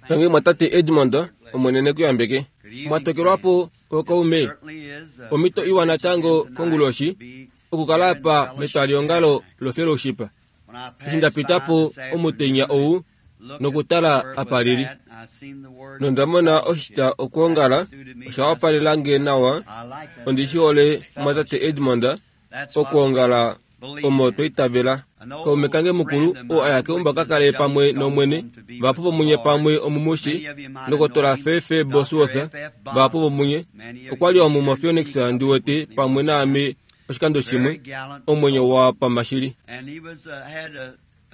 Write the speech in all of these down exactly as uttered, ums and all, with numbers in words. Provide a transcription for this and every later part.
Tangi mwatate Edmond, Omwene ne ku yambeke. Mwatokelwapo ookaume. Omhito iwa natango konguloshi okukala apa metwaliongalo lofellowship. Eshi nda pita po omutenya ou nokutala apa lili, nonda mona oshitya okwoongala osha wapalela nge nawa. Ondi shi hole mwatate Edmond, okwoongala omo twa itavela. Kaume kange mukulu oo a ya keumbo a ka kale pamwe nOmwene, vahapu vomunye pamwe omumushi, Ndokotola F F Bosworth, vahapu vomunye okwa li omu moPhoenix ndi wete pamwe naame oshikando shimwe, omwenyo wa pama shili.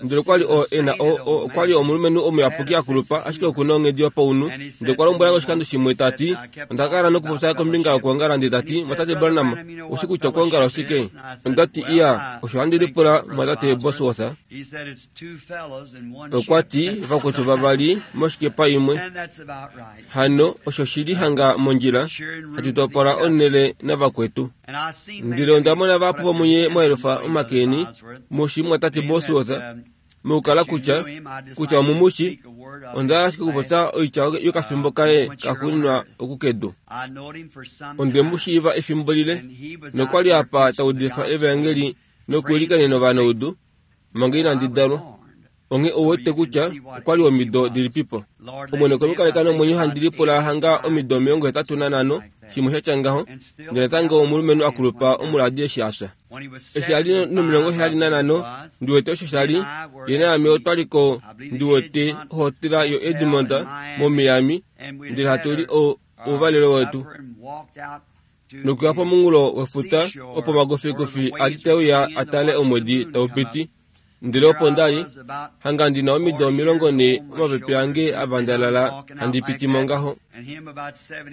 Ndele okwa li o e na o, o, okwa li omulumenhu omuyapuki a kulupa, ashike oku na onghedi yopaunhu. Ndele okwa lombwela nge oshikando shimwe ta ti, onda kala nokupopya kombinga yokwoongala ndele ta ti, Mwatate Branham, oushi kutya okwoongala oshike? Onda ti, Iya, osho handi lipula Mwatate Bosworth. Okwa ti, vakwetu vavali moshikepa imwe. Hano osho shi li hanga mondjila, hatu topola onhele navakwetu. Ndele onda mona vahapu vomunye mwa yelufa omake eni, mushi Mwatate Bosworth, mokukala kutya, kutya omumushi. Onda hala ashike okupopya oitya yokafimbo kaye kaxuuninwa oku kedu. Onde mu shiiva efimbo lile, nokwa li apa ta udifa evaengeli nokuilikanena ovanaudu manga inandi dalwa. Onghee ou wete kutya okwa li omido dilipipo. Omwene okwe mu kaleka nomwenyo handi lipula hanga omido omilongo hetatu nanhano, shimwe sha tya ngaho, ndele natango omulumenhu a kulupa omuladi eshi a fya. Eshi a li nomilongo heyali nanhano, ndi wete osho sha li, ye naame otwa li ko ndi wete ohotela yoEdmond moMiami, ndele hatu li ouvalelo wetu. Nokuya pomunghulo wefuta opo omakufikufi a li te uya a tale omwedi tau piti. Ndele opo nda li hanga ndi na omido omilongo nhee omapepe ange a vandalala handi piti mo ngaho.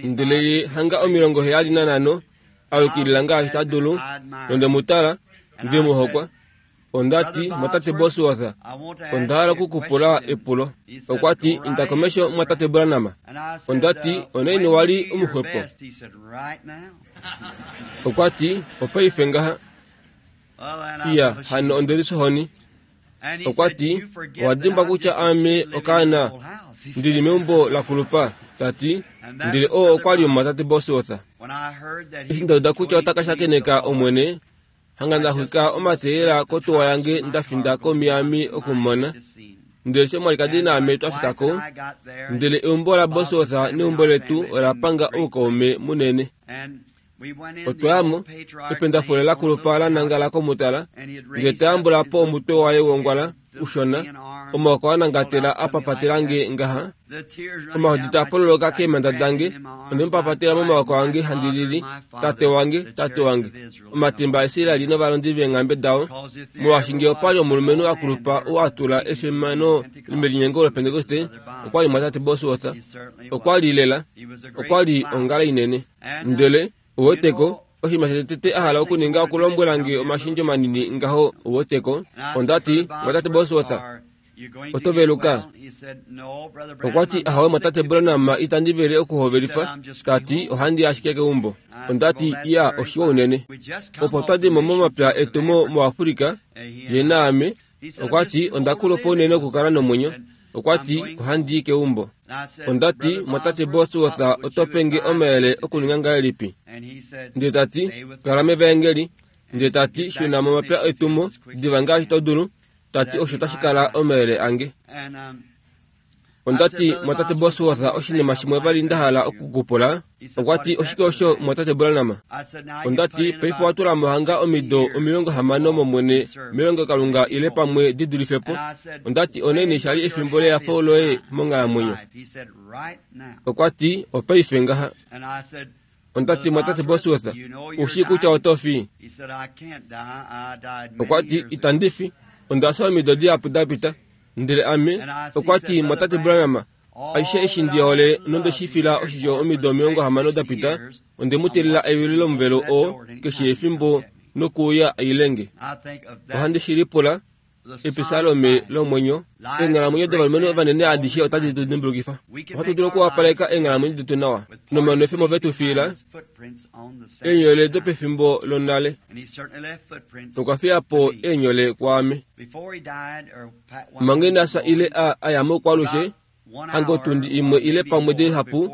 Ndele ye hanga omilongo heyali nanhano a yukilila ngaashi ta dulu, nonde mu tala, nde mu hokwa. Onda ti, Mwatate Bosworth, onda hala oku ku pula epulo. Okwa ti, Inda komesho, Mwatate Branham. Onda ti, Onaini wa li omuxwepo? Okwa ti, Opaife ngaha. Iya, hano onde lisohoni. Okwa ti, Owa dimbwa kutya aame okaana ndi li meumbo la kulupa, ta ti, ndele oo okwa li omumwatate Bosworth. Eshi nda uda kutya ota ka shakeneka Omwene, hanga nda xwika omateyela kotuwa yange nda finda koMiami oku mu mona. Ndele eshi omwalikadi naame twa fika ko, ndele eumbo laBosworth neumbo letu ola panga oukaume munene. Otwa ya mo, ependafule la kulupa la nangala komutala, ndele ta yambula po omutwe waye wongwala ushona, omaoko a nangatela a papatela nge ngaha, omahodi taa pololoka keemhanda dange, onde mu papatela momaoko ange handi lili, Tate wange, tate wange, omatemba aIsrael novalondi veenghambe dao, molwaashi nge opa li omulumenhu a kulupa ou a tula efimano melinyengo lOpentekoste, okwa li mwatate Bosworth, okwa li lela, okwa li ongala inene. Ndele, ouweteko, oshinima shotete a hala okuninga okulombwela nge omashendjo manini ngaho, ouweteko. Onda ti, Mwatate Bosworth, oto veluka? Okwa ti, Ahowe, Mwatate Branham, itandi vele okuhovelifa. Ta ti, Ohandi i ashike keumbo. Onda ti, Iya, oshiwa unene. Opo twa di mo momapya etu mo, moAfrika, ye naame. Okwa ti, Onda kulupa unene okukala nomwenyo. Okwa ti, Ohandi i keumbo. Onda ti, Mwatate Bosworth, oto pe nge omayele okuninga ngahelipi? Ndele ta ti, Kala mevaengeli. Ndele ta ti, Shuna momapya etumo diva ngaashi to dulu. Ta ti, Osho tashi kala omayele ange. Onda ti, Mwatate Bosworth, oshinima shimwe vali nda hala oku ku pula. Okwa ti, Oshike osho, Mwatate Branham? Onda ti, Paife owa tula mo hanga omido omilongo hamano mOmwene melongelokalunga ile pamwe di dulife po. Onda ti, Onaini sha li efimbo lehafo loye monghalamwenyo? Okwa ti, Opaife ngaha. Onda ti, Mwatate Bosworth, u shii kutya oto fi? Okwa ti, Itandi fi. Onda fya omido dihapu da pita. Ndele ame, okwa ti, Mwatate Branham, aishe eshi ndi hole nonde shi fila oshisho omido omilongo hamano da pita, onde mu tilila eyulu lomuvelo oo keshe efimbo nokuuya a ilenge. Ohandi shi lipula, Episalome lomwenyo, eenghalamwenyo dovalumenhu ovanene adishe otadi tu dimbulukifa. Ohatu dulu okuwapaleka eenghalamwenyo detu nawa nomanwefemo ve tu fiila eenyole dopefimbo lonale. Nokwa fiya po eenyole kwaame. Manga ina fya ile a, a ya moukwalushe, Hanga otundi imwe ile pamwe dihapu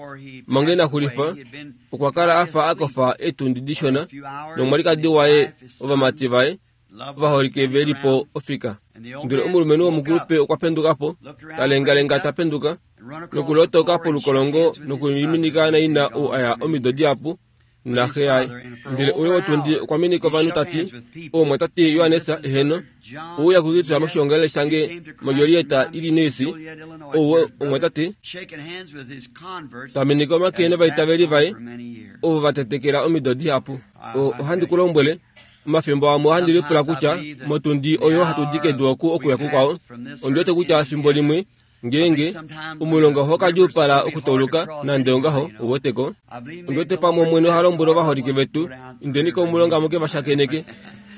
manga ina xulifa, okwa kala a fa a kofa eetundi dishona nomwalikadi waye, ovamati vaye ovaholike ve li po ofika. Ndele omulumenhu womukulupe okwa penduka po, ta lengalenga ta penduka, nokulotoka polukolongo nokuliminika naina ou aya omido dihapu naxe yaye. Ndele oule wotundi okwa minika ovanhu ta ti, "Omumwatate Johannes, eheno, ouya kukitwa moshiongalele shange moJoliet, Illinois, ou omumwatate ta minika omake novaitaveli vaye ovo va tetekela omido dihapu." Ohandi ku lombwele, omafimbo amwe ohandi lipula kutya motundi oyo hatu di kedu oku okuya kukwao, ondi wete kutya efimbo limwe ngeenge omulonga oho ka djuupala okutauluka nande ongaho ouweteko. Ondi wete pamwe Omwene oha lombwele ovaholike vetu, indeni komulonga muke va shakeneke.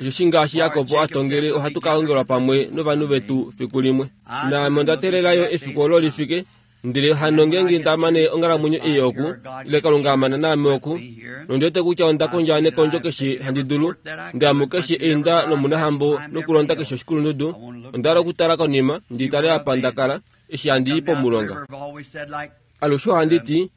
Osheshi ngaashi Jakob a tongele ohatu ka ongelwa pamwe novanhu vetu fiku limwe. Naame onda teelela yo efiku olo li fike, ndele hano ngeenge nda mane onghalamwenyo ei oku, ile Kalunga a mana naame oku, nondi wete kutya onda kondja nekondjo keshe handi dulu, ndamu keshe einda lomunahambo nokulonda keshe oshikulundudu, onda hala okutala konima ndi tale apa nda kala eshi handi i pomulonga. Alushe ohandi ti,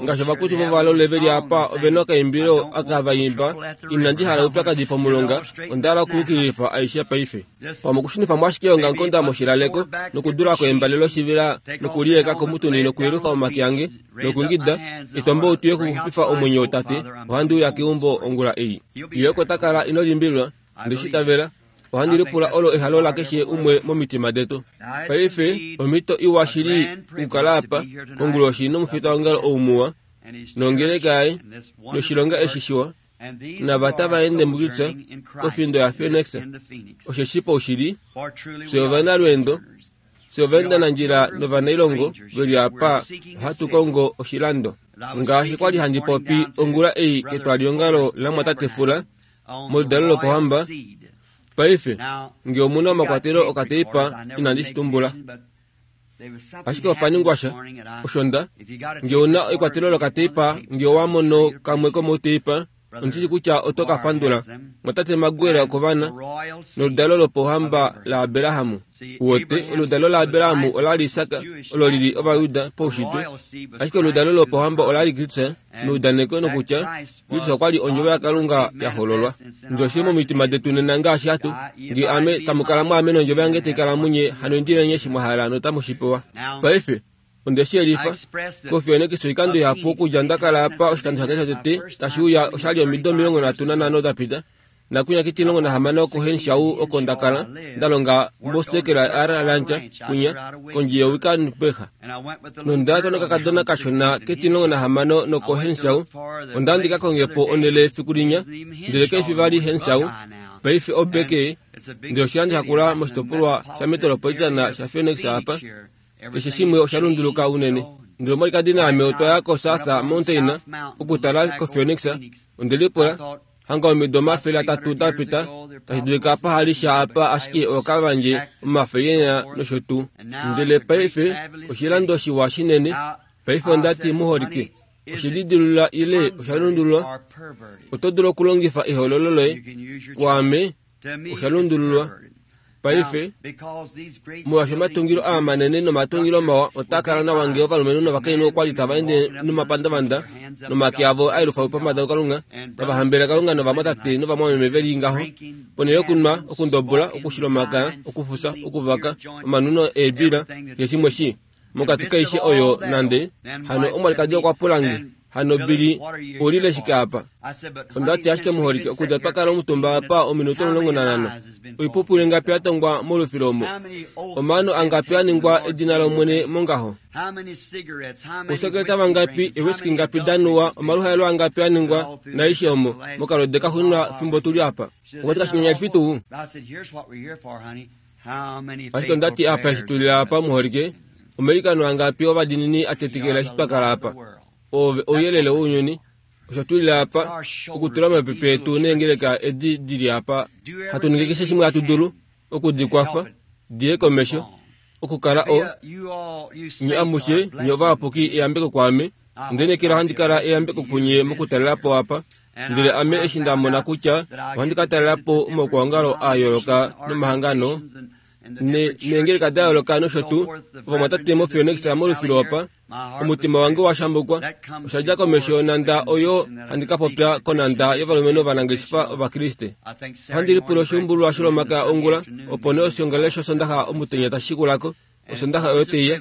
ngaashi ovakutu vovalole ve li apa ove na okaimbilo aka hava imba, inandi hala oupyakadi pomulonga, onda hala okuyukililifa aishe paife. Pamwe okushunifa mo ashike eongamukonda moshilaleko, nokudula ko embale loshivela, nokuliyeka komutuni nokuyelufa omake ange, nokungida, etombo utuye okuxupifa omwenyo tate, ohandi uya keumbo ongula ei. Ye oko ta kala ino limbililwa, ndeshi itavela. Ohandi lipula olo ehalo lakeshe umwe momitima detu. Paife omhito iwa shili okukala apa konguloshi nomufitaongalo ou muwa, nongeleka yaye, noshilonga eshi shiwa, nava tava ende mukitya kofindo yaPhoenix, osheshi paushili fye ovanalweendo, fye ovaendanandjila novanailongo ve li apa, ohatu kongo oshilando. Ngaashi kwa li handi popi ongula ei ketwaliongalo lamwatate Fula moludalo lopohamba, paife nge omuna omakwatelo okateipa inandi shi tumbula. Ashike opa ningwa sha, osho nda, nge una ekwatelo lokateipa, nge owa mono kamwe komouteipa, ondishi kutya oto ka pandula. Mwatate Maguire okovana noludalo lopohamba laAbraham. Uwete, oludalo laAbraham ola li Isak, olo lili Ovayuda paushitwe, ashike oludalo lopohamba ola li Kristus neudaneko nokutya Kristus okwa li ondjovo yaKalunga ya hololwa. Ndele oshili momitima detu nena ngaashi hatu, nge ame tamu kala mwaame nondjovo yange tai kala munye, hano indilenye eshi mwa hala notamu shi pewa. Paife onde shi yelifa koFoenix oikando ihapu okudja nda kala apa oshikando shange shotete tashi uya oshali omido omilongo nhatu nanhano da pita. Nakunya ketilongo nahamano oko Henshaw oko nda kala nda longa mosekela R Rancher kunya kondje yoWikanberg. Nonda ya nokakadona kashona ketilongo nahamano noko Henshaw, onda ndi ka konge po onhele efiku linya, ndele kaifi vali Henshaw, paife obeke, ndele oshilando shakula moshitopolwa shametropolitana shaPhoenix apa. Keshe shimwe osha lunduluka unene. Ndele omwalikadi naame otwa ya koSouth Mountain okutala koPhoenix, onde lipula, hanga omido omafele atatu da pita, tashi dulika pa hali sha apa ashike okavandje omafele nosho tuu. Ndele paife oshilando shiwa shinene, paife onda ti muholike, oshididilula ile osha lundululwa, oto dulu okulongifa ehololo loye, kwaame osha lundululwa. Paife molwaashi omatungilo aa manene nomatungilo mawa otaa kala nawa nge ovalumenhu novakainhu okwa li tava ende nomapandavanda nomake avo a yelufa pombada kuKalunga, tava hambelele Kalunga novamwatate novamwameme ve li ngaho, ponhele yokunwa, okundobola, okushila omakaya, okufusa, okuvaka, omanuno eebila, keshe shimwe shi mokati kaishe oyo nande. Hano omwalikadi okwa pula nge, hano Billy, oulile shike apa? Onda ti ashike muholike, okudja twa kala omutumba apa ominute omulongo nanhano, oipupulu ingapi ya tongwa molufilo omo, omaano angapi a ningwa edina lOmwene mongaho, ousekeleta vangapi, eewiski ngapi da nuwa, omaluhaelo angapi a ningwa naaishe omo mokalode kaxuuninwa fimbo tuli apa. Okwa ti kashinyanyalifi tuu? Ashike onda ti apa eshi tuli apa muholike, omailikano angapi ovadiinini a tetekela eshi twa kala apa. Oove ouyelele wounyuni, osho tulile apa okutula omapepe etu neengeleka edi di li apa, hatu ningi keshe shimwe hatu dulu okudikwafa diye komesho, okukala o nye amushe nye ovayapuki eyambeko kwaame, onde handi kala eyambeko kunye mokutalela po apa. Ndele ame eshi nda mona kutya ohandi ka talela po omaukwaongalo a yooloka nomahangano Neengeleka da yooloka nosho tuu ovamwatate moPhoenix molufilo opa, omutima wange wa shambukwa. Osha dja komesho yonhanda oyo handi ka popya konhanda yovalumenhu ovanangeshefa Ovakriste. Ohandi lipula oshuumbululwa sholomakaya ongula, opo nee oshiongalele shOsondaxa omutenya tashi shikulako. Osondaxa oyo teiya.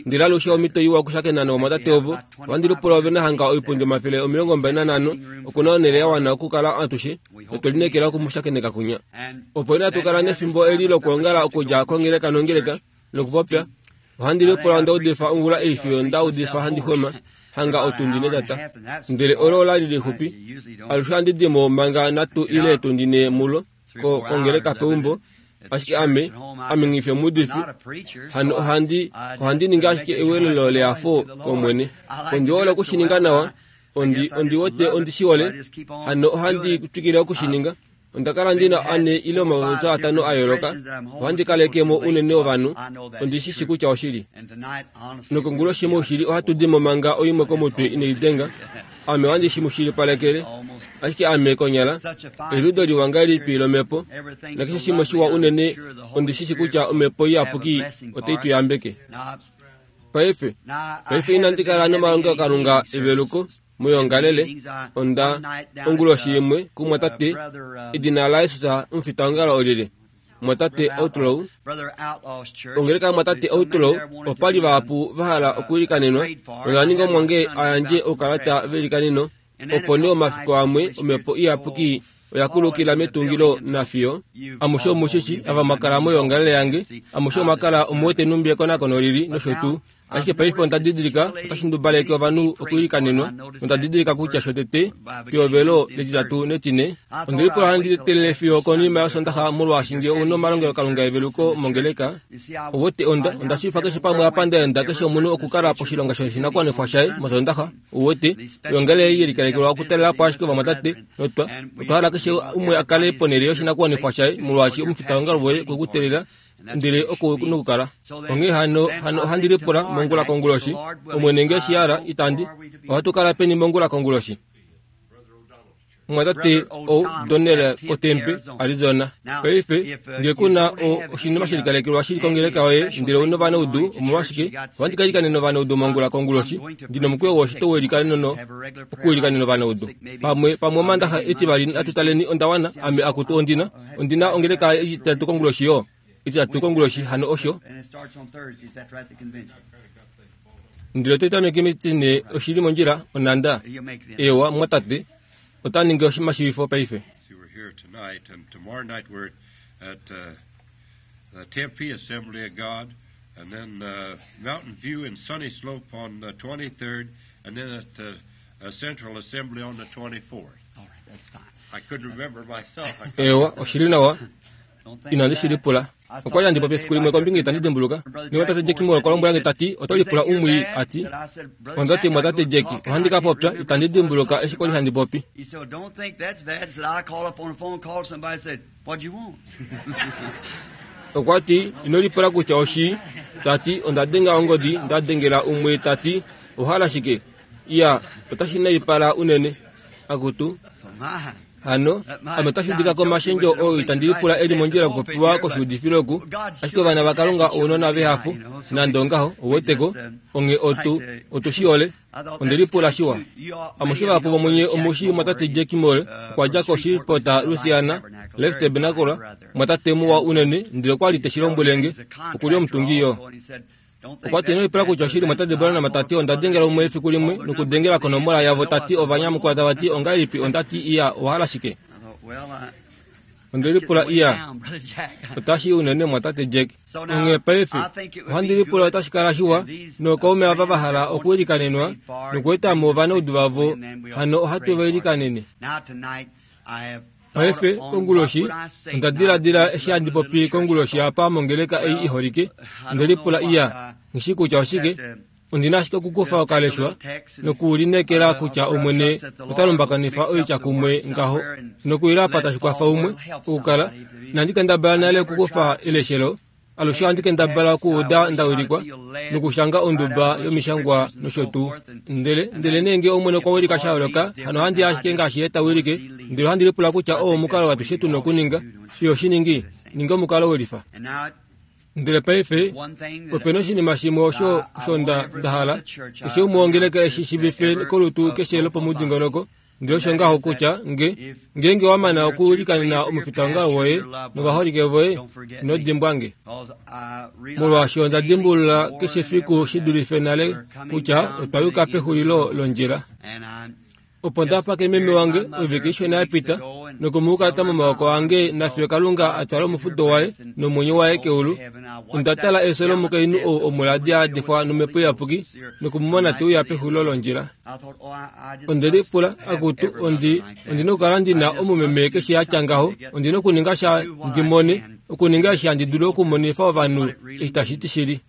Ndele alushe omhito iwa okushakena novamwatate ovo. Ohandi lipula ove na hanga oipundi omafele omilongo mbali nanhano, okuna onhele ya wana okukala atushe, notwe lineekela okumushakeneka kunya. Opo inatu kala nefimbo eli lokwoongala okudja kongeleka nongeleka nokupopya. Ohandi lipula onda udifa ongula ei fiyo nda udifa handi xwema hanga otundi netata. Ndele olo ola li lixupi. Alushe ohandi di mo manga nhatu ile etundi ne mulo kongeleka peumbo. Ashike ame, ame nghi omuudifi, hano ohandi, ohandi ningi ashike ewelelo lehafo kOmwene. Ondi hole okushininga nawa, ondi, ondi wete ondi shi hole, hano ohandi twikile okushininga. Onda kala ndina ane ile omapopyo atano a yooloka, ohandi kaleke mo unene ovanhu, ondi shi shi kutya oshili. Nokonguloshi moushili ohatu di mo manga oimwe komutwe inai denga, ame ohandi shi mu shilipalekele. Ashike ame konyala, eliudo liwa ngahelipi lomhepo, nakeshe shimwe shiwa unene, ondi shi shi kutya omhepo iyapuki otai tu yambeke. Paife, paife inandi kala nomalongelokalunga eveluko moyoongalele, onda onguloshi imwe kumwatate, edina laJesus omufitaongalo olile, mwatate Outlaw. Ongeleka mwatate Outlaw, opa li vahapu va hala okuilikanenwa, nonda ninga omwange a yandje oukalata velikaneno, opo nee omafiku amwe omhepo iyapuki oya kulukila metungilo nafiyo. Amushe omushishi ava mwakala moyoongalele yange, amushe omwakala omuwete numbi ekonakono lili nosho tuu. Ashike paife onda didilika otashi ndubaleke ovanhu okuilikanenwa, nonda didilika kutya shotete pehovelo letitatu netine, onde lipula handi telele fiyo konima yOsondaxa molwaashi nge ouna omalongelokalunga eveluko mongeleka. Owete onda onda shiifa keshe pamwe apa ndaenda keshe omunhu okukala poshilonga shoshinakuwanifwa shaye mOsondaxa. Owete oyoongalele ei yelikalekelwa okutalela po ashike ovamwatate notwa otwa hala keshe umwe a kale ponhele yoshinakuwanifwa shaye molwaashi omufitaongalo woye okwe ku teelela ndele oko nokukala. Onghee hano hano ohandi lipula mongula konguloshi, Omwene nge shi hala itandi, ohatu kala peni mongula konguloshi? Mwatate O'Donnell koTempe, Arizona. Paife, nge ku na oshinima shelikalekelwa shili kongeleka yoye ndele ouna ovanaudu, omolwashike, ohandi ka ilikanena ovanaudu mongula konguloshi, ndi nomukweyo woshito welikaneno okuilikanena ovanaudu. Pamwe, pamwe Omandaxa etivali natu taleni onda wana, ame akutu ondina, ondina ongeleka etitatu konguloshi yo. Etitatu konguloshi hano osho. Ndele otai tameke metine oshili mondjila onhanda. Eewa mwatate, ota ningi oshimashiwifo paife. We're here tonight, and tomorrow night we're at uh, the Tempe Assembly of God, and then uh, Mountain View and Sunny Slope on the twenty-third, and then at the uh, Central Assembly on the twenty-fourth. All right, that's fine. I couldn't remember myself. I Eewa, oshili nawa, Don't think inandi that. shi lipula. Okwa li handi popi efiku limwe kombinga itandi dimbuluka. Nemwatate Jack Moore okwa lombwela nge tati, oto lipula umwii ati, onda ti mwatate Jack, ohandi ka popya, itandi dimbuluka eshi kwali handi popi. He said, don't think that's bad. He said, I called up on the phone, called somebody, said, what'd you want? Okwa ti, ino lipula kutya oshi, tati, onda denga ongodi, nda dengela umwe tati, ohala shike? Iya, otashi naipala unene. Akutu. So my. Hano, ame otashi udika komashendjo oo itandi lipula eli mondjila okupopiwa koshiudifilo oku, ashike ovana vaKalunga ounona vehafu, nande ongaho, oweteko, onge otu, otu shi hole, onde lipula shiwa. Amushe vahapu vomunye omushi mwatate Jack Moore, okwa dja koShreveport, Louisiana, Left Tabernacle, mwatate muwa unene, ndele okwa li te shi lombwele nge, okuli omutungi yo. Okwa ti ino lipula kutya oshili mwatate Branham tati onda dengela umwe efiku limwe nokudengela konomola yavo tati ovanyamukula tava ti ongahelipi onda ti iya owahala shike. Onde lipula iya otashi unene mwatate Jack. Onghee paife ohandi lipula otashi kala shiwa nookaume ava va hala okuilikanenwa nokueta mo ovanaudu vavo hano ohatu va ilikanene. Paife konguloshi onda diladila eshi handi popi konguloshi apa mongeleka ei iholike, onde lipula iya nghishi kutya oshike, ondina ashike okukufa okaleshwa nokulinekela kutya Omwene ota lumbakanifa oitya kumwe ngaho nokuila apa tashi kwafa umwe okukala. Inandi kendabala nale okukufa eleshelo, alushe ohandi kendabala okuuda nda wilikwa nokushanga onduba yomishangwa nosho tuu. Ndele, ndele nee nge Omwene okwa wilika sha yooloka, hano ohandi ashike ngaashi ye ta wilike, ndele ohandi lipula kutya oo omukalo atushe tu na okuninga. Iyo shi ningi, ninga omukalo welifa. Ndele paife ope na oshinima shimwe osho osho nda nda hala keshe umwe wongeleka eshi shivife kolutu keshe lopomudingonoko. Ndele osho ngaho kutya nge ngeenge wa mana okulikanena omufitaongalo woye novaholike voye, ino dimbwa nge. Molwaashi onda dimbulula keshe fiku shi dulife nale kutya otwa yuka pexulilo londjila. Opo nda pake meme wange ovike ishona ya pita nokumuukata momaoko ange nafiyo Kalunga a twala omufudo waye nomwenyo waye keulu. Onda tala efyo lomukainhu ou omuladi a adifwa nomhepo iyapuki nokumumona te uya pexulilo londjila. Onde lipula, akutu, ondi ondina okukala ndina omumeme keshe a tya ngaho, ondina okuninga sha ndi mone, okuninga eshi handi dulu okumonifa ovanhu eshi tashi ti shili.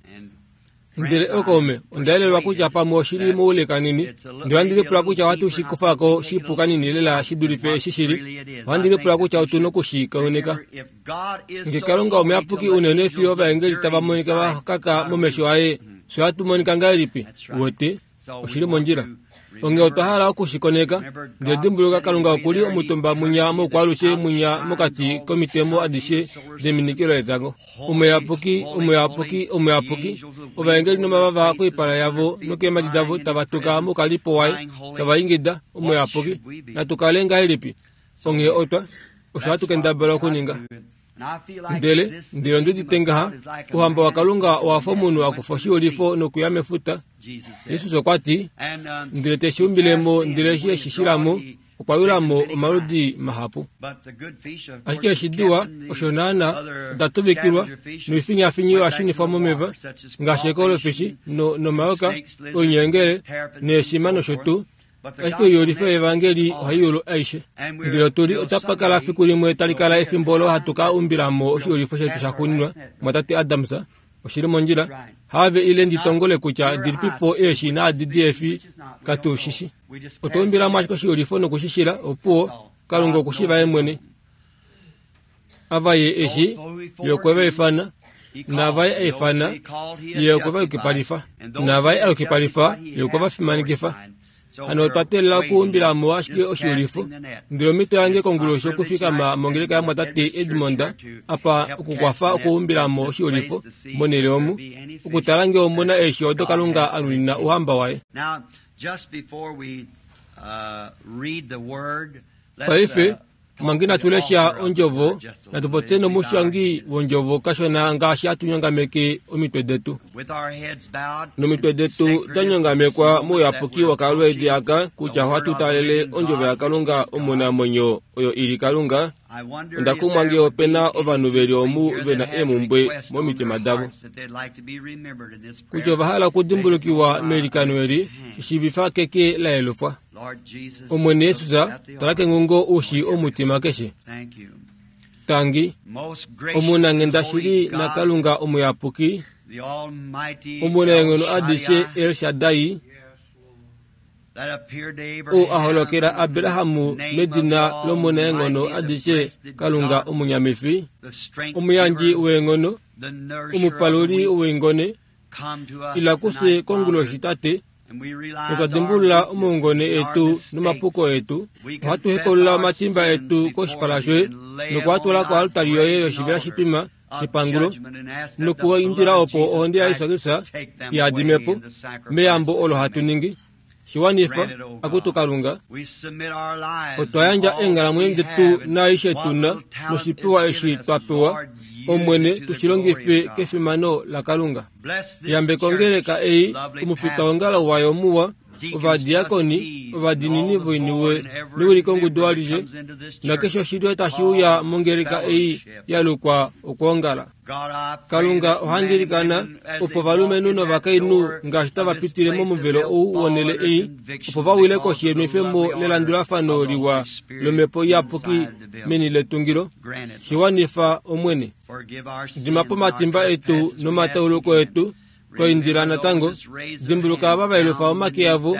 Ndele okaume, onda yelelwa kutya pamwe oshili moule kanini. Ndele ohandi lipula kutya ohatu shi kufa ko shipu kanini lela shi dulife eshi shili. Ohandi lipula kutya otu noku shi koneka. Nge Kalunga omuyapuki unene fiyo ovaengeli tava monika va kaka momesho aye, fye ohatu monika ngahelipi? Wete, oshili mondjila. Onghee otwa hala oku shi koneka. Ndele dimbuluka, Kalunga okuli omutumba munya moukwalushe munya mokati komitemo adishe deminikilo letango. Omuyapuki, omuyapuki, omuyapuki. Ovaengeli nomavava koipala yavo nokeemhadi davo tava tuka moukalipo waye, tava ingida, omuyapuki. Natu kale ngahelipi? Onghee otwa, osho hatu kendabala okuninga. Ndele, ndele ondi udite ngaha, ouhamba waKalunga owa fa omunhu a kufa oshiulifo nokuya mefuta. Jesus okwa ti, ndele te shi umbilemo, ndele eshi e shi shilamo, okwa yulamo omaludi mahapu. Ashike eshi diwa, osho naana, oda tuvikilwa, noifinyafinyi oya shunifwa momeva, ngaashi ekolofishi, no, nomayoka, oinyengele, neeshima nosho tuu. Ashike oiyulifo yevangeli ohai yulu aishe. Ndele otuli otapa kala fiku limwe tali kala efimbo olo hatu ka umbilamo oshiulifo shetu shaxuuninwa, mwatate Adams, oshili mondjila. Have ile ndi tongole kutya dilipipo eeshi naadi diefi katu shishi. Otwa umbilamo ashike oshiulifo nokushishila, opuwo, Kalunga okushiva ye mwene. Ava ye eshi, ye okwe va ifana, naava ye a ifana, ye okwe va yukipalifa, naava ye a yukipalifa, ye okwe va fimanekifa. Hano otwa teelela okuumbilamo ashike oshiulifo. Ndele omhito yange konguloshi okufikama mongeleka yamwatate Edmond apa okukwafa okuumbilamo oshiulifo monhele omu, okutala ngee omuna eeshi odo Kalunga a nunina ouhamba waye. Paife, manga inatu lesha ondjovo, natu popye nomushangi wondjovo kashona ngaashi hatu nyongameke omitwe detu. Nomitwe detu da nyongamekwa mouyapuki wakalweedi aka kutya ohatu talele ondjovo yaKalunga omunamwenyo oyo ili Kalunga. Onda kumwa ngee ope na ovanhu veli omu ve na eemumbwe momitima davo, kutya ova hala okudimbulukiwa meilikano eli, shishiivifa keke la yelufwa. Omwene Jesus, tala kengungo ushi omutima keshe. Tangi, omunanghenda shili naKalunga omuyapuki, omunaenghono adishe El Shaddai, ou a holokela Abrahamu medina lomunaenghono adishe Kalunga omunyamifi, omuyandji weenghono, omupaluli weingone, ila kufye konguloshi Tate, notwa dimbulula omaungone etu nomapuko etu. Ohatu hepaulula omatimba etu koshipala shoye nokuatula koaltari yoye yoshivela shitwima shepangulo, nokuindila opo ohonde yaJesus Kristus ihadimepo meyambo olo hatu ningi. Shiwanifa, akutu Kalunga, otwa yandja eenghalamwenyo detu naaishe tuna noshipewa eshi twa pewa, Omwene, tushi longife kefimano laKalunga. Yambeka ongeleka ei, omufitaongalo wayo muwa, ovadiakoni, ovadiinini voiniwe newilikongudu alishe, nakeshe oshilyo tashi uya mongeleka ei ya lukwa okwoongala. Kalunga ohandi ilikana opo ovalumenhu novakainhu ngaashi tava pitile momuvelo ou wonhele ei, opo va wile koshi yenwefemo lelandulafano liwa lomhepo iyapuki meni letungilo. Shiwanifa, Omwene. Dima po omatimba etu nomatauluko etu, twa indila natango. Dimbuluka ava va yelufa omake avo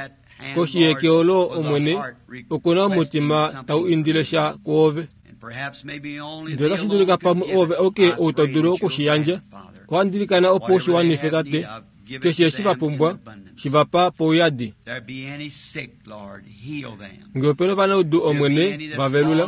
koshi yeke olo, Omwene, okuna omutima tau indile sha kwoove. Ndele otashi dulika pamwe oove auke ou to dulu oku shi yandja. Ohandi ilikana opo u shi wanife, Tate. Keshe eshi va pumbwa, shi va pa pouyadi. Ngee ope na ovanaudu, Omwene, va velula.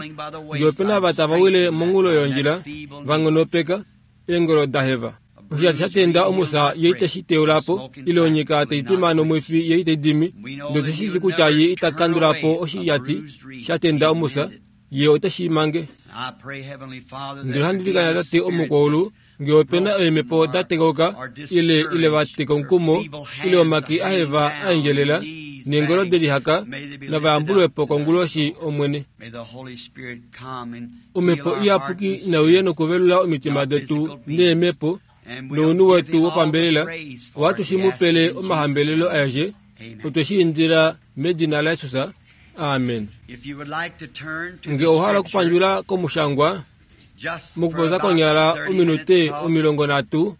Ngee ope na ava tava wile monghulo yondjila, va nghonopeka, eengolo da heva. Oshiyati sha tenda omusa ye iteshi teulapo, ile onyika tai twima nomwifi ye itai dimi. Ndele otu shi shii kutya ye ita kandula po oshiyati sha tenda omusa, ye oteshi mange. Ndele ohandi ilikana Tate omukwaulu, ngee ope na eemhepo da tekauka, ile ile va teka omukumo, ile omake aheva a endjelela, neengolo de lihaka, nava yambulwe po konguloshi Omwene. Omhepo Iyapuki nai uye nokuvelula omitima detu neemhepo, nounhu wetu wopambelela, ohatu shi mu pele omahambelelo aeshe, otwe shi indila medina laJesus. Amen. Nge owa hala okupandjula komushangwa, mokupopya konyala ominute omilongo nhatu,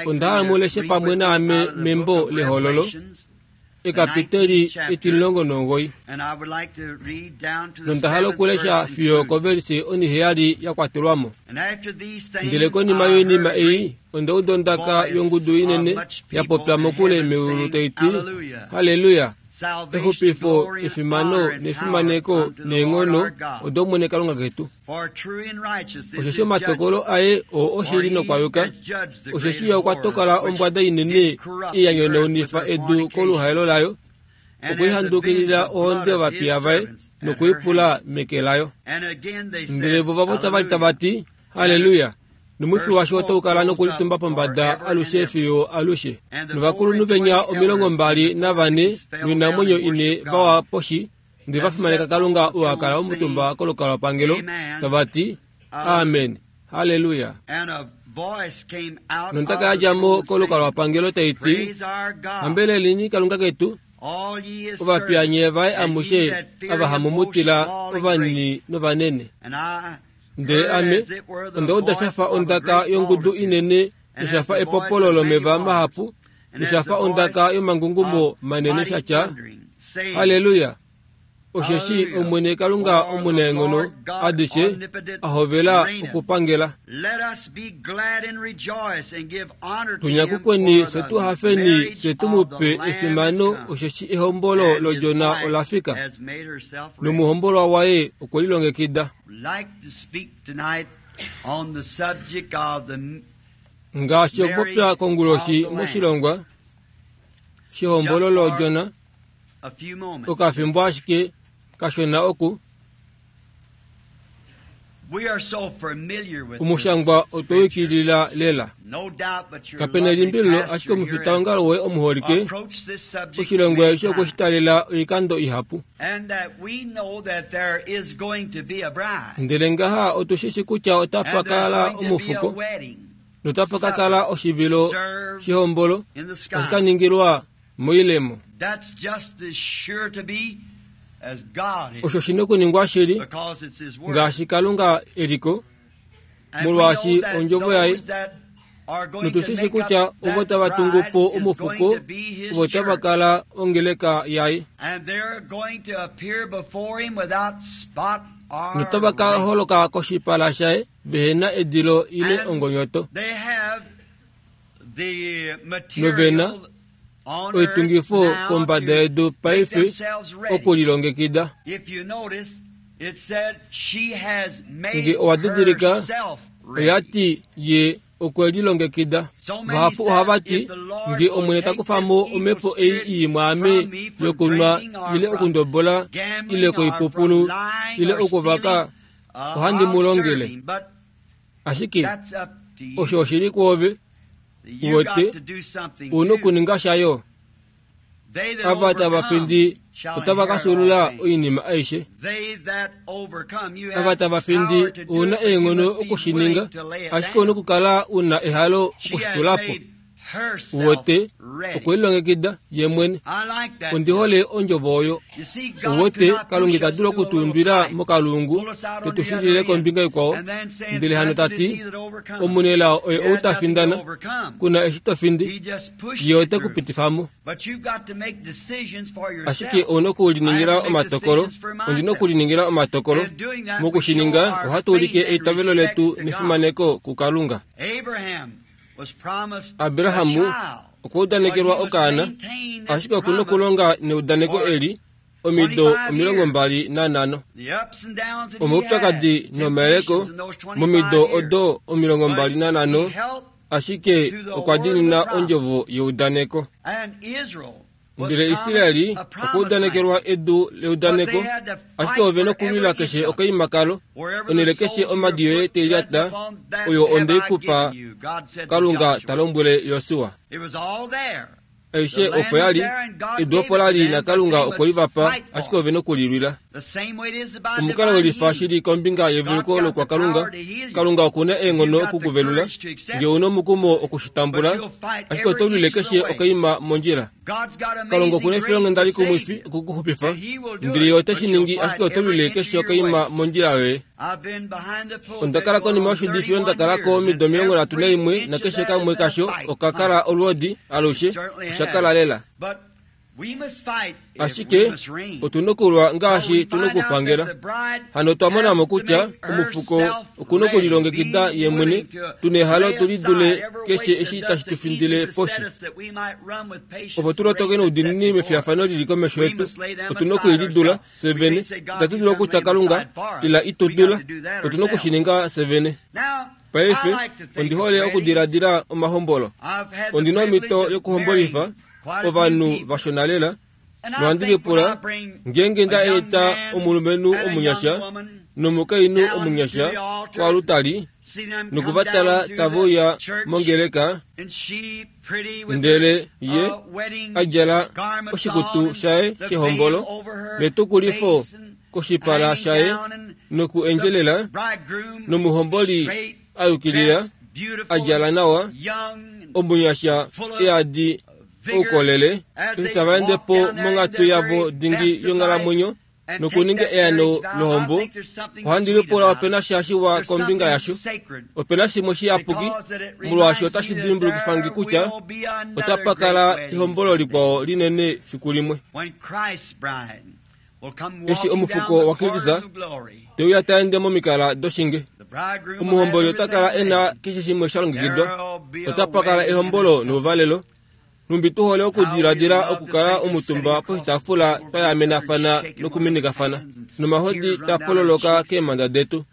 onda hala mu leshe pamwe naame membo lEhololo, ekapiteli etimulongo nomugoyi. Nonda hala okulesha fiyo kovelise oniheyali ya kwatelwa mo. Ndele konima yoinima ei, onda uda ondaka yongudu inene ya popya mokule meulu tai ti, Halleluya! Exupifo, efimano nefimaneko neenghono odOmwene Kalunga ketu. Osheshi omatokolo aye oo oshili nokwa yuka, osheshi ye okwa tokola ombwada inene ei ya nyonaunifa edu koluhaelo layo, okwe i handukilila ohonde yovapiya vaye nokuipula meke layo. Ndele vo va popya vali tava ti, Halleluya! Nomwifi washo otau kala nokulitumba pombada alushe fiyo alushe. Novakulunhu venya omilongo mbali navane noinamwenyo ine vawa poshi, ndele va fimaneka Kalunga ou a kala omutumba kolukalwapangelo, tava ti, Amen, Halleluya! Nondaka ya dja mo kolukalwapangelo tai ti, Hambeleleni Kalunga ketu, ovapiya nye vaye amushe ava hamu mu tila, ovanini novanene. Ndele ame onda uda sha fa ondaka yongudu inene nosha fa epopolo lomeva mahapu nosha fa ondaka yomangungumo manene sha tya, Halleluya! Osheshi Omwene Kalunga omunaenghono adishe a hovela okupangela. Tunyakukweni fye tu hafeni fye tu mu pe efimano, osheshi ehombolo lOdjona ola fika, nomuhombolwa waye okwe lilongekida. Ngaashi okupopya konguloshi moshilongwa shehombolo lOdjona, okafimbo ashike kashona oku omushangwa otwe wikilila lela. Kapena elimbililo ashike omufitaongalo woye omuholike, oshilongwa eshi okwe shi talela oikando ihapu. Ndele ngaha otu shi shi kutya otapa kala omufuko, notapa ka kala oshivilo shehombolo, tashi ka ningilwa moilemo. Osho shi nokuningwa shili, ngaashi Kalunga eliko, molwaashi ondjovo yaye. Notu shi shi kutya ovo tava tungu po omufuko, ovo tava kala ongeleka yaye. Notava ka holoka koshipala shaye vehena edilo ile ongonyoto. Novena oitungifo kombada yedu paife okulilongekida. Nge owa didilika, oya ti ye okwe lilongekida. Vahapu ohava ti, nge Omwene ta kufa mo omhepo ei ii mwaame yokunwa ile okundobola ile koipupulu ile okuvaka, ohandi mu longele. Ashike osho oshili kwoove, uwete, u nokuninga shayo. Ava tava findi otava ka fyuulula oinima aishe. Ava tava findi u na eenghono okushininga, ashike u nokukala u na ehalo okushitula po. Uwete, okwe lilongekida ye mwene. Ondi hole ondjovo oyo. Uwete, Kalunga ita dulu okutuundwila mokalungu te tu shilile kombinga ikwao, ndele hano ta ti, omunelao oye ou ta findana, kuna eshi to findi, ye ote ku pitifa mo. Ashike ou nokuliningila omatokolo, ondi nokuliningila omatokolo. Mokushininga, ohatu ulike eitavelo letu nefimaneko kuKalunga. Abrahamu okwa udanekelwa okaana, ashike oku nokulonga neudaneko eli omido omilongo mbali nanhano. Omaupyakadi nomayeleko momido odo omilongo mbali nanhano, Ashike okwa diinina ondjovo yeudaneko. Ndele Israeli okwa udanekelwa edu leudaneko, ashike ove nokulwila keshe okaimakalo, onhele keshe omadi yoye te lyata, oyo onde i kupa, Kalunga ta lombwele Josua. Aishe opo yali, edu opo lali naKalunga okwe li va pa, ashike ove nokulilwila. Omukalo welifa shili kombinga yeveluko lokwaKalunga, Kalunga okuna eenghono okukuvelula, ngee una omukumo okushitambula, ashike oto lwile keshe okaima mondjila. Kalunga okuna efilonghenda likumwifi okukuxupifa, ndele ye ote shi ningi, ashike oto lwile keshe okaima mondjila yoye. Onda kala konima yoshidifi onda kala ko omido omilongo nhatu naimwe nakeshe kamwe kasho oka kala olwoodi alushe, osha kala lela. Ashike otuna okulwa ngaashi tuna okupangela. Hano otwa mona mo kutya omufuko okuna okulilongekida ye mwene, tuna ehalo tulidule keshe eshi tashi tu findile poshi. Opo tu lotoke noudiinini mefiyafano lili komesho yetu, otuna okulidula fye vene. Itatu dulu okutya Kalunga ila itu dula, otuna okushininga fye vene. Paife ondi hole okudiladila omahombolo. Ondina omhito yokuhombolifa ovanhu vashona lela, nohandi lipula ngeenge nda eta omulumenhu omunyasha nomukainhu omunyasha koalutali nokuvatala tava uya mongeleka, ndele ye a djala oshikutu shaye shehombolo netukulifo koshipala shaye noku endjelela, nomuhomboli a yukilila a djala nawa, omunyasha eadi oukolele, eshi tava ende po monghatu yavo dingi yonghalamwenyo nokuninga eano lohombo, ohandi lipula opena sha shiwa kombinga yasho. Opena shimwe shiyapuki, molwaashi otashi dimbulukifa nge kutya otapa kala ehombolo likwao linene fiku limwe. Eshi omufuko waKristus te uya ta ende momikala doshinge, omuhomboli ota kala e na keshe shimwe sha longekidwa. Otapa kala ehombolo nouvalelo. Numbi tu hole okudiladila okukala omutumba poshitaafula twa yamenafana nokuminikafana, nomahodi ta pololoka keemhanda detu,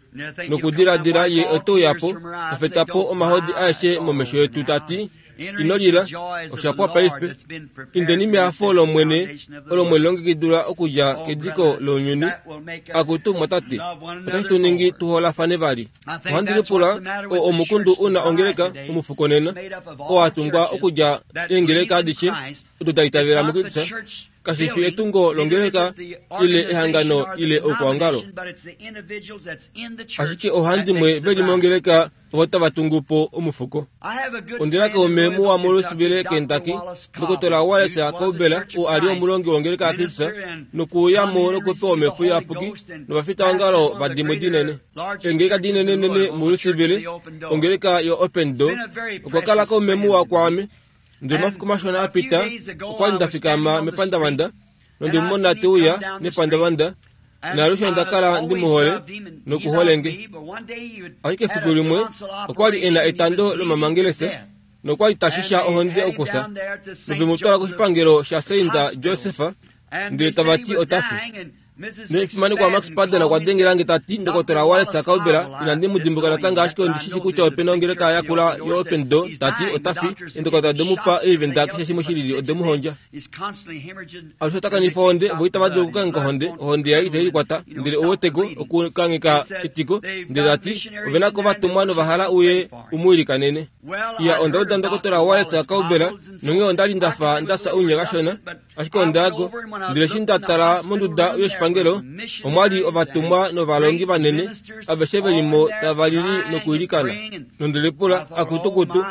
nokudiladila ye ote uya po, ta feta po omahodi aeshe momesho yetu ta ti, ino lila, osha pwa paife. Indeni mehafo lOmwene olo mwe lilongekidilwa okudja kediko lounyuni. Akutu mwatate, otashi tu ningi tu holafane vali. Ohandi lipula oo omukundu una ongeleka omufuko nena, oo a tungwa okudja eengeleka adishe odo da itavela muKristus. Kashi fi etungo longeleka ile ehangano ile oukwaongalo, ashike oohandimwe veli mongeleka ovo tava tungu po omufuko. Ondina kaume muwa muLouisville, Kentucky, Ndokotola Wallace Cauble, oo a li omulongi wongeleka yaKristus, nokuuya mo nokupewa omhepo iyapuki novafitaongalo vadimwe dinene. Eengeleka dinenenene muLouisville, ongeleka yo-Open Door, okwa kala kaume muwa kwaame. Ndele omafiku mashona a pita, okwa li nda fikama mepandavanda, nonde mu mona te uya nepandavanda, naalushe onda kala ndi mu hole nokuhole nge. Ashike efiku limwe okwa li e na etando lomamangelese nokwa li ta shisha ohonde okufya, nove mu twala koshipangelo shaSaint Joseph, ndele tava ti ota fi. Nefimanekwa Max Paden okwa dengela nge ta ti, Ndokotola Wallace Cauble, inandi mu dimbuka natango, ashike ondi shi shi kutya opena ongeleka yakula yo-Open Door, ta ti ota fi. Eendokotola ode mu pa oivenda keshe shimwe shilili ode mu hondja. Alushe ota kanifa ohonde, vo itava dulu okukangheka ohonde, ohonde yaye itai likwata, ndele ouweteko okukangheka etiko, ndele ta ti ove na ko ovatumwa nova hala uye u mu ilikanene. Iya, onda uda Ndokotola Wallace Cauble, nonghee onda li nda fa nda fya ounye kashona, ashike onda ya ko. Ndele eshi nda tala monduda yoshipangelo, omwa li ovatumwa novalongi vanene, aveshe ve li mo tava lili nokuilikana. Nonde lipula, akutukutu,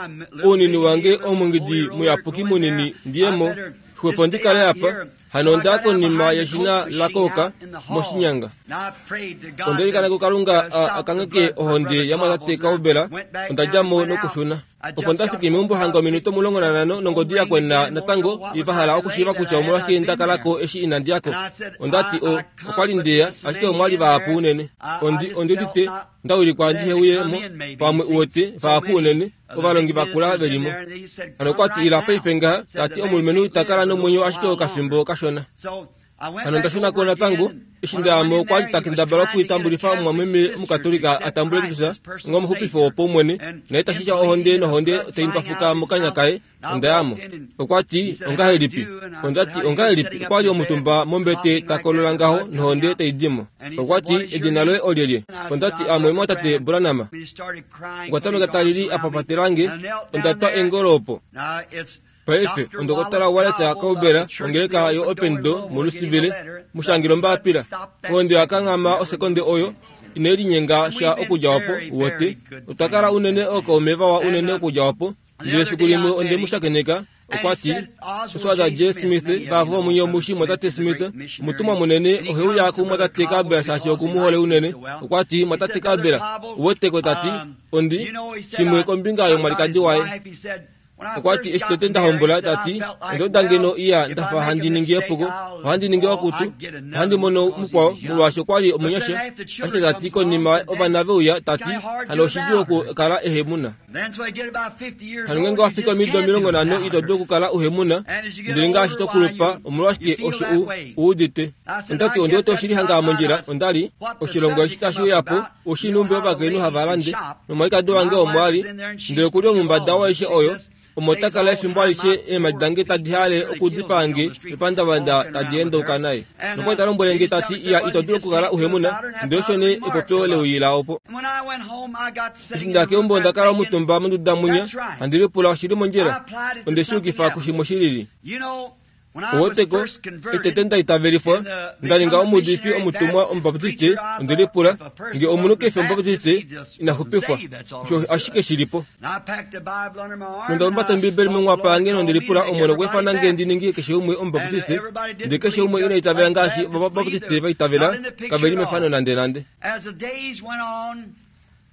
ounini wange omungidi muyapuki munini ndiye mo, xwepo ndi kale apa. Hano onda ya konima yeshina lakooka moshinyanga. Onda ilikana kuKalunga a kangheke ohonde yamwatate Cauble, onda dja mo nokushuna. Opo nda fiki meumbo hanga ominute omulongo nanhano nongodi ya kwena natango, va hala okushiiva kutya omolwashike nda kala ko eshi inandi ya ko. Onda ti o, okwa li ndeya, ashike omwa li vahapu unene. Ondi, ondi udite nda wilikwa ndihe uye mo, pamwe uwete, vahapu unene, ovalongi vakula ve li mo. Hano okwa ti ila paife ngaha, ta ti omulumenhu ta kala nomwenyo ashike okafimbo kashona. Hano onda shuna ko natango eshi ndayamo okwa li ta kendabala okuitambulifa omumwameme omukatolika a tambule Kristus onga omuxupifo wopaumwene, naye tashisha ohonde nohonde tai mbafuka mokanya kaye. Onda yamo. Okwa ti ongahelipi? Onda ti ongahelipi? Okwa li omutumba mombete ta kolola ngaho nohonde tai dimo. Okwa ti edina loye olyelye? Onda ti amwe mwatate Branham. Okwa tameka ta lili a papatelange. Onda twa eengolo opo. Paife ondokotala Wallace Cauble ongeleka yo Open Door muLouisville mushangila ombapila. Ohonde yakanghama osekonde oyo inai linyenga sha okudja opo. Wote otwa kala unene ookaume vawa unene okudja opo. Ndele efiku limwe onde mu shakeneka. Okwa ti Oswald J. Smith vavo omunye omushi mwatate Smith omutumwa munene oheuya kumwatate Kabela shaashi okumuhole unene. Okwa ti mwatate Kabela uweteko tati ondi shimwe kombinga yomwalikadi waye. Okwa ti eshi tete nda hombola tati ondoda ngeno iya ndafa handi ningi epuko, ohandi ningi wakutu, ohandi mono mukwao molwaashi okwa li omunyasha. Ashike tati konima ovana veuya tati hano oshidjuu okukala ehemuna. Hano ngeenge wafika omido omilongo nhano ito dulu okukala uhemuna, ndele ngaashi to kulupa omolwashike osho u uudite. Onda ti ondi wete oshili hanga mondjila. Onda li oshilongo eshi tashi uya po oshinumbi ovakainhu hava lande nomwalikadi wange omo ali, ndele okuli omumbada waishe oyo omo ta kala efimbo alishe eemadi dange tadi hale okudipaange mepandavanda tadi endauka naye. Nokwali ta lombwele nge tati iya ito dulu okukala uhemuna, ndele osho nee epopyo leuyila opo. Eshi nda keumbo onda kala omutumba monduda munya handi lipula oshili mondjila. Onde shi yukifa kushimwe shilili. Uweteko etete nda itavelifwa nda ninga omuudifi omutumwa omubaptiste. Onde lipula nge omunhu kefi omubaptiste ina xupifwa, osho ashike shilipo. Nonda humbata Ombibeli monghwapa yange nonde lipula Omwene okwa ifana nge ndi ninge keshe umwe omubaptiste, ndele keshe umwe ina itavela ngaashi ovabaptiste va itavela, kave li mefano nande nande.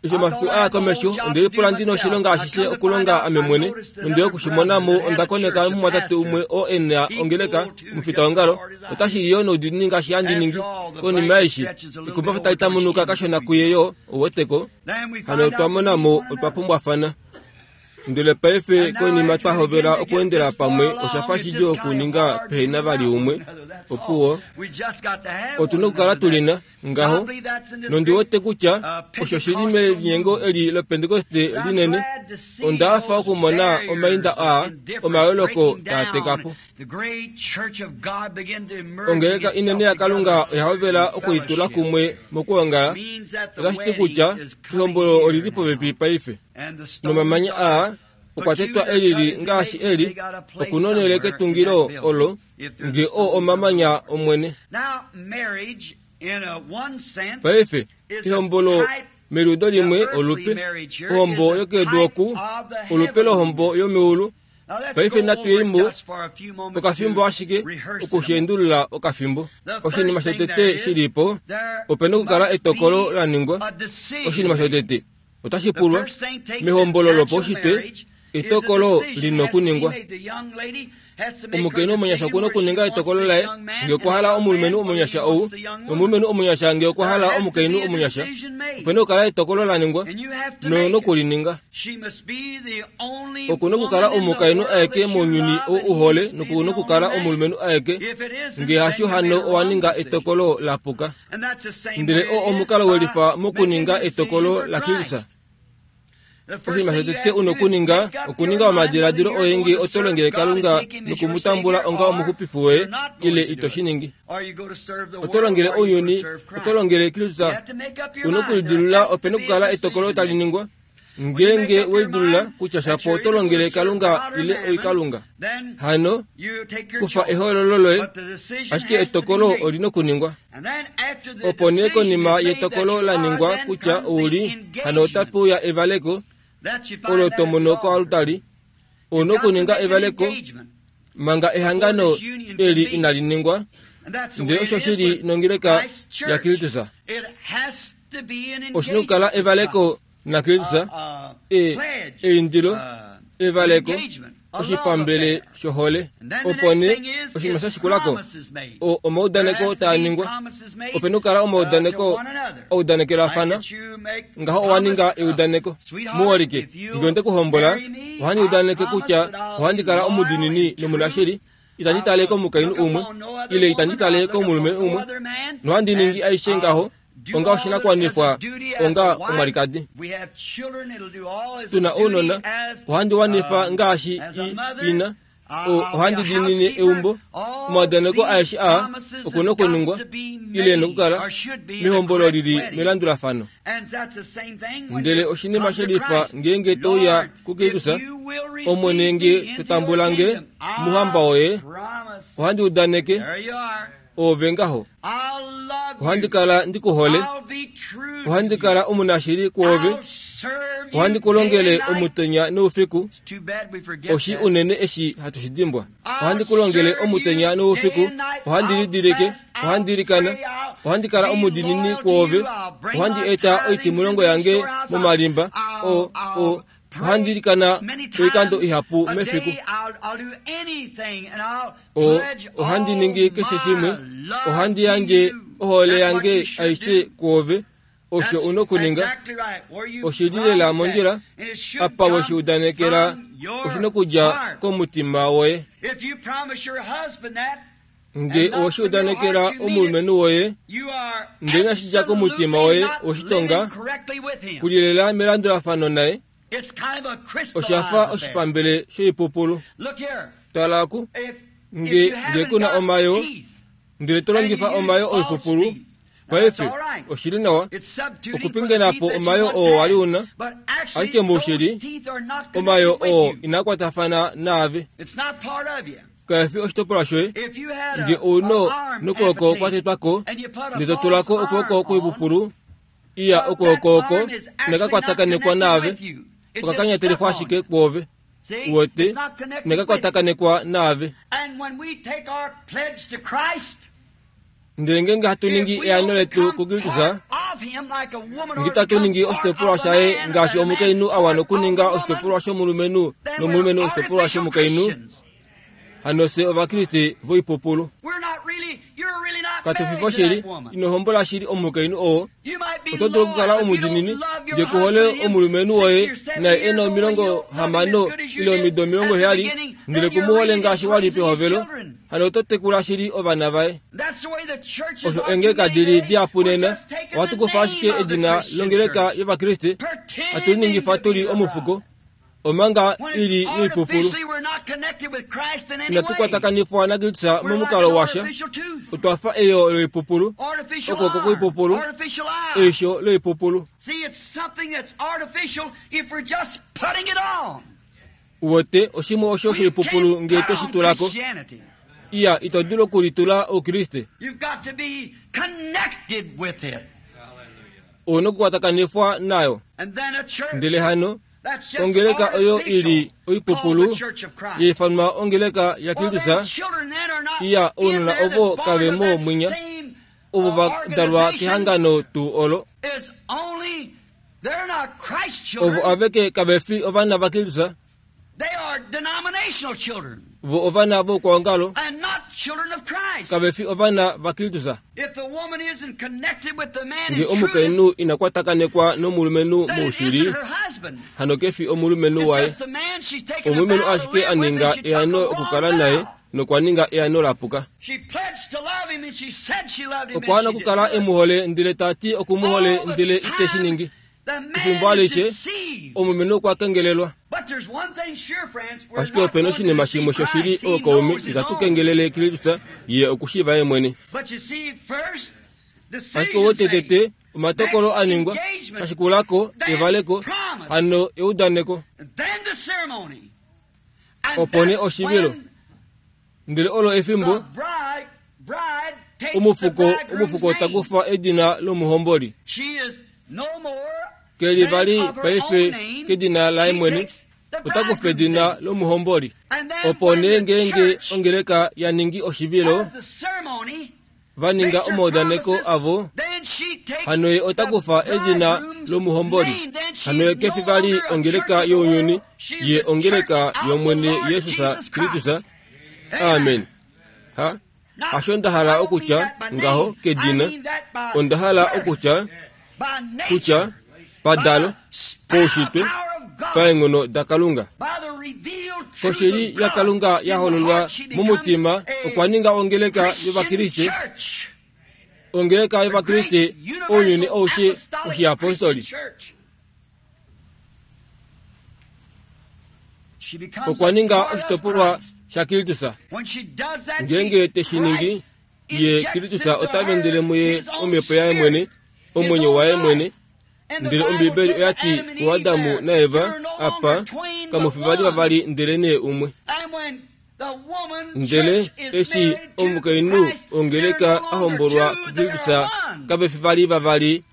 Eshi omafiku aya komesho onde lipula ndi noshilonga ashishe okulonga ame mwene, nonde okushimona mo onda koneka mumwatate umwe oo e na ongeleka omufitaongalo otashi li yoo noudiinini ngaashi handi ningi. Konima eshi ekumbafa tali tamunuka kashona kuye yoo uweteko. Hano otwa mona mo otwa pumbwafana. Ndele paife konima twa hovela okweendela pamwe osha fa shidjuu okuninga pehena vali umwe. Opuwo otu na okukala tulina ngaho, nondi wete kutya osho shili melinyengo eli lopentekoste linene. Onda hafa okumona omainda aa omayooloko taa teka po. Ongeleka inene yaKalunga oya hovela okulitula kumwe mokwoongala. Otashi ti kutya ehombolo olili popepi paife. Nomamanya aa okwa tetwa elili ngaashi eli okunonele ketungilo olo nge oo omamanya omwene. Paife ehombolo meludo limwe olupe ohombo yokedu oku olupe lohombo yomeulu. Paife natu yemo okafimbo ashike okushendulula okafimbo. Oshinima shotete shilipo opena okukala etokolo la ningwa. Oshinima shotete otashi pulwa mehombolo lopaushitwe etokolo lina okuningwa. Omukainhu omunyasha okuna okuninga etokolo laye nge okwa hala omulumenhu omunyasha ou, nomulumenhu omunyasha nge okwa hala omukainhu omunyasha. Opena okukala etokolo la ningwa nokulininga. Okuna okukala omukainhu aeke mounyuni ou uhole nokuna okukala omulumenhu aeke. Nge hasho hano owa ninga etokolo la puka. Ndele oo omukalo welifa mokuninga etokolo la Kristus. Oshinima shotete una okuninga okuninga omadiladilo oye nge oto longele Kalunga nokumutambula onga omuxupifi woye ile ito shi ningi. Oto longele ounyuni, oto longele Kristus. Una okulidilula opena okukala etokolo tali ningwa. Ngeenge welidilula kutya shapo oto longele Kalunga ile oikalunga. Hano kufa ehoololo loye, ashike etokolo olina okuningwa. Opo nee konima yetokolo la ningwa kutya ouli, hano otape uya evaleko olo to mono koalutali. Ouna okuninga evaleko manga ehangano eli inali ningwa. Ndele osho shili nongeleka yaKristus. Oshina okukala evaleko naKristus, e eindilo, evaleko, oshipambele shohole. Opo nee oshinima sha shikulako o omaudaneko taa ningwa. Opena okukala omaudaneko audanekelafana. Ngaho owa ninga eudaneko. Muholike, nge onde ku hombola, ohandi udaneke kutya ohandi kala omudiinini nomunashili. Itandi tale komukainhu umwe ile itandi tale komulumenhu umwe, nohandi ningi aishe ngaho onga oshinakuwanifwa onga omwalikadi. Tuna ounona, ohandi wanifa ngaashi ina, ohandi diinine eumbo. Omaudaneko aeshe aa okuna okuningwa ile nokukala mehombolo lili melandulafano. Ndele oshinima shelifa ngeenge touya kuKristus, Omwene nge totambula nge muhamba woye, ohandi udaneke ove ngaho. Ohandi kala ndikuhole, ohandi kala omunashili kwoove, ohandi kulongele omutenya noufiku. Oshi unene eshi hatu shi dimbwa. Ohandi kulongele omutenya noufiku, ohandi lidilike, ohandi ilikana, ohandi kala omudiinini kwoove, ohandi eta oitimulongo yange momalimba, o o ohandi ilikana oikando ihapu mefiku. O ohandi ningi keshe shimwe, ohandi yandje ohole yange aishe kwoove. Osho una okuninga oshili lela mondjila apa weshi udanekela oshina okudja komutima woye. Nge oweshi udanekela omulumenhu woye, ndele inashidja komutima woye woshitonga, kulilela melandulafano naye, oshafa oshipambele shoipupulu. Tala ku nge nge kuna omayo, ndele to longifa omayo oipupulu, paife oshili nawa okupingenapo omayo oo wali una, ashike moushili omayo oo inakwatafana naave, kaefi oshitopolwa shoye. Nge ouno nokwooko kwatetwako, ndele totulako okwooko kwoipupulu, iya okwooko oko inakakwatakanekwa naave, okakanyatelifwa ashike kwoove. Uwete, inakakwatakanekwa naave. Ndele ngeenge hatu ningi eano letu kuKristus, nge itatu ningi oshitopolwa shaye ngaashi omukainhu a wana okuninga oshitopolwa shomulumenhu nomulumenhu oshitopolwa shomukainhu, hano fye Ovakriste voipupulu. Katu fi voshili. Ino hombola shili omukainhu oo. Oto dulu okukala omudiinini nge ku hole omulumenhu woye naye e na omilongo hamano ile omido omilongo heyali, ndele ku mu hole ngaashi wali pehovelo, hano oto tekula shili ovana vaye. Osho eengeleka dili dihapu nena, ohatu kufa ashike edina longeleka yOvakriste, hatu liningifa tuli omufuko, omanga ili noipupulu. Inatu kwatakanifwa naKristus momukalo washa. Otwa fa eyo loipupulu, okwooko kwoipupulu, eisho loipupulu. Uwete oshimwe osho shoipupulu nge toshi tulako. Iya, ito dulu okulitula Oukriste. Ouna okukwatakanifwa nayo. Ndele hano ongeleka oyo ili oipupulu yaifanwa ongeleka yaKristus, iya ounona ovo kave mo mwinya, ovo va dalwa kehangano tuu olo. Ovo aveke kave fi ovana vaKristus, vo ovana voukwaongalo, kave fi ovana vaKristus. Nge omukainhu ina kwatakanekwa nomulumenhu moushili, hano ke fi omulumenhu waye. Omulumenhu ashike a ninga eano okukala naye nokwa ninga eano lapuka. Okwa wana okukala e mu hole ndele ta ti oku mu hole ndele ite shi ningi. Efimbo alishe omulumenhu okwa kengelelwa. Ashike opena oshinima shimwe shoshili ookaume, itatu kengelele Kristus, ye okushiiva ye mwene. Ashike wotetete omatokolo a ningwa, shashikulako evaleko, hano eudaneko, opo nee oshivilo. Ndele olo efimbo omufuko omufuko takufa edina lomuhomboli. Keli vali paife kedina laye mwene, otakufa edina lomuhomboli. Opo nee ngeenge ongeleka ya ningi oshivilo, va ninga omaudaneko avo, hano ye otakufa edina lomuhomboli. Hano ye kefi vali ongeleka younyuni, ye ongeleka yOmwene Jesus Kristus. Amen. Ha, hasho nda hala okutya ngaho kedina, onda hala okutya kutya padalo poushitwe paenghono daKalunga. Koshili yaKalunga ya hololwa momutima okwa ninga ongeleka yovakriste, ongeleka yovakriste ounyuni aushe oshiapostoli. Okwa ninga oshitopolwa shaKristus. Ngeenge te shi ningi, ye Kristus ota vendele muye omhepo yaye mwene, omwenyo waye mwene. Ndele Ombibeli oya ti kuAdamu naEva, apa kamufi vali vavali ndele nee umwe. Ndele eshi omukainhu ongeleka a hombolwa kuKristus, kave fi vali vavali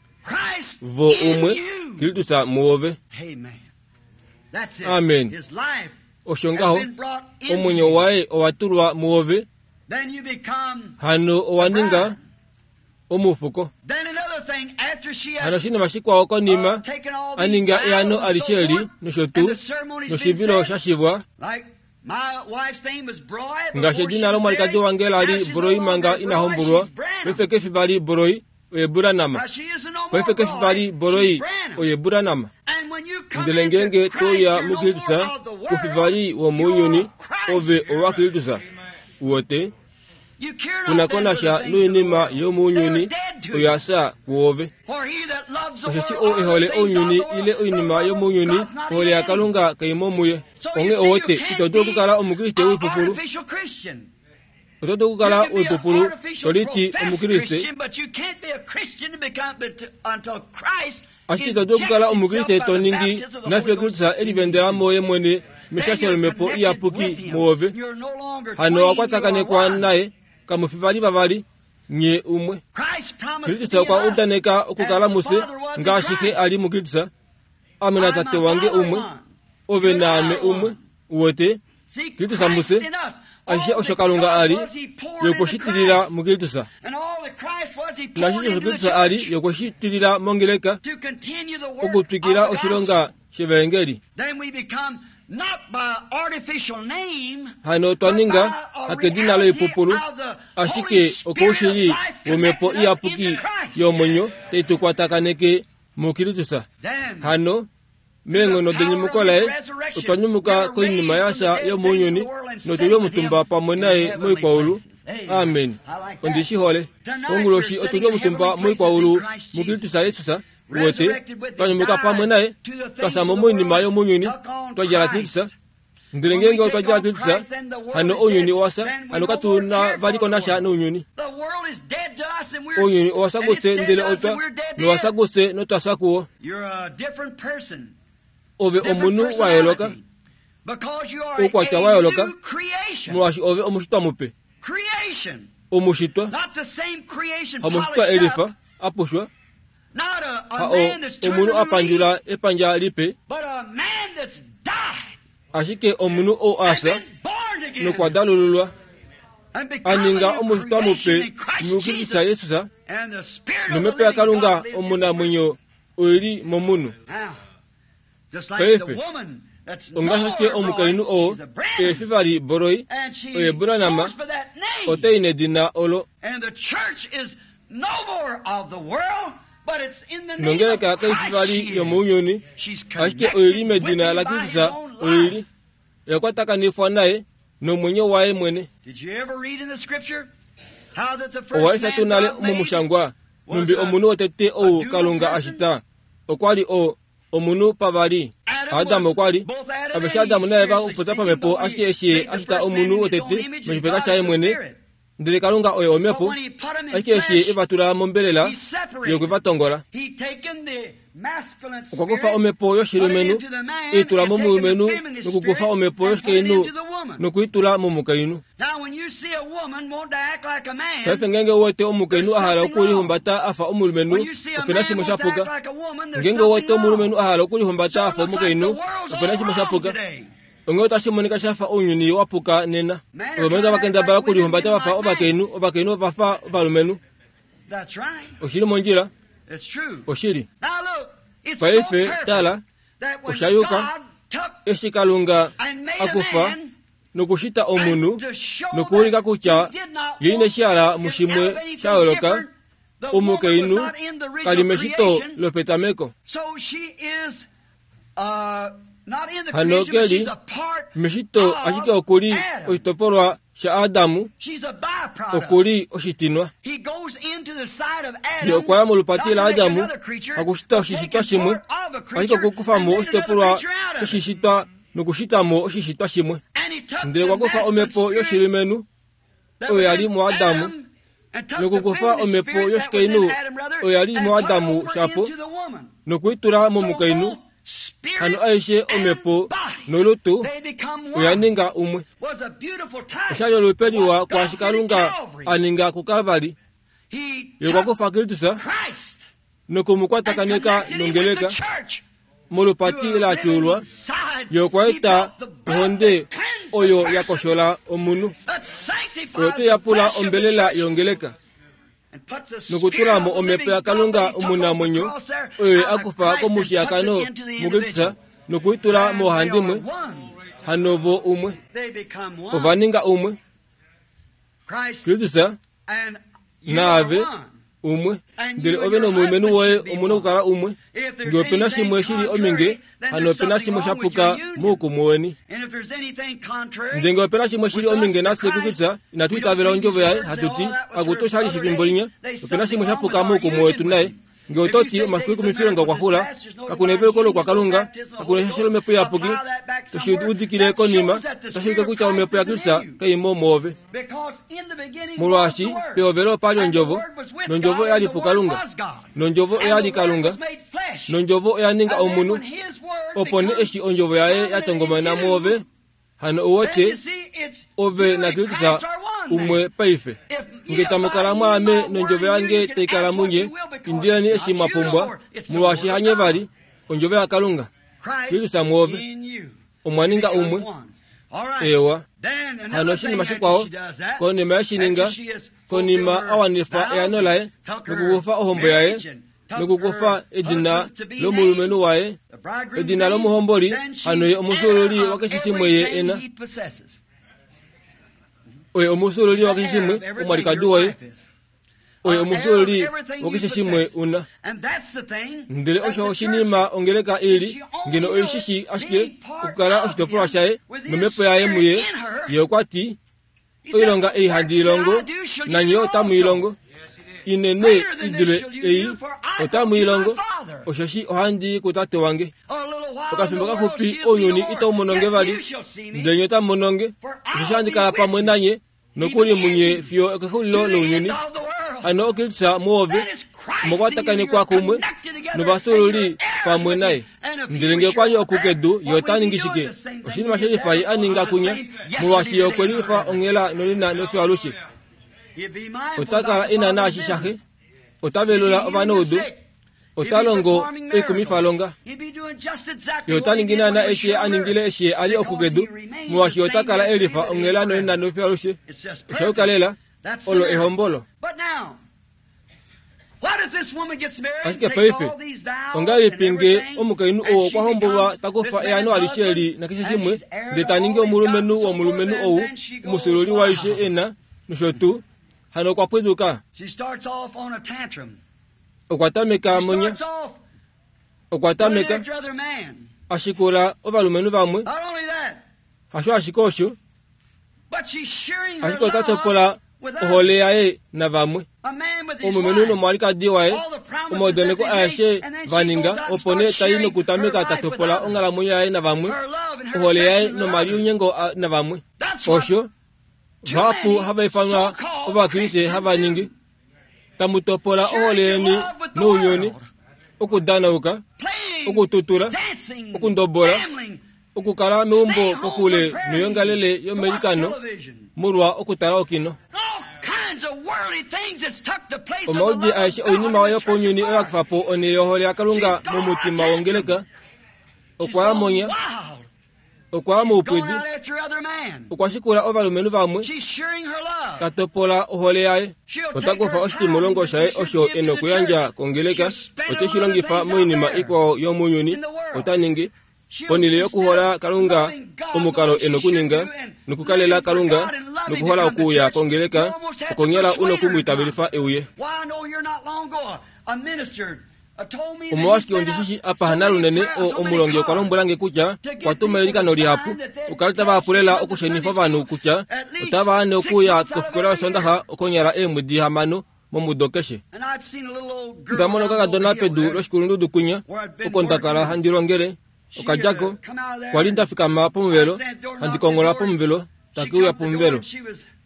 vo umwe, Kristus muove. Amen. Osho ngaho, omwenyo waye owa tulwa muove, hano owa ninga omufuko. Hano oshinima shikwao konima a ninga eano alishe eli nosho tuu noshivilo sha shivwa, ngaashi edina lomwalikadi wange la li Broi manga ina hombolwa, paife kefi vali Broi, oye Branham. Paife kefi vali Broi, oye Branham. Ndele ngeenge toya muKristus, kufi vali womounyuni, ove owa Kristus. Uwote kunakonasha noinima yomounyuni oya fya kuove. Osheshi ou e hole ounyuni ile oinima yomounyuni, ohole yaKalunga kai mo muye. Onghee owote ito dulu okukala omukriste woipupulu. Oto dulu okukala woipupulu to liti omukriste, ashike ito dulu okukala omukriste to ningi nafiyo Kristus e livendela moye mwene meshasho lomhepo iyapuki muove. Hano owa kwatakanekwa naye, kamufi vali vavali, nye umwe. Kristus okwa udaneka okukala mufye ngaashi Xe a li muKristus. Ame naTate wange umwe, ove naame umwe. Uwete Kristus mufye, ashishe osho Kalunga a li, ye okwe shi tilila muKristus. Naashishe osho Kristus a li, ye okwe shi tilila mongeleka okutwikila oshilonga shevangeli. Hano otwa ninga hakedina loipupulu, ashike okoushili womhepo iyapuki yomwenyo tai tu kwatakaneke muKristus. Hano meenghono denyumuko laye otwa nyumuka koinima yasha yomounyuni notuli omutumba pamwe naye moikwaulu. Amen. Ondi shi hole. Onguloshi otuli omutumba moikwaulu muKristus Jesus. Uwete twanyumuka pamwe naye, twasha mo moinima yomounyuni, twa djala Kristus. Ndele ngeenge otwa djala Kristus, hano ounyuni owa fya, hano katu na vali konasha nounyuni. Ounyuni owa fya kufye, ndele otwa nowa fya kufye notwa fya kuwo. Ove omunhu wa yooloka, oukwatya wa yooloka, molwaashi ove omushitwa mupe. Omushitwa hamushitwa elifa apushwa, ha o omunhu a pandjula epandja lipe, ashike omunhu ou a fya nokwa dalululwa, a ninga omushitwa mupe muKristus Jesus, nomhepo yaKalunga omunamwenyo oili momunhu. Paife ongaashi ashike omukainhu oo efi vali Broi, oye Branham, otai nedina olo. Nongeleka kai fi vali yomounyuni, ashike oili medina laKristus, oili oya kwatakanifwa naye nomwenyo waye mwene. Owa lesha tuu nale momushangwa numbi omunhu wotete ou Kalunga a shita okwa li o omunhu pavali. Adam okwa li aveshe Adam naEva okupopya pamhepo, ashike eshi ye a shita omunhu wotete moshifeka shaye mwene, ndele Kalunga oye omhepo, ashike eshi ye e va tula mombelela, ye okwe va tongola. Okwa kufa omhepo yoshilumenhu e i tula momulumenhu, nokukufa omhepo yoshikainhu nokuitula momukainhu. Paife ngeenge uwete omukainhu a hala okulihumbata a fa omulumenhu, ope na shimwe sha puka. Ngeenge uwete omulumenhu a hala okulihumbata a fa omukainhu, ope na shimwe sha puka. Onghee otashi monika sha fa ounyuni wa puka nena. Ovalumenhu tava kendabala okulihumbata va fa ovakainhu, ovakainhu va fa ovalumenhu. Oshili mondjila, oshili. Paife tala, osha yuka eshi Kalunga a kufa nokushita omunhu nokuulika kutya ye ine shi hala mushimwe sha yooloka, omukainhu kali meshito lopetameko. Hano keli meshito ashike okuli oshitopolwa shaAdamu, okuli oshitinwa. Ye okwa ya molupati laAdamu hakushita oshishitwa shimwe, ashike okukufa mo oshitopolwa shoshishitwa nokushita mo oshishitwa shimwe. Ndele okwa kufa omhepo yoshilumenhu oyo ya li muAdamu, nokukufa omhepo yoshikainhu oyo ya li muAdamu shapo, nokuitula momukainhu. Hano aishe omhepo nolutu oya ninga umwe. Oshali olupe liwa kwaashi Kalunga a ninga kuKalvari. Ye okwa kufa Kristus nokumukwatakaneka nongeleka molupati la tyuulwa. Ye okwa eta ohonde oyo ya koshola omunhu, oyo teyapula ombelela yongeleka nokutula mo omhepo yaKalunga omunamwenyo oyo a kufa komushiyakano muKristus nokuitula moohandimwe. Hano vo umwe, ova ninga umwe. Kristus naave umwe, ndele ove nomulumenhu woye omuna okukala umwe. Ngee opena shimwe shili ominge, hano opena shimwe shapuka moukumwe weni. Ndele ngee opena shimwe shili ominge nafye kuKristus, inatu itavela ondjovo yaye, hatu ti akutu oshali shifimbo linya, opena shimwe shapuka moukumwe wetu naye. Ngee ototi omafiku ekumifilonga okwa xula, kakuna eveluko lokwakalunga, kakuna eshasho lomhepo iyapuki, toshi udikile konima, otashi ulike kutya omhepo yaKristus kaimo mwoove. Molwaashi pehovelo opa li ondjovo, nondjovo oya li puKalunga, nondjovo oya li Kalunga, nondjovo oya ninga omunhu. Opo nee eshi ondjovo yaye ya tongomana mwoove, hano ouwete ove naKristus umwe paife. Nge tamu kala mwaame nondjovo yange taikala munye, indileni eshi mwa pumbwa, molwaashi hanye vali ondjovo yaKalunga. Kristus mwoove, omwa ninga umwe. Ewa. Hano oshinima shikwao, konima yeshininga, konima a wanifa eano laye, nokukufa ohombo yaye, nokukufa edina lomulumenhu waye, edina lomuhomboli, hano ye omusululi wakeshe shimwe ye ena. Oye omusululi wakeshe shimwe omwalikadi woye, oye omusululi wakeshe shimwe una. Ndele osho oshinima ongeleka ili, ngeno oishishi ashike okukala oshitopolwa shaye nomhepo yaye muye. Ye okwa ti, oilonga ei handi ilongo, nanye otamu ilongo. Inene idule ei otamu ilongo, osheshi ohandi kutate wange. Okafimbo kafupi ounyuni itau mononge vali, ndele nye otamu mononge, osheshi handi kala pamwe nanye nokuli munye fiyo okexulilo lounyuni. Hano oKristus mwoove omwakwatakanekwa kumwe novafyuululi pamwe naye. Ndele ngee okwa li okukedu, ye ota ningi shike? Oshinima shelifa ye a ninga kunya, molwaashi ye okwe lifa onghela nonena nofiyo alushe. Ota kala ena naashi shaxe, ota velula ovanaudu, ota longo oikumifalonga. Ye ota ningi naana eshi ye a ningile eshi ye a li okukedu, molwaashi ye ota kala elifa onghela nonena nofiyo alushe. Osha yuka lela, olo ehombolo. Ashike paife, ongahelipi ngee omukainhu ou okwa hombolwa ta kufa eano alishe eli nakeshe shimwe, ndele ta ningi omulumenhu womulumenhu ou, omusululi waishe ena, nosho tuu, hano okwa pwiduka. Okwa tameka monya, okwa tameka a shikula ovalumenhu vamwe. Hasho ashike osho, ashike ota topola ohole yaye navamwe. Omulumenhu nomwalikadi waye, omaudaneko aeshe va ninga, opo nee tai nokutameka ta topola onghalamwenyo yaye navamwe, ohole yaye nomaliunyengo navamwe. Osho vahapu hava ifanwa Ovakriste hava ningi, tamu topola ohole yeni nounyuni, okudanauka, okututula, okundobola, okukala meumbo kokule noyongalele yomelikano molwa okutala okino. Omaudi aeshe oinima yopaunyuni oya kufa po onhele yohole yaKalunga momutima wongeleka. Okwa ya monya, okwa ya moupwidi, okwa shikula ovalumenhu vamwe, ta topola ohole yaye. Ota kufa oshitimulongo shaye osho e nokuyandja kongeleka, ote shi longifa moinima ikwao yomounyuni. Ota ningi ponhele yokuhola Kalunga omukalo e nokuninga, nokukalela Kalunga, nokuhola okuuya kongeleka, okonyala u nokumwiitavelifa euye. Omolwashike ondishishi apa hanalunene o omulongi okwa lombwela nge kutya okwa tuma eilikano lihapu okali tava hapulela okushenifa ovanhu kutya otava ane okuya kofikola yosondaxa okonyala eemwedi hamano momudo keshe. Ndamona okakadona pedu loshikulundudu kwinya oko ndakala handi longele okadjako kwali ndafikama pomuvelo handi kongola pomuvelo takiuya pomuvelo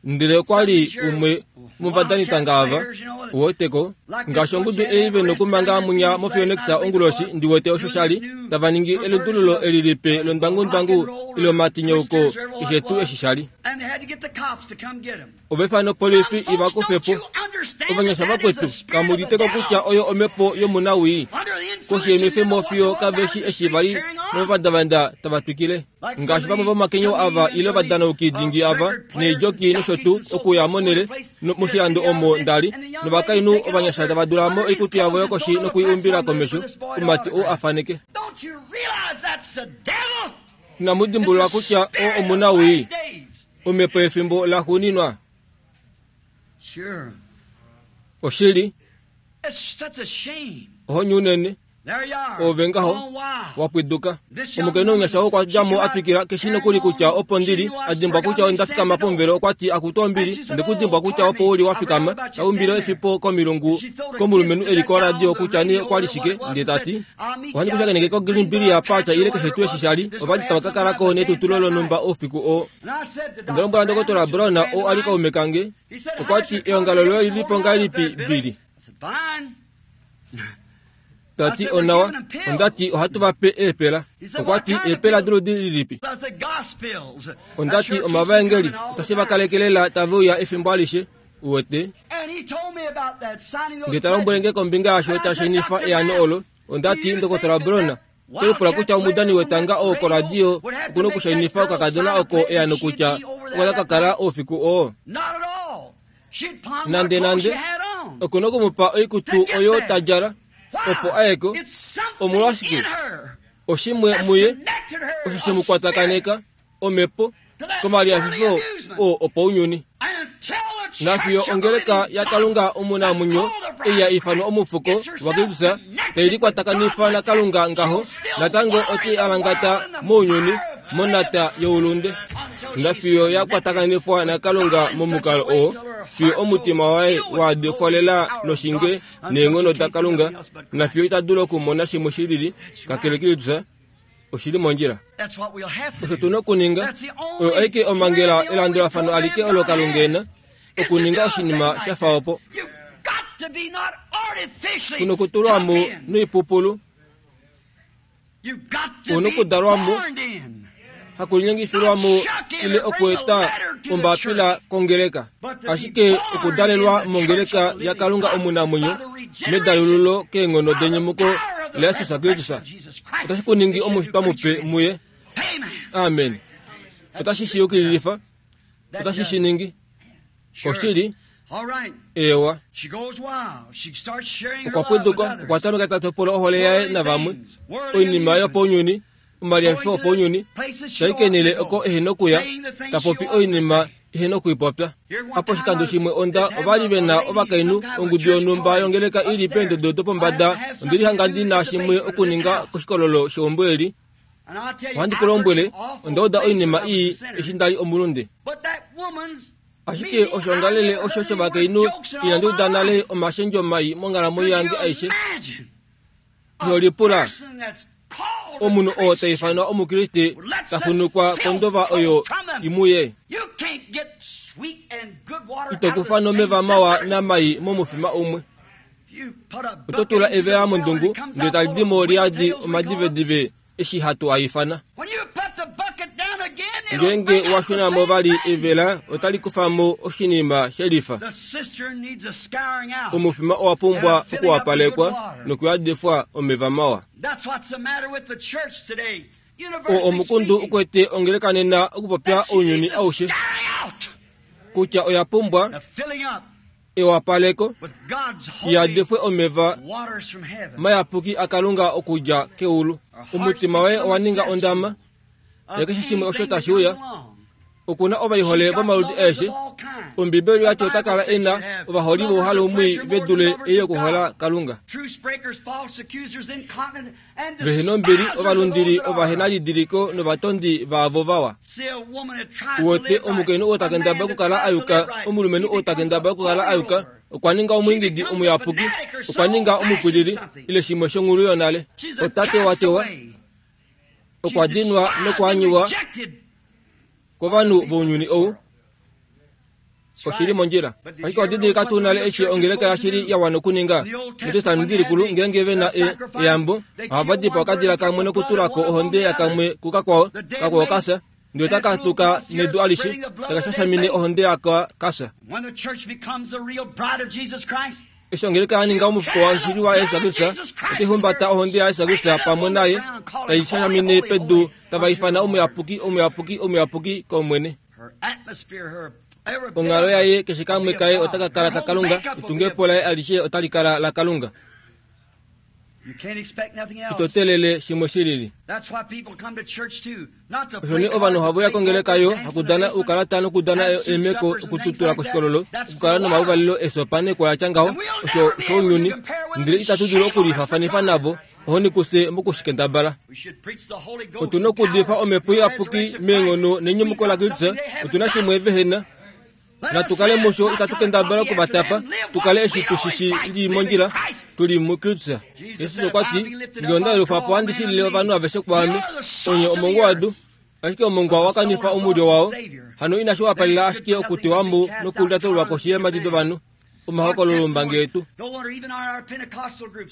ndele okwali umwe movadanitanga ava uweteko ngaashi ongudu ei vena okumanga munya mofionexa onguloshi ndiwete osho shali tava ningi elundululo eli lipe londwangundwangu ile omatinyeuko keshe tuu eshi shali. Ovefano polifi ivakufepo ovanyasha vakwetu kamuditeko kutya oyo omhepo yomunawii koshi yemifemo fiyo kaveshi eshi vali novavandavanda tava twikile ngaashi vamwe vomakenyo ava ile ovadanauki dingi ava neejoki nosho tuu okuya monele moshilando omo ndali novakainhu ovanyasha tava dula mo oikutu yavo yokoshi nokuiumbila komesho omumati oo afaneke. Inamudimbulula kutya o omunawii omhepo yefimbo laxuuninwa. Oshili ohoni unene ove ngaho wapwiduka. Omukainhu omunyasha okwa dja mo a twikila keshi nokuli kutya opo ndili a dimbwa kutya onda fikama pomuvelo okwa ti akutu ombili ndekudimbwa kutya opo uli wa fikama taumbile efipo komilungu komulumenhu eli koradio kutya nee okwali shike ndee tati ohandi kushakeneke ko Green Billy apacha ile keshe tuu eshi shali ovali tava ka kalako netutulo lonhumba oufiku oo. Onda lombwela Ndokotola Brown oo ali kaume kange okwa ti eongalo loye lilipo ngahelipi Billy? Tati onawa ondati ohatu vape eepela. Okwa ti eepela doludi lilipi? Ondati omavaengeli otashi va kalekelela tave uya efimbo alishe uwete. Ndee ta lombwele nge kombinga yasho tashenifa eano olo. Ondati Ndokotola Brown tolipula kutya omudani wetanga oo koradio okuna okushainifa okakadona oko eano kutya okwa ka kala oufiku oo. Nande nande okuna okumupa oikutu oyo tadjala opo ayeko. Omolwashike oshimwe muye osho shemukwatakaneka omhepo komaliafifo oo opounyuni. Nafiyo ongeleka yaKalunga omunamwenyo ei ya ifanwa omufuko waKristus tai likwatakanifa naKalunga ngaho natango otai alangata mounyuni monata youlunde. Nafiyo ya kwatakanifwa naKalunga momukalo oo fiyo omutima waye waadifwalela noshinge neenghono daKalunga nafiyo ita dulu okumona shimwe shilili kakele Kristus oshili mondjila. Osho tuna okuninga oyo aike omangela elandulafano alike olo Kalunga ena okuninga oshinima sha fa opo. Kuna okutulwamo noipupulu una okudalwamo hakulinyengifilwamo ile okueta ombapila kongeleka ashike okudalelwa mongeleka yaKalunga omunamwenyo medalululo keenghono denyumuko laJesus Kristus otashi kuningi omushitwa mupe muye. Amen. Otashi shiyukililifa otashi shiningi oshili. Ewa okwa pwiduka okwa tameka ta topola ohole yaye navamwe oinima yopounyuni omaliafifo opounyuni taikenele oko ehena okuya tapopi oinima ehena okuipopya. Apo oshikando shimwe onda ovali vena ovakainhu ongudu yonhumba yongeleka ili peendodo dopombada ondili hanga ndina shimwe okuninga koshikololo sheumbo eli. Ohandi ku lombwele onda uda oinima ii eshi ndali omulunde. Ashike oshongalele osho shovakainhu inandi uda nale omashendjo mai monghalamwenyo yange aishe. Iholipula omunhu oo ta ifanwa omukriste ta funukwa kondova oyo imuye. Ito kufa nomeva mawa namai momufima umwe. Oto tula evela mondungu ndele tali dimo liadi omadivedive eshi hatu aifana. Ngeenge washuna vali evela otali kufamo oshinima shelifa. Omufima owa pumbwa okuwapalekwa nokuyadifwa omeva mawa. O omukundu ukwete ongeleka nena okupopya ounyuni aushe kutya oya pumbwa ewapaleko yadifwe omeva mayapuki aKalunga okudja keulu. Omutima waye owa ninga ondama yakeshe shimwe osho tashi uya Okuna ovaihole vomaludi aeshe. Ombibeli yati ota kala ena ovaholi vouhalumwi vedule ei yokuhola Kalunga. Vehena ombili, ovalundili, ovahenalidiliko novatondi vaavo vawa. Uwete omukainhu oo takendabala okukala ayuka, omulumenhu oo takendabala okukala ayuka, okwa ninga omwiingidi omuyapuki, okwa ninga omupwilili, ile shimwe shonghulu yonale. Ota tewatewa, okwa dinwa nokwaanyiwa kovanhu vounyuni ou. Oshili mondjila. Ashike odidilika tuu nale eshi ongeleka yashili ya wana okuninga. Metestamenti likulu ngeenge vena eyambo, ohava dipaa okadila kamwe nokutulako ohonde yakamwe kukakwao, kakwao kasa, ndele otaka tuka nedu alishe, taka shashamine ohonde yaka kasa. Eshi ongeleka ya ninga omufuko washili wa Yesu Kristus, otai humbata ohonde ya Yesu Kristus pamwe naye, tai shashamine pedu, tava ifana omuyapuki, omuyapuki, omuyapuki kOmwene. Onghalo yaye keshe kamwe kaye otaka kala kaKalunga, etungepo laye alishe otali kala laKalunga. Ito telele shimwe shilili. Osho nee ovanhu ohava uya kongeleka yo hakudana oukalata nokudana eemeko okututula koshikololo, okukala nomauvalelo esopa nekwaya tya ngaho, osho shounyuni, ndele itatu dulu okulifafanifa navo, ohoni kufye mokushikendabala. Otuna okuudifa omhepo iyapuki meenghono nenyumuko laKristus, otuna shimwe vehena. Natu kale musho, itatu kendabala okuvatapa, tukale eshi tushishi li mondjila, tuli muKristus. Jesus okwa ti, ngee onda yelufa po handi shilile ovanhu aveshe kwaame, onye omongwa wedu, ashike omongwa wa kanifa omulyo wao, hano inashi wapalila ashike okutewa mo nokulyatulwa koshi yeemhadi dovanhu. Omahokololo ombangi yetu.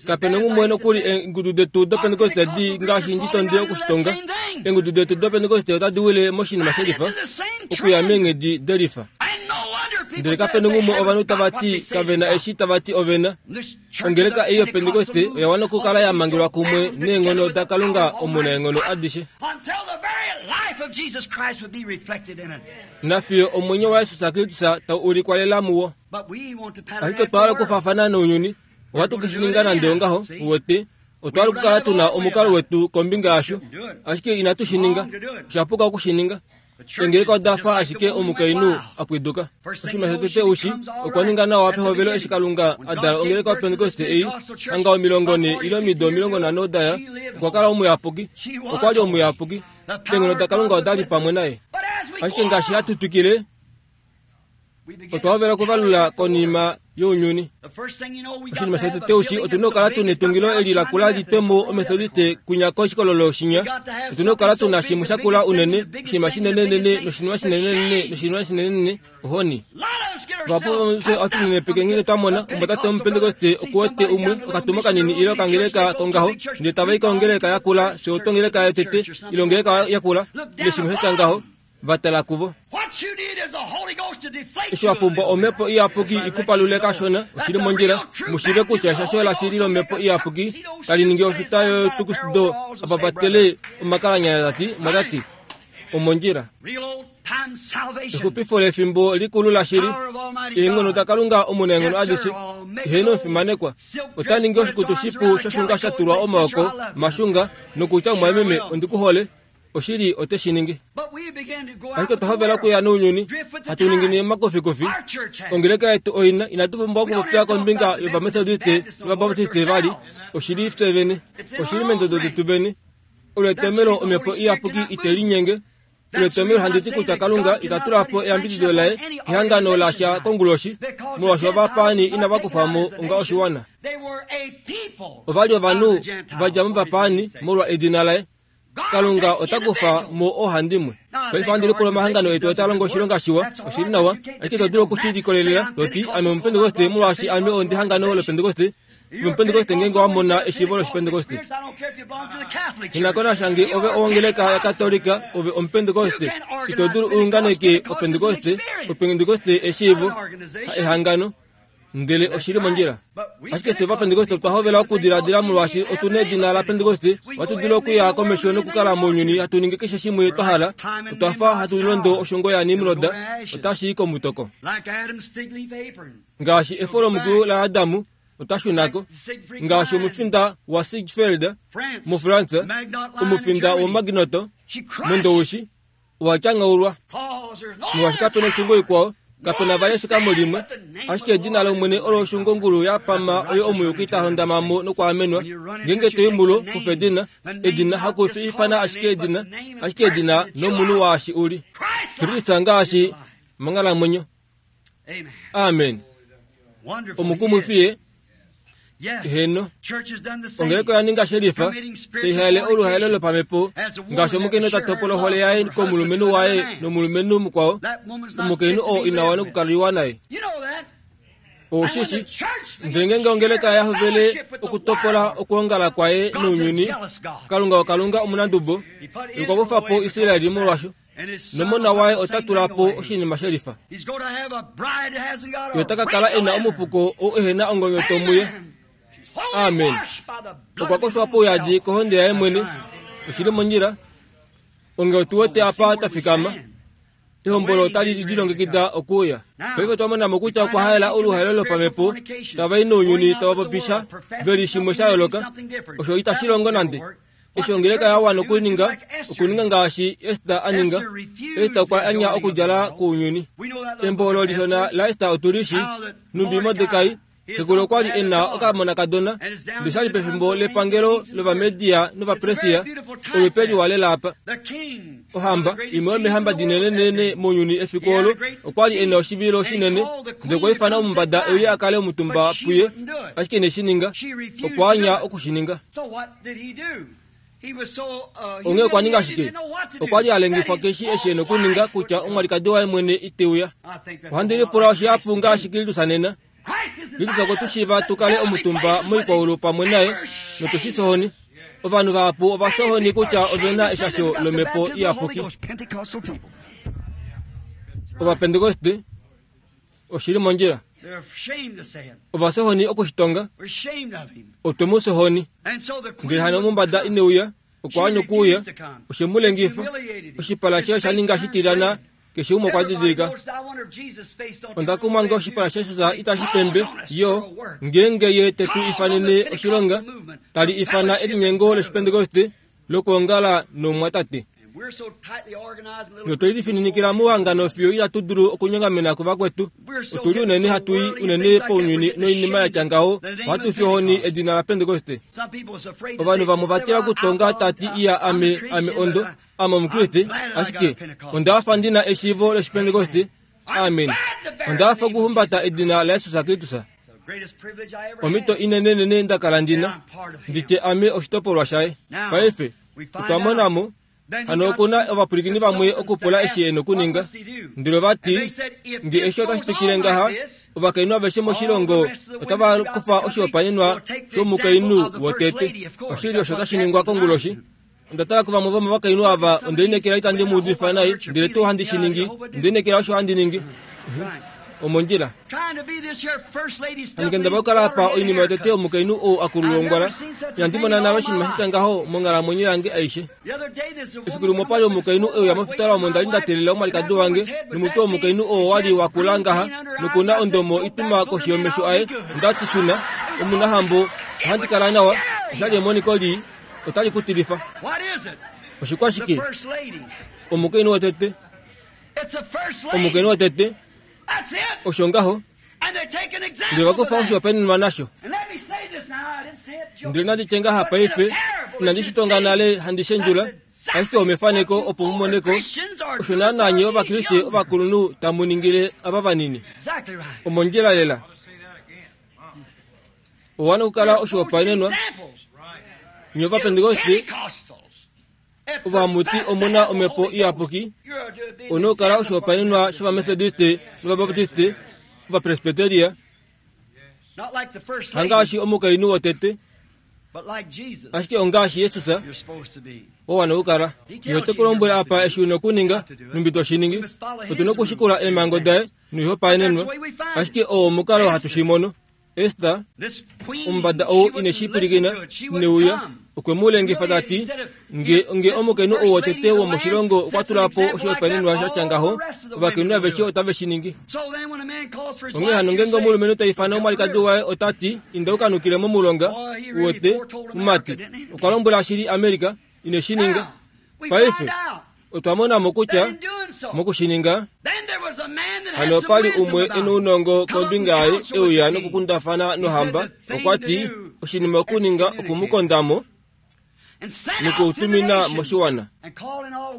Kapena ngumwe nokuli eengudu detu doPentekoste di ngaashi ndi tonde okushitonga. Eengudu detu doPentekoste otadi wile moshinima shelifa, okuya meenghedi delifa. Ndele kapena ngumwe ovanhu tava ti kavena eshi tava ti ovena. Ongeleka ei yoPentekoste oya wana okukala ya mangelwa kumwe neenghono daKalunga omunaenghono adishe. Nafiyo omwenyo waJesus Kristus tau ulikwa lela muwo. Ashike otwa hala okufaafana nounyuni, ohatu ke shi ninga nande ongaho, uwete, otwa hala okukala tuna omukalo wetu kombinga yasho, ashike inatu shi ninga. Osha puka oku shi ninga. Engeleka oda fa ashike omukainhu a pwiduka. Oshinima shotete ushi, okwa ninga nawa pehovelo eshi Kalunga a dala ongeleka yoPentekoste ei, hanga omilongo ne ile omido omilongo nhano daya, okwa kala omuyapuki. Okwa li omuyapuki. Eenghono daKalunga oda li pamwe naye. Ashike ngaashi hatu twikile, otwa hovela okuvalula konima younyuni. Oshinima shotete ushi, otuna okukala tuna etungilo eli lakula litwemo omethodiste kwinya koshikololo shinya. Otuna okukala tuna shimwe shakula unene, oshinima shinenenene noshinima shinenenene noshinima shinenenene, ohoni. Vahapu vomufye ohatu nenepeke ngeenge twa mona omumwatate womupentekoste okuwete umwe okatuma kanini ile okangeleka kongaho, ndele tava i kongeleka yakula, fye otwongeleka yotete ile ongeleka yakula, ile shimwe shatya ngaho, vatala kuvo. Eshi wa pumbwa omhepo iyapuki ikupalule kashona, oshili mondjila, mushiive kutya eshasho lashili lomhepo iyapuki tali ningi ofuta yotukusido apapatele omakalanyanya tati mwatati omondjila. Exupifo lefimbo likulu lashili, eenghono daKalunga omunaenghono adishe, eheno omufimanekwa, ota ningi oshikutu shipu shoshunga sha tulwa omaoko mashunga nokutya mumwameme ondikuhole, oshili ote shi ningi. Ashike otwa hovela okuya nounyuni, hatu ningi omakofikofi. Ongeleka yetu oina, inatu pumbwa okupopya kombinga yOvamethodiste nOvabaptiste vali, oshili fye vene, oshili meendodo detu vene. Olo etomhelo omhepo iyapuki ite linyenge. Olo etomhelo handi ti kutya Kalunga ita tula po eyambidido laye kehangano lasha konguloshi, molwaashi ovapaani inava kufa mo onga oshiwana. Ova li ovanhu va dja movapaani molwa edina laye. Kalunga ota kufa mo oohandimwe. Paife ohandi lipula omahangano etu otaa longo oshilonga shiwa, oshili nawa, ashike ito dulu okushi likolelela toti ame omupentekoste molwaashi ame ondi hangano lopentekoste. Omupentekoste ngeenge wa mona eshiivo loshipentekoste. Inakonasha nge ove owongeleka yaKatolika, ove omupentekoste, ito dulu uunganeke opentekoste, opentekoste eshiivo, ehangano, ndele oshili mondjila. Ashike fye ovapentekoste otwa hovela okudiladila molwaashi otuna edina lapentekoste, ohatu dulu okuya komesho nokukala mounyuni hatu ningi keshe shimwe twa hala. Otwa fa hatu londo oshungo yaNimrod, otashi i komutoko. Ngaashi efo lomukulu laAdamu, ota shunako. Ngaashi omufinda waSiegfeld muFrance, omufinda woMaginot mOndowishi, Owa tyangaulwa. Molwaashi kapena oshungo ikwao, kapena vali efikamo limwe, ashike edina lOmwene olo oshungongulu ya pama oyo omuyuki ta hondamamo nokwaamenwa. Ngeenge to i mulo, kufa edina. Edina hakufi ifana ashike edina, ashike edina nomunhu waashi uli. Kristus ngaashi monghalamwenyo. Amen. Omukumwifi ye. Heno. Ongeleka oya ninga shelifa, taihaele oluhaelo lopamhepo, ngaashi omukainhu ta topola ohole yaye komulumenhu waye nomulumenhu mukwao, omukainhu oo ina wana okukaliwa naye. Oshishi, ndele ngeenge ongeleka ya hovele okutopola okwoongala kwaye nounyuni, Kalunga oKalunga omunandubo, okwa kufa po Israel molwasho. Nomona waye ota tula po oshinima shelifa. Ye ota ka kala e na omufuko oo ehena ongonyoto muye. Amen. Okwa koshwa pouyadi kohonde yaye mwene. Oshili mondjila. Onge otu wete apa twa fikama. Ehombolo otali lilongekida okuuya. Paife twa mona mo kutya okwa haela oluhaelo lopamhepo, tava i nounyuni tava popisha veli shimwe sha yooloka. Osho itashi longo nande. Eshi ongeleka ya wana okuninga, okuninga ngaashi Ester a ninga. Ester okwa anya okudjala kounyuni. Embo olo lishona laEster otu li shi, numbi Mordekai, xekulu okwa li e na okamonakadona, ndele sha li pefimbo lepangelo lOvamedia nOvapersia, olupe liwa lela apa. Ohamba, imwe yomeehamba dinenenene mounyuni efiku olo, okwa li e na oshivilo shinene, ndele okwa ifana omumbada e uye a kale omutumba puye, ashike ine shi ninga. Okwa anya oku shi ninga. Onghee okwa ninga shike? Okwa li a lengifwa keshi eshi e na okuninga kutya omwalikadi waye mwene ite uya. Ohandi lipula oshihapu ngaashi Kristus nena. Kristus okwe tu shiiva tu kale omutumba moikwaulu pamwe naye, notu shi sohoni. Ovanhu vahapu ova sohoni kutya ove na eshasho lomhepo iyapuki. Ovapentekoste, oshili mondjila. Ova sohoni okushitonga, otwe mu sohoni. Ndele hano omumbada ine uya, okwa anya okuuya, oshe mu lengifa. Oshipala shaye osha ninga shitilana, keshe umwe okwa didilika. Onda kumwa nge oshipala shaJesus itashi pembe, yo, ngeenge ye te tu ifanene oshilonga, tali ifana elinyengo lOshipentekoste lokwoongala nomumwatate. Notwe lifininikila muhangano fiyo itatu dulu okunyongamena kuvakwetu. Otu li unene hatu i unene pounyuni noinima ya tya ngaho, ohatu fi ohoni edina laPentekoste. Ovanhu vamwe ova tila okutonga tati iya ame ame ondo, ame Omukriste, ashike onda hafa ndi na eshiivo lOshipentekoste. Amen. Onda hafa okuhumbata edina laJesus Kristus. Omhito inenenene nda kala ndi na, ndi tye ame oshitopolwa shaye. Paife, otwa mona mo, hano oku na ovapwilikini vamwe okupula eshi e nokuninga. Ndele ova ti, nge eshi otashi twikile ngaha, ovakainhu aveshe moshilongo otava kufa oshihopaenenwa shomukainhu wotete. Oshili osho tashi ningwa konguloshi. Onda tala kuvamwe vomovakainhu ava, onde lineekela itandi mu udifa nai, ndele tuu handi shi ningi, onde lineekela osho handi ningi. Omondjila. Handi kendabala okukala apa oinima yotete yomukainhu ou a kululongwala. Inandi mona nale oshinima shitya ngaho monghalamwenyo yange aishe. Efiku limwe opa li omukainhu e uya mofitola omo nda li nda teelela omwalikadi wange, nomutwe womukainhu oo wa li wa kula ngaha, noku na ondomo ituma koshi yomesho aye. Onda ti shuna, omunahambo, ohandi kala nawa. Osha li emoniko lii, otali ku tilifa. Oshikwashike? Omukainhu wotete. Omukainhu wotete. Osho ngaho. Ndele va kufa oshihopaenenwa nasho. Ndele nandi tye ngaha paife, inandi shi tonga nale handi shendjula, ashike omefaneko opo mu moneko, osho naanaa nye Ovakriste ovakulunhu tamu ningile ava vanini. Omondjila lela. Owa nokukala oshihopaenenwa. Nye Ovapentekoste, ovamuti omu na omhepo iyapuki, onu okukala oshihopaenenwa shOvamethodiste nOvabaptiste, Ovapresbiteria, hangaashi omukainhu wotete, ashike ongaashi Jesus wa wana okukala. Ye ote ku lombwele apa eshi u na okuninga, numbi to shi ningi. Otu na okushikula eemhango daye noihopaenenwa, ashike oo omukalo hatu shi mono. Ester, omumbada ou ine shi pwilikina, ine uya, okwe mu lengifa ta ti, nge, nge omukainhu ou wotete womoshilongo okwa tula po oshihopaenenwa sha tya ngaho, ovakainhu aveshe otave shi ningi. Onghee hano ngeenge omulumenhu ta ifana omwalikadi waye ota ti, inda u ka nukile momulonga, uwete, mumati, okwa lombwela shili Amerika, ine shi ninga. Paife, Otwa mona mo kutya mokushininga hano pali umwe ena ounongo kombinga yaye euya nokukundafana nohamba. Okwa ti oshinima okuninga okumukondamo nokuutumina moshiwana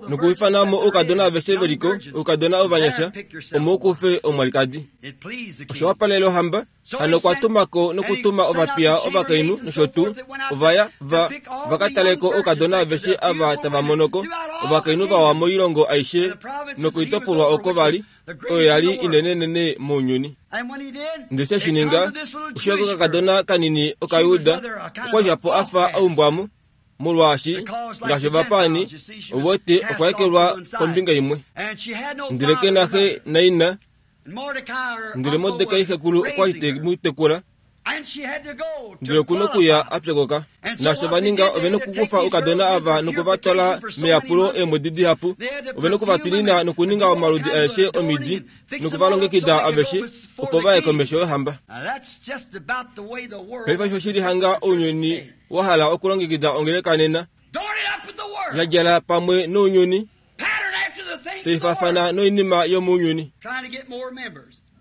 nokuifanamo oukadona aveshe veliko oukadona ovanyasha omo ukufe omwalikadi. Osho wapalele ohamba hano okwa tumako nokutuma ovapiya ovakainhu nosho tuu ovaya va vakataleko oukadona aveshe ava tava monoko ovakainhu vawa moilongo aishe nokuitopolwa oko vali oyo yali inenenene mounyuni. Ndele shininga osho kakadona kanini okayuda okwa djapo afa aumbwamo molwaashi ngaashi ovapani ovote okwaekelwa kombinga imwe. Ndele kena xe naina ndele Mordekai xekulu okwa li te mu tekula ndele okuna okuya apyokoka. Naasho vaninga ovena okukufa oukadona ava nokuvatwala meyapulo eemwedi dihapu. Ovena okuvatwinina nokuninga omaludi aeshe omidi nokuvalongekida aveshe opo vaye komesho yohamba. Paife osho shili hanga ounyuni wa hala okulongekida ongeleka nena yadjala pamwe nounyuni taifafana noinima yomounyuni.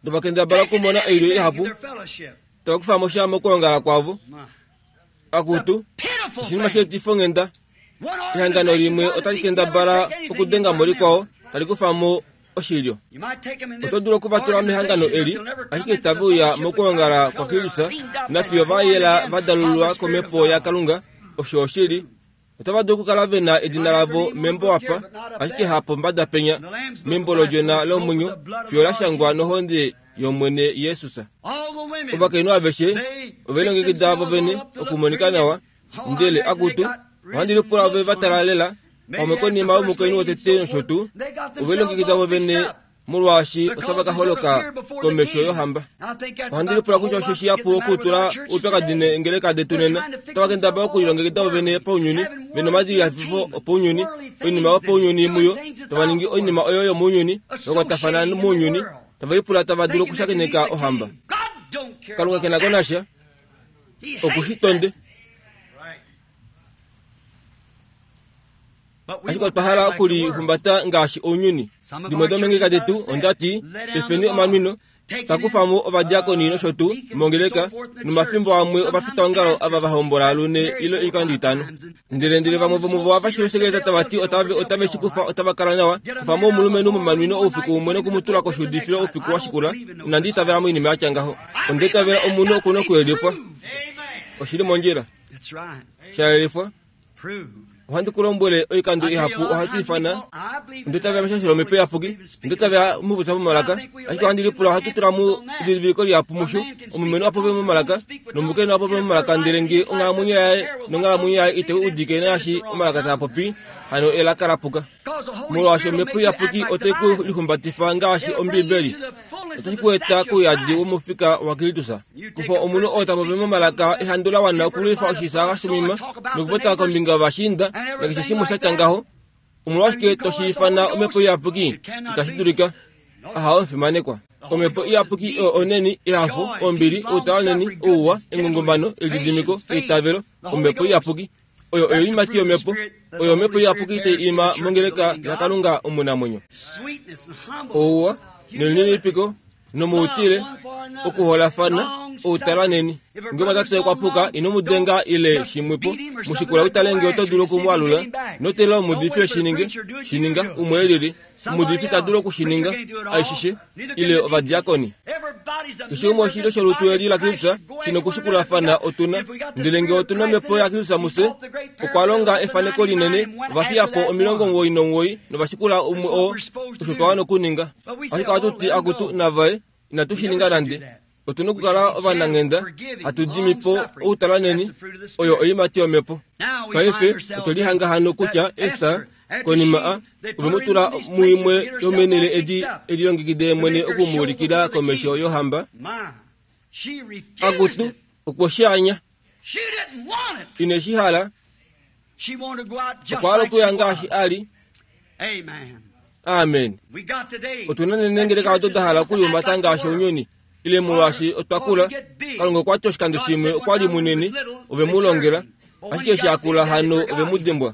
Tovakendabala okumona oilyo ihapu tavakufa mo sha mokulongala kwavo. Akutu oshinima sheetifo onghenda. Ehangano limwe otali kendabala okudenga mo likwao tali kufa mo oshilyo. Oto dulu okuvatula mehangano eli ashike itave uya mokulongala kwa Kristus nafiyo va yela va dalululwa komhepo yaKalunga. Osho oshili. Otava dulu okukala vena edina lavo membo apa ashike hapombada penya membo lodjona lomwenyo fiyo la shangwa nohonde yomwene Jesus. Ovakainhu aveshe ovelongekida vovene okumonika nawa ndele akutu ohandi lipula ove va talalela pamwe konima yomukainhu wotete nosho tuu ovelongekida vovene molwaashi otava ka holoka komesho yohamba. Ohandi lipula kutya osho shihapu okutula oupyakadi neengeleka detu nena. Otava kendabala okulilongekida vovene paunyuni vena omadilihafifo opaunyuni oinima yopaunyuni muyo tava ningi oinima oyo yomounyuni vakwatafana mounyuni tava lipula tava dulu okushakeneka ohamba. Kalunga kena ko nasha okushitonde. Ashike otwa hala okulihumbata ngaashi ounyuni. Dimwe domeengeleka detu ondati efeni omanwino takufamo ovadiakoni nosho tuu mongeleka nomafimbo amwe ovafitaongalo ava va hombola lune ile oikando itano. Ndele ndele vamwe vomuvo avashilosekeleta tava ti otave otave shi kufa otava kala nawa kufamo omulumenhu momanwino oufiku umwe nokumutula koshuudifilo oufiku wa shikula. Inandi itavela moinima yatya ngaho. Onda itavela omunhu okuna okuyelifwa. Oshili mondjila. Shayelifwa. Ohandi ku lombwele oikando ihapu ohatu ifana onda itavela meshashilo lomhepo iyapuki onda itavela mupopya momalaka ashike ohandi lipula ohatu tula mu edidiliko lihapu musho omulumenhu a popye momalaka nomukainhu a popye momalaka ndele nge onghalamwenyo yaye nonghalamwenyo yaye ite udike naashi omalaka taa popi hano elaka la puka. Molwaashi omhepo iyapuki otai ku lihumbatifa ngaashi Ombibeli otashi ku eta kouyadi womufika waKristus. Kufa omunhu oo ta popi momalaka ehandu la wana okulwifa oshisaaxa shomima nokupota kombinga yovashiinda nakeshe shimwe shatya ngaho. Omolwashike toshi ifana omhepo iyapuki? Itashi dulika. Aha, omufimanekwa. Omhepo iyapuki oyo oneni, ehafo, ombili, outalaneni, ouwa, engongomano, elididimiko, eitavelo. Omhepo iyapuki oyo oiimati yomhepo. Oyo omhepo iyapuki tai ima mongeleka yaKalunga omunamwenyo. Ouwa nelininipiko nomuutile okuholafana outalaneni. Nge omwatate okwa puka ino mu denga ile shimwepo mushikula utale nge oto dulu okumwalula notela omuudifi eshininge shininga umwe elili. Omuudifi ta dulu okushininga aishishe ile ovadiakoni. Keshe umwe oshilyo sholutu eli la Kristus shina okushikulafana otuna. Ndele nge otuna omhepo yaKristus mufye okwa longa efaneko linene ovafiyapo omilongo omuwoi nomuwoi novashikula umwe oo osho twa wana okuninga. Ashike ohatu ti akutu navaye inatu shininga nande. Otuna okukala ovananghenda hatu dimipo outalaneni oyo oiimati yomhepo. Paife otwe lihanga hano kutya Ester konima a ovemutula muimwe yomenele edi elilongekide mwene okumuulikila komesho yohamba. Akutu okwo shaanya ine shihala okwa hala okuya ngaashi ali. Amen. Otuna nenengeleka oto da hala okuliumbata ngaashi ounyuni ile molwaashi otwa kula. Kalunga okwa ti oshikando shimwe okwa li munene ove mu longela ashike eshi a kula hano ove mu dimbwa.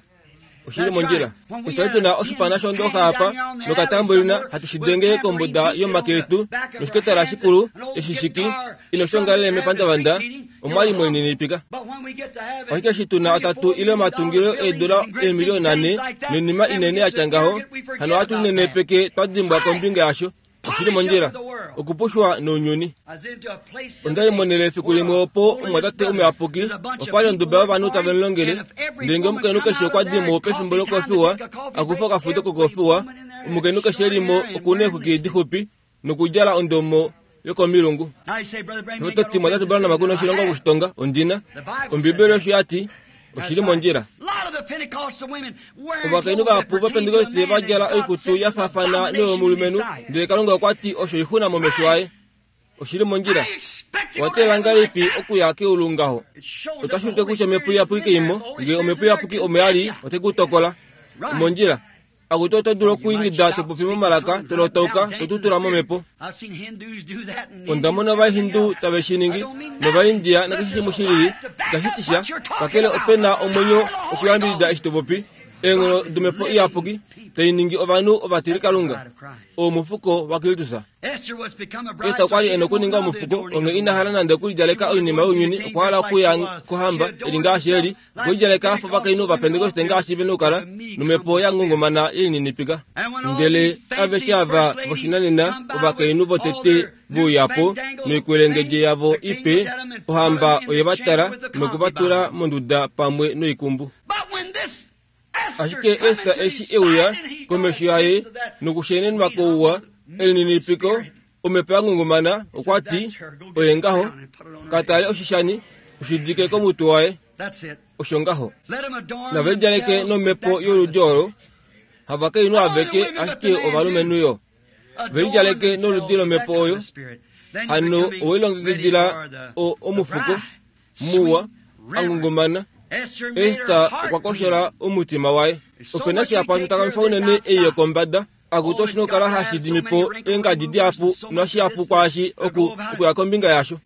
Oshili mondjila. Otwali tuna oshipana shondoha apa nokatambulina hatu shidenge kombuda yomake yetu noshiketala shikulu eshishiki inoshongalele mepandavanda omwali mweninipika. Ashike eshi tuna atatu ile omatungilo eedula eemiliona nane noinima inene yatya ngaho, hano ohatu linenepeke twa dimbwa kombinga yasho. Oshili mondjila okupushwa nounyuni. Onda limonele efiku limwe opo omwatate omuyapuki okwali onduba yovanhu tave mulongele, ndele ngee omukainhu keshe okwa dimo pefimbo lokofiwa akufa okafudo kokofiwa, omukainhu keshe elimo okuna eexwiki dixupi nokudjala ondomo yokomilungu. Ototi mwatate Branham kuna oshilonga okushitonga ondina. Ombibeli osho yati oshili mondjila. Ovakainhu vahapu vaPentekoste va djala oikutu ya faafana noyomulumenhu, ndele Kalunga okwa ti osho oixuna momesho aye. Oshili mondjila. Owa teelela ngahelipi okuya keulu ngaho? Otashi ulike kutya omhepo iyapuki keimo, ngee omhepo iyapuki omo ya li, ote ku tokola. Omondjila. Akutu oto dulu okwiingida to popi momalaka, to lotauka, to tutula momhepo. Onda mona Ovahindu tave shi ningi, nOvaindia nakeshe shimwe shilili. Itashi ti sha, kakele ope na omwenyo okuyambidida eshi to popi. Eenghono domhepo iyapuki tai ningi ovanhu ovatilikalunga. Omufuko waKristus. Ester okwa li e na okuninga omufuko, onghee ina hala nande okulidjaleka oinima younyuni, okwa hala okuya kohamba eli ngaashi eli, okulidjaleka afa ovakainhu vaPentekoste ngaashi ve nokukala, nomhepo ya ngungumana yelininipika. Ndele aveshe ava voshinanena ovakainhu votete vouyapo noikwelengedje yavo ipe, ohamba oye va tala nokuvatula monduda pamwe noikumbu. Ashike Ester eshi euya komesho yaye nokushenenwa kouwa elininipiko, omhepo ya ngungumana, okwa ti, oye ngaho, katale oshishani, oshidike komutwe waye. Osho ngaho. Nave lidjaleke nomhepo yoludi olo, havakainhu aveke ashike ovalumenhu yo. Ve lidjaleke noludi lomhepo oyo, hano owelilongekidila omufuko muwa angungumana. Ester okwa koshola omutima waye. Ope na shihapu hatu takamifa unene ei yokombada. Akutu oshi nokukala hashi dimipo eengadi dihapu noshihapu kwaashi oku okuya kombinga yasho.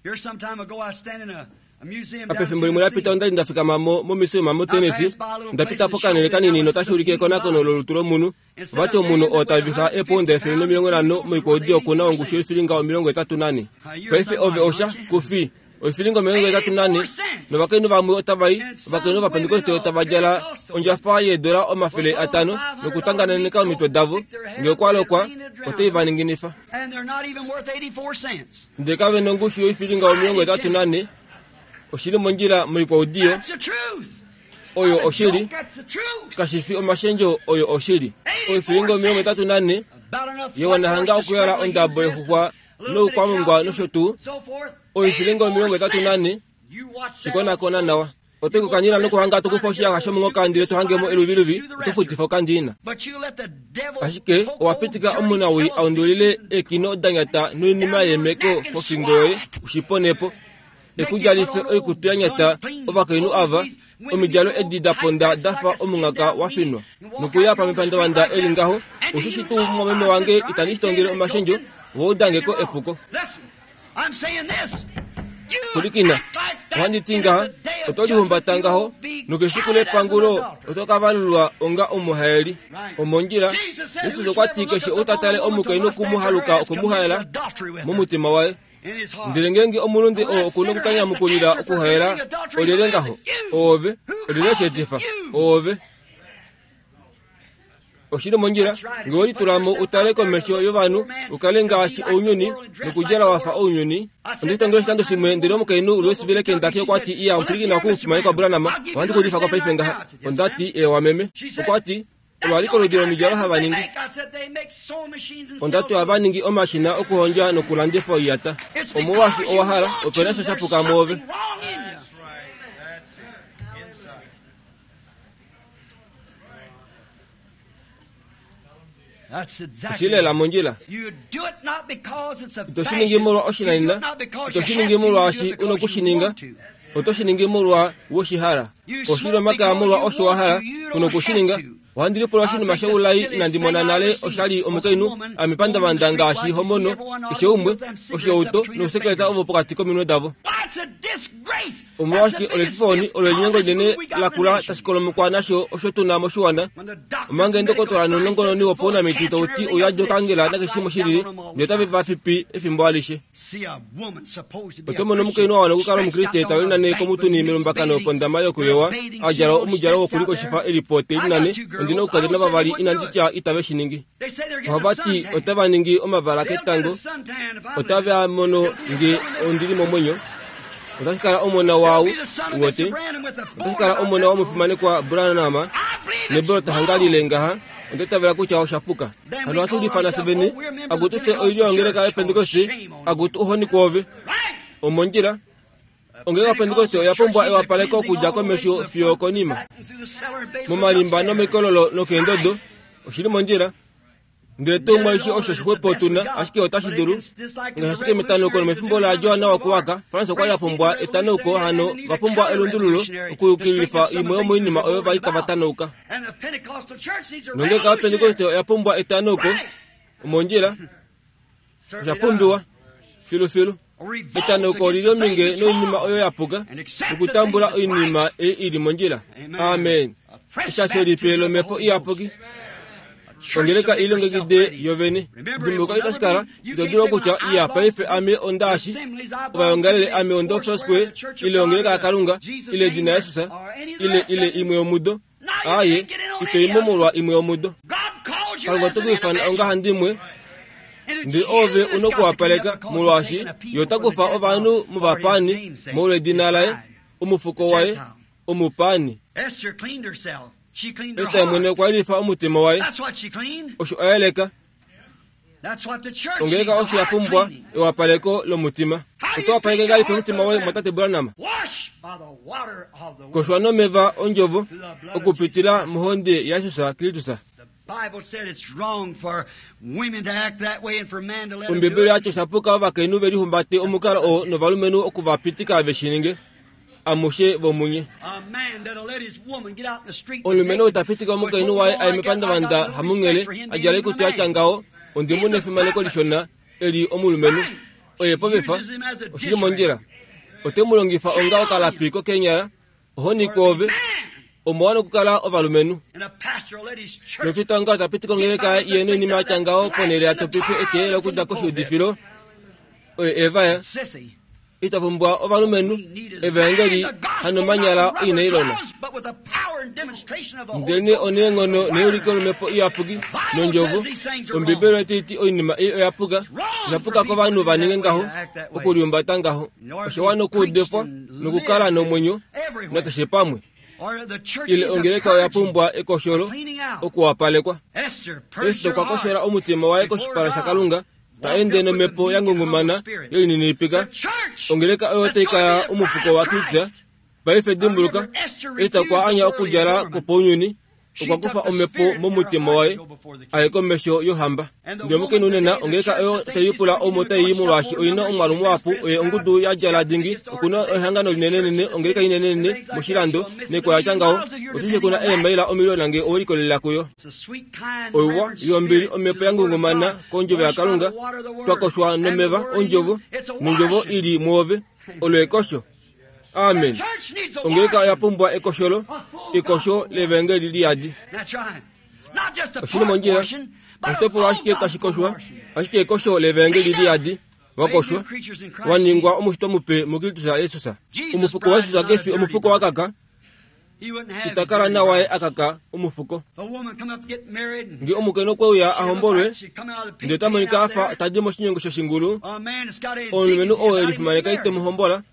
Pefimbo limwe lapita onda li nda fikama mo momisiuma moTennessee, nda pita pokanhele kanini notashi ulike ekonakono lolutu lomunhu. Vati omunhu oo tavixa eepounda efele nomilongo nhano moikwaudi okuna ongushu yoifilinga omilongo etatu nane. Paife ove osha kufi oifilinga omilongo etatu nane, novakainhu vamwe otava i, ovakainhu vaPentekoste otava djala ondjafa yeedola omafele atano nokutangananeka omitwe davo, ngee okwa lokwa otai va ninginifa. Ndele kave na ongushu yoifilinga omilongo etatu nane. Oshili mondjila moikwaudiyo. Oyo oshili, kashi fi omashendjo, oyo oshili. Oifilinga omilongo etatu nane yewana hanga okuyala ondabo yexuxwa noukwamungwa nosho tuu. Oifilinga omilongo etatu nane shikonakona nawa. Oto kukanyila nokuhanga tokufa oshiyaxa shomunghoka ndele to hangemo eluviluvi, oto futifa okandiina. Ashike owa pitika omunawii aundulile eekino danyata noinima yeemeko kofingo yoye ushiponepo. Ekudjalife oikutu ya nyata ovakainhu ava, omidjalo edi da ponda dafa omunghaka wa finwa. Nokuya pamepandavanda eli ngaho, oshoshi tuu mumwameme wange itandi shitongele omashendjo, vo udangeko epuko. Pwilikina, ohandi ti ngaha, oto lihumbata ngaho, nokefiku lepangulo oto ka valulwa onga omuhaeli. Omondjila, Jesus okwa ti keshe ou ta tale omukainhu okumuhaluka okumuhaela momutima waye. Ndele ngeenge omulunde oo okuna okukanyamukulila okuhaela, olyelye ngaho? Oove. Olyelye sheetifa? Oove. Oshili mondjila, ngee we litula mo utale komesho yovanhu, ukale ngaashi ounyuni, nokudjala wafa ounyuni. Onde shitongele oshikando shimwe, ndele omukainhu Louisville Kentucky okwa ti, iya, omupwilikina okumufimane Branham, ohandi ku udifa ko paife ngaha. Onda ti, eewa meme. Okwa ti, olwaliko oludi lomidjalo hava ningi. Onda ti ohava ningi omashina okuhondja nokulandifa oiyata. Omolwaashi owa hala, ope na sha shapuka mwoove. Oshili lela mondjila. Ito shi ningi molwa oshinanena, ito shi ningi molwaashi u nokushininga, oto shi ningi molwa woshihala. Oshili omakaya molwa osho wa hala, u nokushininga. Ohandi lipula oshinima shoulai inandi mona nale oshali omukainhu amepandavanda ngaashi homono, keshe umwe, oshihauto nousekeleta ovo pokati kominwe davo. Omolwashike olefifoni olo elinyengo linene lakula tashikolomekwa nasho osho tuna moshiwana omanga endokotola nounongononi wopaunamiti tauti ouyadi okangela nakeshe shilili ndele otave vafipi efimbo alishe. Oto mono omukainhu a wana okukala omukriste talinane komutuni melumbakano pondama yokuyowa a djala omudjalo wokulikoshifa elipo telinane ondina oukadona vavali inandi tya itave shi ningi. Ohava ti otava ningi omavala ketango otave a mono nge ondili momwenyo. Otashi kala omona waau wote otashi kala omona womufimanekwa Branham nebolo tahangalile ngaha ondetavela kutya oshapuka. Hano ohatu lifana seveni agutuse oilyo yongeleka yepentekoste agutu ohoni kwoove omondjila. Ongeleka yepentekoste oya pumbwa ewapaleko okudja komesho fiyo konima momalimba nomikololo nokeendodo oshili mondjila. Ndele tuu mwaishi osho shixwepo tuna ashike otashi dulu ngaashi ashike metanauko nomefimbo laJohanna wokuwaka France okwa li a pumbwa etanauko hano va pumbwa elundululo okuyukililifa imwe yomoinima oyo vali tava tanauka. Nongeleka yepentekoste oya pumbwa etanauko omondjila osha pumbiwa filufilu. Etanauko olili ominge noinima oyo yapuka nokutambula oinima ei ili mondjila. Amen. Eshasho lipe lomhepo iyapuki. Ongeleka ilongekide yovene. Dimbuluka itashikala ito dulu okutya iya paife ame ondaashi ovayongalele ame ondo Foursquare ile ongeleka yaKalunga ile edina Jesus ile ile imwe yomudo. Aye ito imomolwa imwe yomudo. Kalunga ote ku ifana ongahandimwe ndele ove una okuwapaleka molwaashi ye ota kufa ovanhu movapani molwedina laye omufuko waye omupani. Ester mwene okwa yelifa omutima waye osho a yeleka. Ongeleka osho ya pumbwa ewapaleko lomutima. Oto wapaleke ngahelipi omutima woye mwatate Branham? Koshwa nomeva ondjovo okupitila mohonde yaJesus Kristus. Ombibeli yati oshapuka ovakainhu velihumbate omukalo oo novalumenhu okuvapitika veshininge amushe vomunye. Omulumenhu ou tapitika omukainhu waye aye mepandavanda hamunghele a djala oikutu yatya ngaho ondimu nefimaneko lishona eli omulumenhu oye povefa oshili mondjila. Ote mu longifa onga okalapi kokeenyala ohoni kwoove omo okukala ovalumenhu. Nofita onga tapitika ongeleka ye noinima yatya ngaho ponhele ya topife eteelelo okudja koshiudifilo oye evaya ita pumbwa ovalumenhu evangeli hanomanyala oinailona. Ndelene oneenghono neuliko lomhepo iyapuki nondjovo. Ombibeli otaiti oinima ei oyapuka oshapuka kovanhu va ninge ngaho okuliumbata ngaho. Osho wana okuudifwa nokukala nomwenyo nakeshe pamwe. Ile ongeleka oya pumbwa ekosholo okuwapalekwa. Ester okwa koshola omutima waye koshipala shaKalunga ta ende nomhepo ya ngungumana yelininipika. Ongeleka oyo otai kaya omufuko waKristus. Paife dimbuluka, Ester okwa anya okudjala kwopaunyuni okwa kufa omhepo momutima waye aye komesho yohamba. Ndele omukainhu nena ongeleka oyo taipula omo tai molwaashi oina omwaalu muhapu oye ongudu ya djala dingi okuna ehangano linenenene ongeleka inenenene moshilando neko yatya ngaho otishe kuna eemaila omiliona nge owelikolelela kuyo. Oiwa yombili omhepo ya ngungumana kondjovo yaKalunga twakoshwa nomeva ondjovo nondjovo ili mwoove olo ekosho. Amen. Ongeleka oya pumbwa ekosholo ekosho levangeli liyadi. Oshili mondjila oshitopolwa ashike tashi koshwa ashike ekosho levangeli liyadi wakoshwa waningwa omushitwa mupe muKristus Jesus. Omufuko waJesus kefi omufuko wakaka itakala nawaye akaka omufuko. Nge omukainhu okweuya ahombolwe ndele ota monika afa tadi moshinyongo shoshingulu omulumenhu oo elifimaneka ite muhombola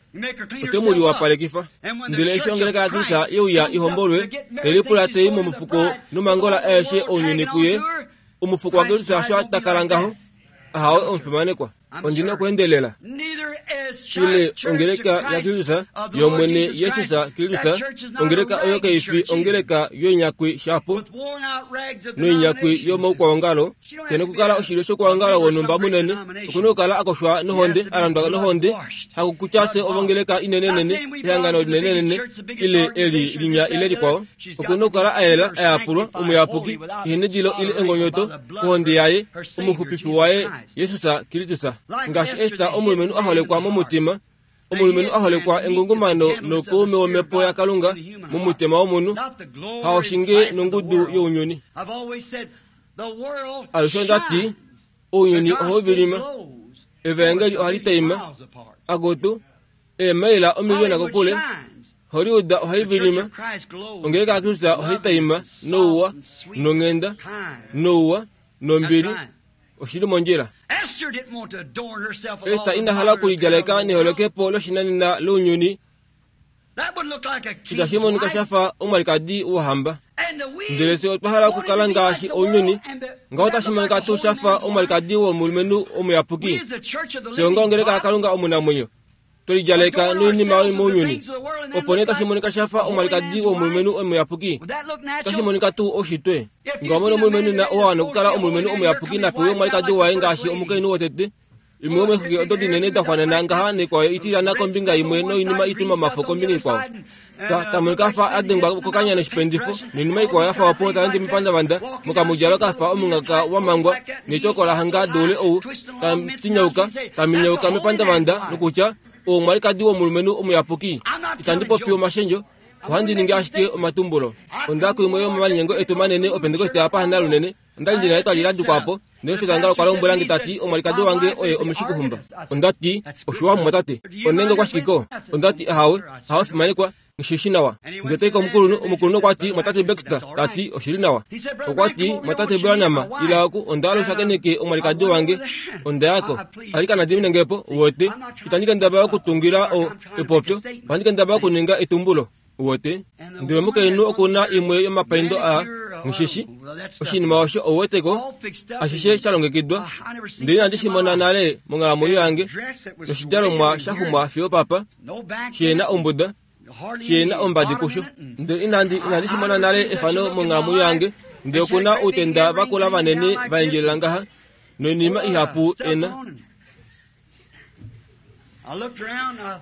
ote mu liwapalekifa. Ndele eshi ongeleka yaKristus yeuya ihombolwe telipula tei momufuko nomangola aeshe ounyuni kuye omufuko waKristus asho takala ngaho ahawe omufimanekwa. Ondina okuendelela. Ile ongeleka yaKristus yomwene Jesus Kristus ongeleka oyo kaifi ongeleka yoinyakwi shapo noinyakwi yomaukwaongalo kena okukala oshilyo shokwaongalo wonhumba munene okuna okukala akoshwa nohonde alandwa nohonde hakukutya se ovongeleka inenenene ehangano linenenene ile eli linya ile likwao okuna okukala ayela ayapulwa omuyapuki ihenedilo ile engonyoto kohonde yaye omuxupifi waye Jesus Kristus. Ngaashi Ester omulumenhu a holekwa momutima Omulumenhu a holekwa engungumano nokaume womhepo yaKalunga momutima womunhu, haoshinge nongudu younyuni. Alushe onda ti, ounyuni ohau vilima, evaengeli ohali taima, akutu, eemaila omiliona kokule, Hollywood ohai vilima, ongeleka yaKristus ohai taima nouwa, nonghenda, nouwa, nombili, oshili mondjila. Ester ina hala okulidjaleka neholokepo loshinanena lounyuni, itashi monika shafa omwalikadi wohamba. Ndele fye otwa hala okukala ngaashi ounyuni, ngaho otashi monika tuu shafa omwalikadi womulumenhu omuyapuki. Fye onga ongeleka yaKalunga omunamwenyo, twelidjaleka noinima mounyuni, opo nee otashi monika shafa omwalikadi womulumenhu omuyapuki. Otashi monika tuu oushitwe. Nga omona omulumenhu na owa nokukala omulumenhu omuyapuki na pewe omwalikadi waye ngaashi omukainhu wotete. Imwe yomexwiki odo dinene da xwanena ngaha naikwao itilyana kombinga imwe noinima ituma omafo kombinga ikwao. Ta tamonika afa a dengwa kokanya noshipendifo noinima ikwao yafa opo taendi mepandavanda mokamudjalo kafa omungaka wa mangwa netyoko la hanga doule ou tatinyauka taminyauka mepandavanda nokutya omwalikadi womulumenhu omuyapuki. Itandi popi omashendjo, ohandi ningi ashike omatumbulo. Onda kuimwe yomomalinyengo etu manene opentekoste apa hana lunene, onda li ndina etwali la dikwa po, ndele Fetanga okwa lombwela nge tati omwalikadi wange oye omishikuhumba. Onda ti, oshiwa mumwatate, onenge kwashikiko. Onda ti, ahawe, ahawe fimanekwa, ngishishi nawa. Ndele tai komukulunhu, omukulunhu okwa ti, mwatate Baxter, tati, oshili nawa. Okwa ti, mwatate Branham, ila oku, onda hala ushakeneke omwalikadi wange, onda yako. Alikana diminengepo, uwete, itandi kendabala okutungila o epopyo, ohandi kendabala okuninga etumbulo. Uwete, ndele omukainhu okuna imwe yomapaindo a ngishishi, oshinima osho ouweteko, ashishe sha longekidwa, ndele inandi shi mona nale monghalamwenyo yange, noshidjalomwa sha xumwa fiyo papa, shihena ombuda, shihena ombadi kusho. Ndele inandi inandi shi mona nale efano monghalamwenyo yange, ndele okuna outenda vakula vanene va endjelela ngaha, noinima ihapu ena.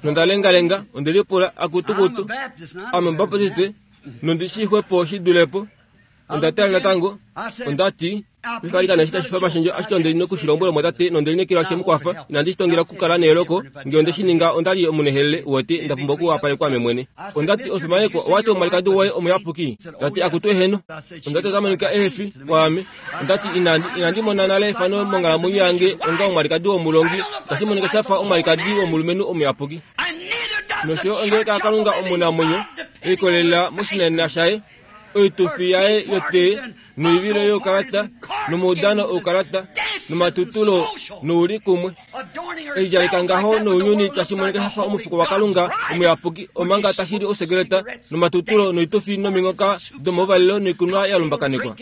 Nonda lengalenga, onde lipula akutukutu, ame Omubaptiste, nondi shi xwepo shi dulepo. Onda tala natango, onda ti, Mikalikana eshi tashi fa omashendjo, ashike onde nokushilombwela mwatate nonde lineekela she mu kwafa. Inandi shi tongela okukala neeloko, ngee onde shi ninga onda li omunehelele, uwete, nda pumbwa okuwapalekwa ame mwene. Onda ti, omufimanekwa, owati omwalikadi woye omuyapuki. Tati akutu eheno. Onda ti ota monika ehefi kwaame. Onda ti inandi inandi mona nale efano monghalamwenyo yange onga omwalikadi womulongi, tashi monika shafa omwalikadi womulumenhu omuyapuki. Nosho ongeleka yaKalunga omunamwenyo, elikolelela moshinanena shaye, oitufi yaye yotee, noivilo youkalata, nomaudano oukalata, nomatutulo noulikumwe. Elidjaleka ngaho nounyuni tashi monika shafa omufuko waKalunga omuyapuki, omanga tashi li osekeleta, nomatutulo noitufi nominghoka domouvalelo noikunwa ya lumbakanekwa.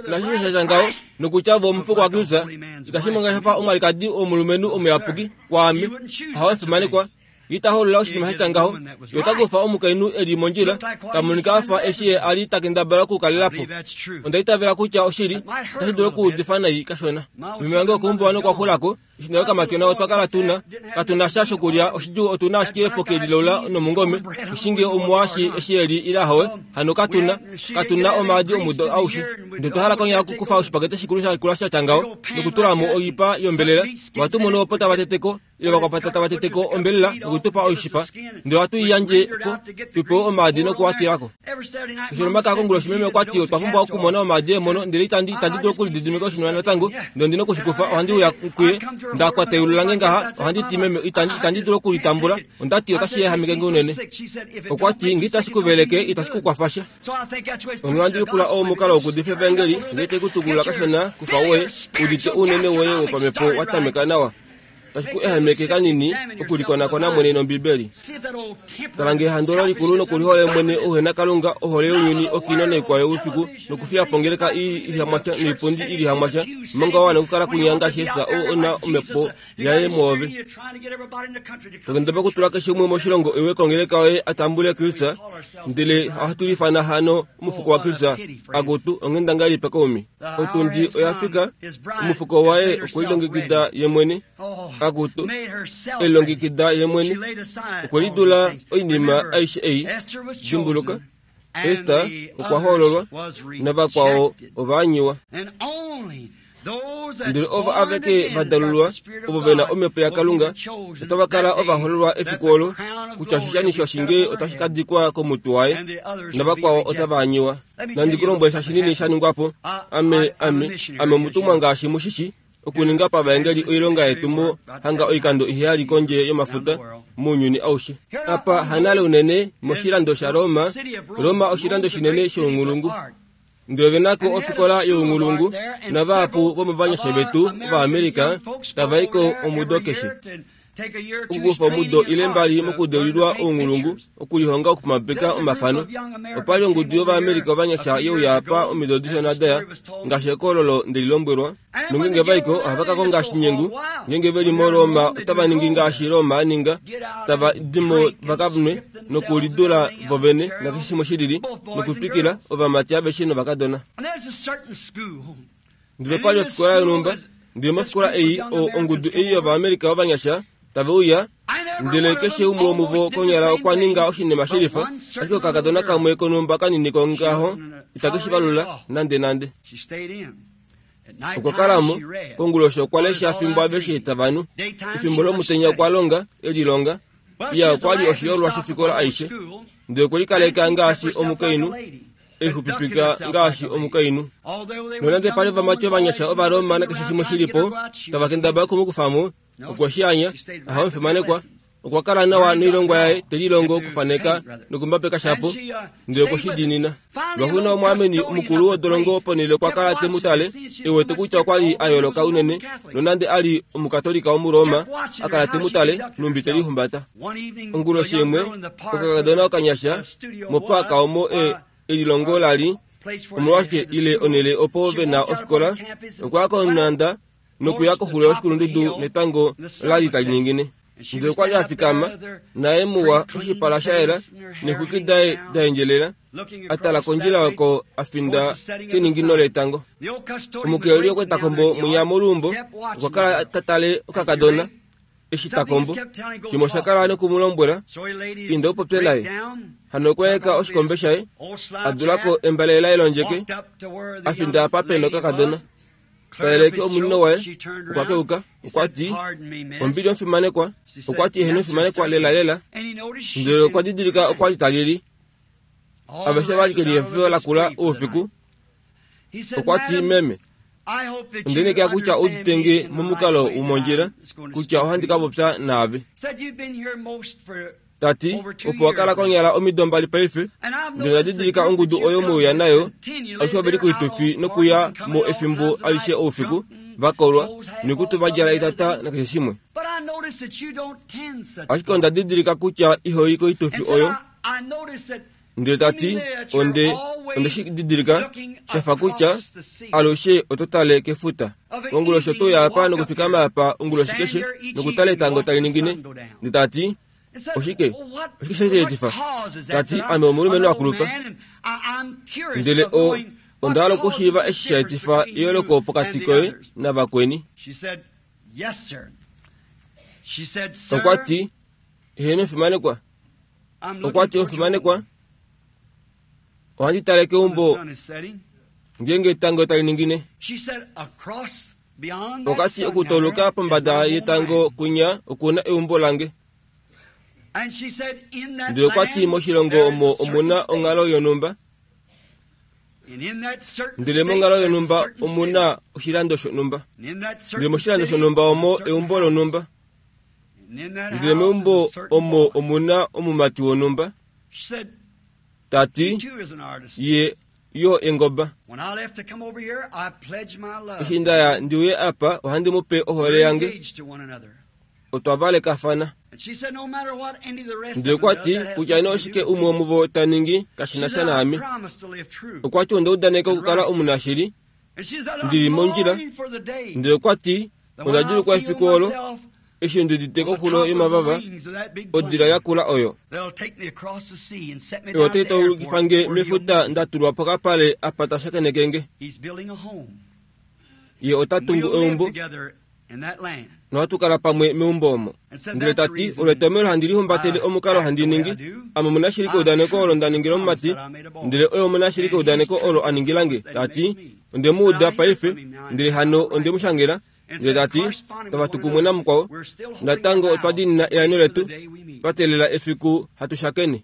Nashishe sha ngaho, nokutya vo omufuko waKristus, itashi monika shafa omwalikadi womulumenhu omuyapuki kwaame, ahawe fimanekwa. Ita holola oshinima sha ngaho, yo ota kufa omukainhu eli mondjila, ta monika afa eshi ye a li ta kendabala okukalelapo. Onda itavela kutya oshili, otashi dulu okuudifa nai kashona. Meme wange wokeumbo okwa xulako, eshi nda kamatyona otwa kala tuna, katuna sha shokulya, oshidjuu otuna ashike epoke lilaula nomungome, oshinge omuwashi eshi eli ile ahowe, hano katuna, katuna omaadi omudo aushe. Ndele otwa hala konyala okukufa oshipakete shikulu shakula sha tya ngaho, nokutula mo oipa yombelela, ohatu mono opo tava teteko, ile vakwapata tava teteko ombelela nokutupa oishipa, ndele ohatu i yandje ko, tu pewe omaadi nokuwatilako. Oshilomaka konguloshi meme okwa ti otwa pumbwa okumona omaadi eemono, ndele itandi itandi dulu okulididimika oshinima natango, ndele ondi nokushikufa, ohandi uya kuye, nda kwata eyulu lange ngaha, ohandi ti meme itandi itandi dulu okulitambula, onda ti otashi ehameke nge unene. Okwa ti nge itashi ku veleke, itashi ku kwafa sha. Onghee ohandi lipula oo omukalo wokuudifa evangeli, ngee te ku tukulula kashona kufa woye, udite ounene woye wopamhepo wa tameka nawa. Tashi ku ehameke kanini okulikonakona mwene nOmbibeli. Tala nge ehando olo likulu nokulihole mwene ouhena Kalunga, ohole younyuni, okino naikwao youfiku, nokufiya po ongeleka ii ilihamwasha noipundi ilihamwasha, omanga wa wana okukala kunya ngaashi Jesus ou ona omhepo yaye mwoove. Tokendabala okutula keshe umwe moshilongo ewe kongeleka yoye a tambule Kristus, ndele ohatu lifana hano omufuko waKristus, akutu onghenda ngahelipi kaumi. Otundi oya fika, omufuko waye okwe lilongekida ye mwene, akutu elilongekida ye mwene, okwe lidula oinima aishe ei. Dimbuluka, Ester okwa hoololwa, navakwao ova anyiwa. Ndele ovo aveke va dalulwa ovo ve na omhepo yaKalunga otava kala ovahoololwa efiku olo kutya oshishani shoshinge otashi ka dikwa komutwe waye navakwao otava anyiwa. Nandi ku lombwele sha shinini sha ningwa po. Ame ame ame omutumwa ngaashi mushishi okuninga pavaengeli oilonga yetumo hanga oikando iheyali kondje yomafuta mounyuni aushe. Apa hanale unene moshilando shaRoma, Roma oshilando shinene shounghulungu. Ndele ve nako ofikola younghulungu navahapu vomovanyasha vetu Ovaamerica tava i ko omudo keshe. Okukufa omudo ile mbali mokudeulilwa ounghulungu okulihonga okumapeka omafano. Opali ongudu yOvaamerica ovanyasha ye uya apa omido dishona daya ngaashi ekololo ndeli lombwelwa. Nongenge vaiko ohava ka konga shinyengu ngenge veli moRoma otava ningi ngaashi Roma a ninga, tava dimo vakanwe nokulidula vovene nakeshe shimwe shilili nokutwikila ovamati aveshe novakadona. Ndele pali ofikola yonhumba, ndele mofikola ei ongudu ei yOvaamerica ovanyasha tave uya, ndele keshe umwe womuvo konyala okwa ninga oshinima shelifa, ashike okakadona kamwe konhumba kanini kongaho itake shi valula nande nande. Okwa kalamo konguloshi okwa lesha fimbo aveshe tava nu. Efimbo lomutenya okwa longa elilonga. Iya okwa li oshiyolwa shofikola aishe, ndele okwe likaleka ngaashi omukainhu, exupipika ngaashi omukainhu. Nonande pali ovamati ovanyasha Ovaroma nakeshe shimwe shilipo tava kendabala okumukufamo, okwe shi anya, aha omufimanekwa. Okwa kala nawa noilongwa yaye te lilongo okufaneka nokumbapeka shapo, ndele okwe shi diinina. Lwaxuuninwa omwaameni mukulu wodolongo ponhele okwa kala te mu tale, e wete kutya okwa li a yooloka unene, nonande a li omukatolika Omuroma, a kala te mu tale nhumbi te lihumbata. Onguloshi imwe, okakadona okanyasha mopaaka omo e elilongo la li, omolwashike ile onhele opo ve na ofikola, okwa ya konhanda nokuya koxulo yoshikulundudu netango la li tali ningine. Ndele okwa li a fikama naye muwa oshipala sha yela neexwiki daye da endjelela, a tala kondjila oko a finda keningino letango. Omukeleli okwe ta kombo mwinya moluumbo, okwa kala ta tale okakadona eshi ta kombo. Shimwe osha kala nokumulombwela, inda upopye naye. Hano okwa eka oshikombe shaye, a dulako embale laye londjeke, a finda apa pena okakadona. Tayeleke omunino waye, okwa keuka, okwa ti, ombili omufimanekwa, okwa ti eheno omufimanekwa lela lela. Ndele okwa didilika okwa li talili. Aveshe vali kelihefifo lakula oufiku. Okwa ti meme, ondenekela kutya uditenge momukalo womondjila kutya ohandi ka popya naave. Tati, opo wa kala konyala omido mbali paife, ndele nda didilika ongudu oyo mweuya nayo, alushe ove li koitufi nokuya mo efimbo alishe oufiku, vakolwa, noikutu va djala etata nakeshe shimwe. Ashike onda didilika kutya ihoi koitufi oyo. Ndele tati, onde onde shi didilika, shafa kutya alushe oto tale kefuta. Onguloshi oto uya apa nokufikama apa onguloshi keshe nokutala etango tali ningine. Ndele tati, oshike oshike sheetifa? Tati, ame omulumenhu akulupa. Ndele o onda hala okushiiva eshi sha etifa eyooloko pokati koye navakweni. Okwa ti, eheno omufimanekwa. Okwa ti, omufimanekwa, ohandi tale keumbo ngeenge etango tali ningine. Okwa ti, okutauluka pombada yetango kwinya okuna eumbo lange. Ndele okwa ti moshilongo omo omuna onghalo yonhumba. Ndele monghalo yonhumba omuna oshilando shonhumba. Ndele moshilando shonhumba omo eumbo lonhumba. Ndele meumbo omo omuna omumati wonhumba. Tati, ye yo engoba. Eshi ndaya ndiuye apa ohandi mu pe ohole yange. Otwa valekafana. Ndele okwa ti kutya nee oshike umwe womuvo ta ningi kashi na sha naame. Okwa ti onda udaneka okukala omunashili, ndili mondjila. Ndele okwa ti onda djuulukwa efiku olo eshi ndi udite koxulo yomavava odila yakula oyo. Oyo otai taulukifa nge mefuta nda tulwa pokapale apa ta shakeneke nge. Ye ota tungu eumbo nohatu kala pamwe meumbo omo. Ndele ta ti, olo etomhelo handi lihumbatele omukalo handi ningi. Ame omunashili keudaneko olo nda ningila omumati, ndele oye omunashili keudaneko olo a ningila nge. Ta ti, Onde mu uda paife, ndele hano onde mu shangela, ndele ta ti, tava tu kumwe namukwao, natango otwa diinina eano letu, twa teelela efiku hatu shakene.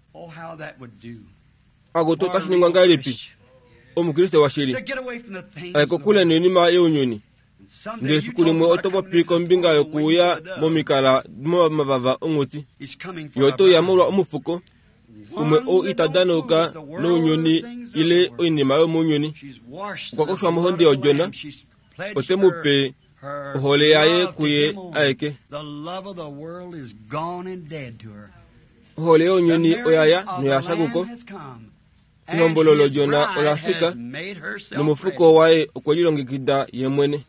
Akutu otashi ningwa ngahelipi? Omukriste washili aye kokule noinima younyuni. Ndele efiku limwe oto popi kombinga yokuuya momikala momavava onghuti. Ye ote uya molwa omufuko, umwe ou ita danauka nounyuni ile oinima yomounyuni. Okwa koshwa mohonde yOdjona, ote mu pe ohole yaye kuye aeke. Ohole younyuni oyaya noya fya kuko. Ehombolo lOdjona ola fika, nomufuko waye okwe lilongekida ye mwene.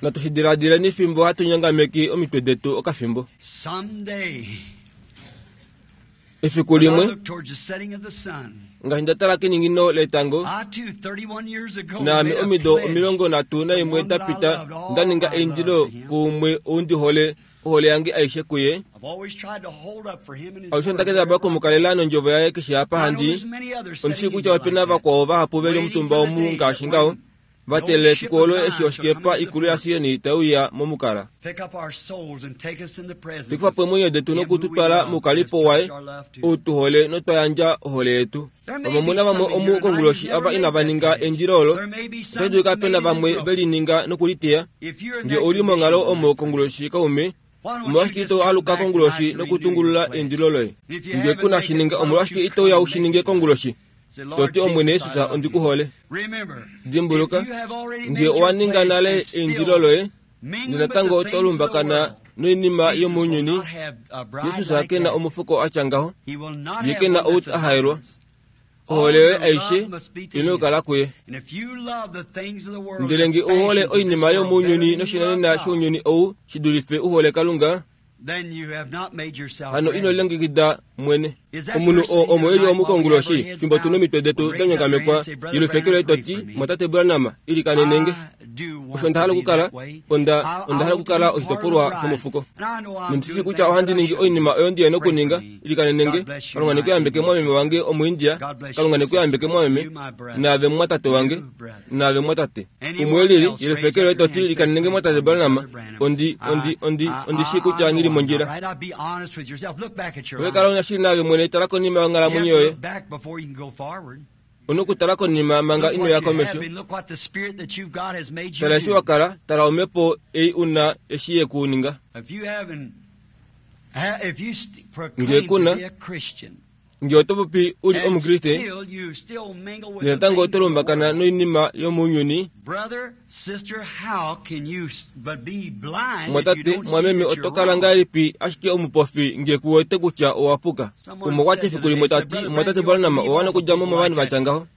Natu shi diladileni fimbo hatu nyangameki omitwe detu okafimbo. Efiku limwe, ngaashi nda tala keningino letango, naame omido omilongo nhatu naimwe da pita nda ninga eindilo kuumwe ou ndi hole ohole yange aishe kuye. Alushe onda kendabala okumukalela nondjovo yaye keshe apa handi. Ondi shii kutya ope na vakwao vahapu ve li omutumba omu ngaashi ngaho, va teelela efiku olo eshi oshikepa ikulu yaSion tai uya momukala. Tekufa po eemwenyo detu nokututwala moukalipo waye, ou tu hole notwa yandja ohole yetu. Vamwe omuna vamwe omu konguloshi ava inava ninga eindilo olo, otashi dulika pe na vamwe ve lininga nokuliteya. Nge ou li monghalo omo konguloshi kaume, omolwashike ito aluka konguloshi nokutungulula eindilo loye? Nge ku na shininga, omolwashike ito uya u shi ninge konguloshi? Toti, Omwene Jesus, ondi ku hole. Dimbuluka, nge owa ninga nale eindilo loye, natango oto lumbakana noinima yomounyuni, Jesus ke na omufuko a tya ngaho, ye ke na ou a haelwa. Ohole yoye aishe ina okukala kuye. Ndele nge u hole oinima yomounyuni noshinanena shounyuni ou shi dulife u hole Kalunga, hano ino lilongekida mwene. Omunhu oo omo e li omukonguloshi, fimbo tu nomitwe detu da nyongamekwa, yelufeke loye to ti, Mwatate Branham, ilikanenenge. Osho onda hala okukala, onda, onda hala okukala oshitopolwa shomufuko. Nondi shii kutya ohandi ningi oinima oyo ndi yena okuninga, ilikanenenge. Kalunga ne ku yambeke mwameme wange Omuindia, Kalunga ne ku yambeke mwameme, naave mwatate wange, naave mwatate. Umwe lili, yelufeke loye to ti, ilikanenenge mwatate Branham, ondi, ondi, ondi, ondi shii kutya nghi li mondjila. Ove kala unashili naave mwene, tala konima yonghalamwenyo yoye. Una okutala konima manga ino ya komesho. Tala eshi wa kala, tala omhepo ei una eshi ye ku ninga. Nge kuna, nge oto popi u li Omukriste, natango oto lumbakana noinima yomounyuni, mwatate, mwameme, oto kala ngahelipi ashike omupofi nge ku wete kutya owa puka? Umwe okwa ti efiku limwe ta ti, Mwatate Branham, owa wana okudja mo movanhu va tya ngaho.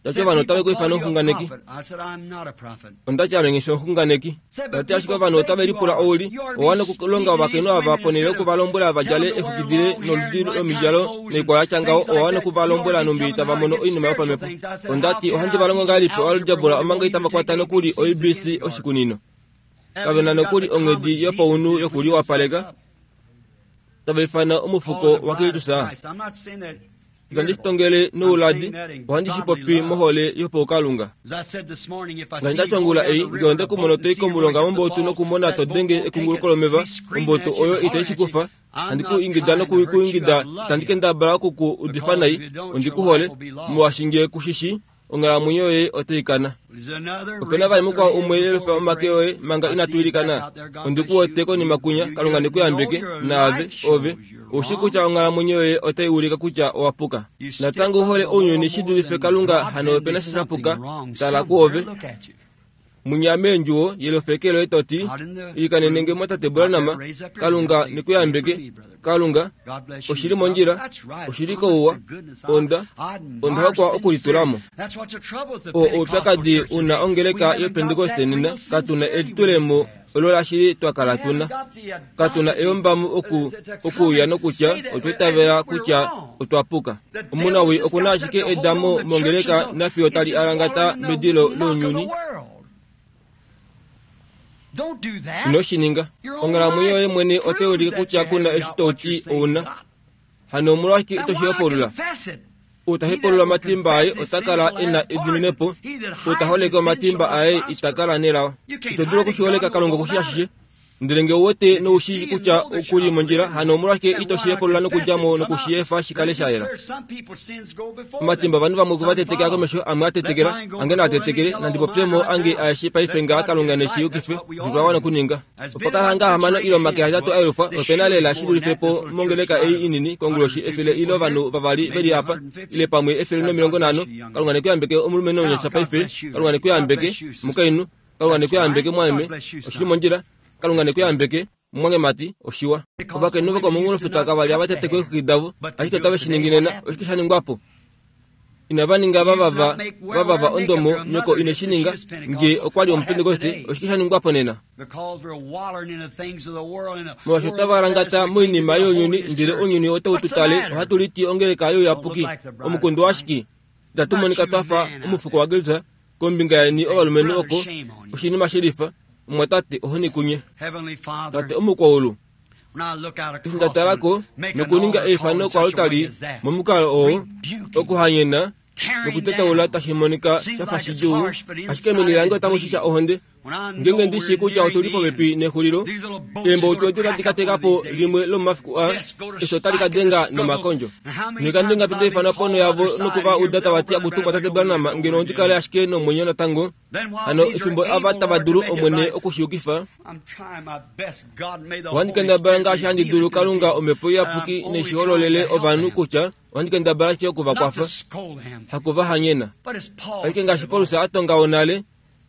Tati ovanhu otave ku ifana omuxunganeki. Onda ti ame nghi fi omuxunganeki. Tati ashike ovanhu otave lipula ou li, owa wana okulonga ovakainhu ava ponhele yoku va lombwela va djale exukidile noludi lomidjalo noikwao ya tya ngaho, owa wana oku va lombwela nhumbi tava mono oinima yopamhepo. Onda ti ohandi va longo ngahelipi oalgebra omanga itava kwata nokuli O B C oshikunino. Kave na nokuli onghedi yopaunhu yokuliwapaleka. Tava ifana omufuko waKristus. Itandi shi tongele nouladi, ohandi shi popi mohole yopaukalunga. Ngaashi nda tya ongula ei, nge onde ku mona to i komulonga mombotu nokumona to denge ekunguluko lomeva, ombotu oyo itai shi kufa, handi ku ingida noku ku ingida, itandi kendabala oku ku udifa nai, ondi ku hole, molwaashi nge ku shi shii, onghalamwenyo yoye otai kana. Ope na vali mukwao umwe yelufa omake oye manga inatu ilikana. Ondi ku wete konima kunya, Kalunga ne ku yambeke, naave, ove. Ou shii kutya onghalamwenyo yoye otai ulika kutya owa puka. Natango u hole ounyuni shi dulife Kalunga, hano ope na sha sha puka, tala kuove. Munya meendjuwo, yelufeke loye to ti, ilikanenenge mwatate Branham, Kalunga ne ku yambeke, Kalunga, oshi li mondjila, oshi li kouwa, onda, onda hokwa okulitula mo. O oupyakadi una ongeleka yoPentekoste nena, katuna elitulemo olo lashili twa kala tuna. Katuna eyombamo oku, okuuya nokutya otwa itavela kutya otwa puka. Omunawii okuna ashike edamo mongeleka nafiyo tali alangata medilo lounyuni. Ino shi ninga. Onghalamwenyo yoye mwene otai ulike kutya kuna eshi to ti ouna. Hano omolwashike ito shi hopolula? Ou ta hepulula omatimba aye ota kala e na ediminepo, ou ta holeke omatimba aye ita kala nelao. Ito dulu okushiholeka Kalunga okushi ashishe. Ndele nge ouwete noushii kutya okuli mondjila, hano omolwashike ito shi hepulula nokudja mo nokushiefa shi kale sha yela. Omatimba ovanhu vamwe okwe va tetekela komesho, amwe a tetekela, ange naa tetekele, nandi popye mo ange aeshe paife ngaha Kalunga neshi yukife, osho twa wana okuninga. Opa kala hanga ahamano ile omake ahetatu a yelufwa, ope na lela shi dulife po mongeleka ei inini konguloshi efele ile ovanhu vavali veli apa, ile pamwe efele nomilongo nhano. Kalunga ne ku yambeke omulumenhu omunyasha paife, Kalunga ne ku yambeke omukainhu, Kalunga ne ku yambeke mwameme, oshili mondjila. Kalunga ne ku yambeke mumwangemati, oshiwa. Ovakainhu vokomunghulofuta kava li hava teteke eexwiki davo, ashike otave shi ningi nena. Oshike sha ningwa po? Inava ninga vavava vavava ondomo, nyoko ine shi ninga, nge okwa li omupentekoste. Oshike sha ningwa po nena? Molwaashi otava langata moinima younyuni, ndele ounyuni otau tu tale, ohatu liti ongeleka youyapuki. Omukundu washike? Itatu monika twa fa omufuko waGilsa kombinga yeni ovalumenhu oko, oshinima shelifa. Omwatate, ohoni kunye. Tate omukwaulu, eshi nda tala ko nokuninga eifano koaltari momukalo oo, okuhanyena nokutetaula tashi monika sha fa shidjuu, ashike meni lange otamu shisha ohonde. Ngeenge ndi shii kutya otu li popepi nexulilo, eemboutu edi otadi ka teka po limwe lomomafiku aa, eshi otali ka denga nomakondjo. Noikando ingapi nda ifanwa ponho yavo noku va uda tava ti, Akutu Tate Branham, ngeno ondi kale ashike nomwenyo natango. Hano efimbo ava tava dulu Omwene okushiyukifa, ohandi kendabala ngaashi handi dulu Kalunga Omhepo Iyapuki neshihololele ovanhu kutya ohandi kendabala ashike oku va kwafa, haku va hanyena. Ashike ngaashi Paulus a tonga onale,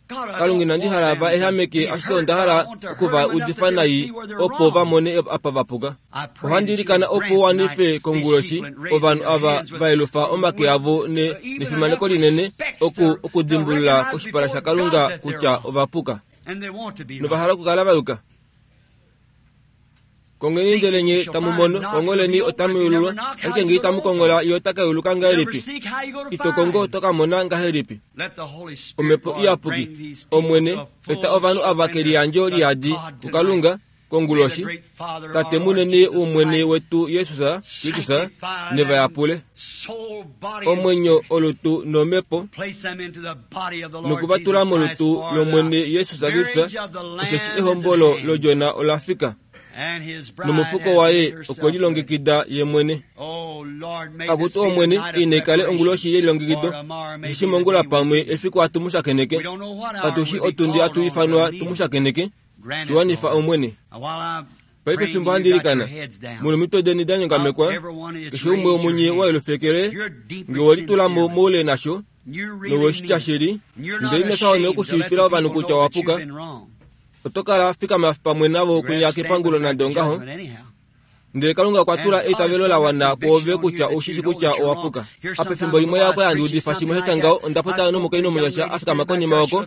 Kalunga inandi hala va ehameke, ashike onda hala oku va udifa nai opo va mone apa va puka. Ohandi ilikana opo u wanife konguloshi ovanhu ava va yelufa omake avo ne nefimaneko linene oku okudimbulula koshipala shaKalunga kutya ova puka nova hala okukala va yuka. Kongeni ndele nye tamu mono, kongoleni otamu yululwa, ashike nge itamu kongola ye ota ka yuluka ngahelipi? Ito kongo oto ka mona ngahelipi? Omhepo Iyapuki, Omwene, eta ovanhu ava keliyandjo liyadi kuKalunga konguloshi, Tate munene wOmwene wetu Jesus Kristus, ne va yapule omwenyo, olutu nomhepo, noku va tula molutu lOmwene Jesus Kristus, osheshi ehombolo lOdjona ola fika, nomufuko waye okwe lilongekida ye mwene. Akutu Omwene, ine kale onguloshi yelilongekido, osheshi mongula pamwe efiku hatu mu shakeneke, katu shi otundi hatu ifanwa tu mu shakeneke. Shiwanifa Omwene. Paife fimbo handi ilikana, muna omitwe deni da nyongamekwa, keshe umwe womunye wa yelufekele, nge we litula mo moule nasho, nowe shi tya shili, ndele ino fya okushiivifila ovanhu kutya owa puka, oto kala fikama pamwe navo kwinya kepangulo nande ongaho. Ndele Kalunga okwa tula eitavelo la wana kwoove kutya oushi shi kutya owa puka. Apa efimbo limwe yakwa handi udifa shimwe sha tya ngaho, onda popya nomukainhu omunyasha a fikama konima oko,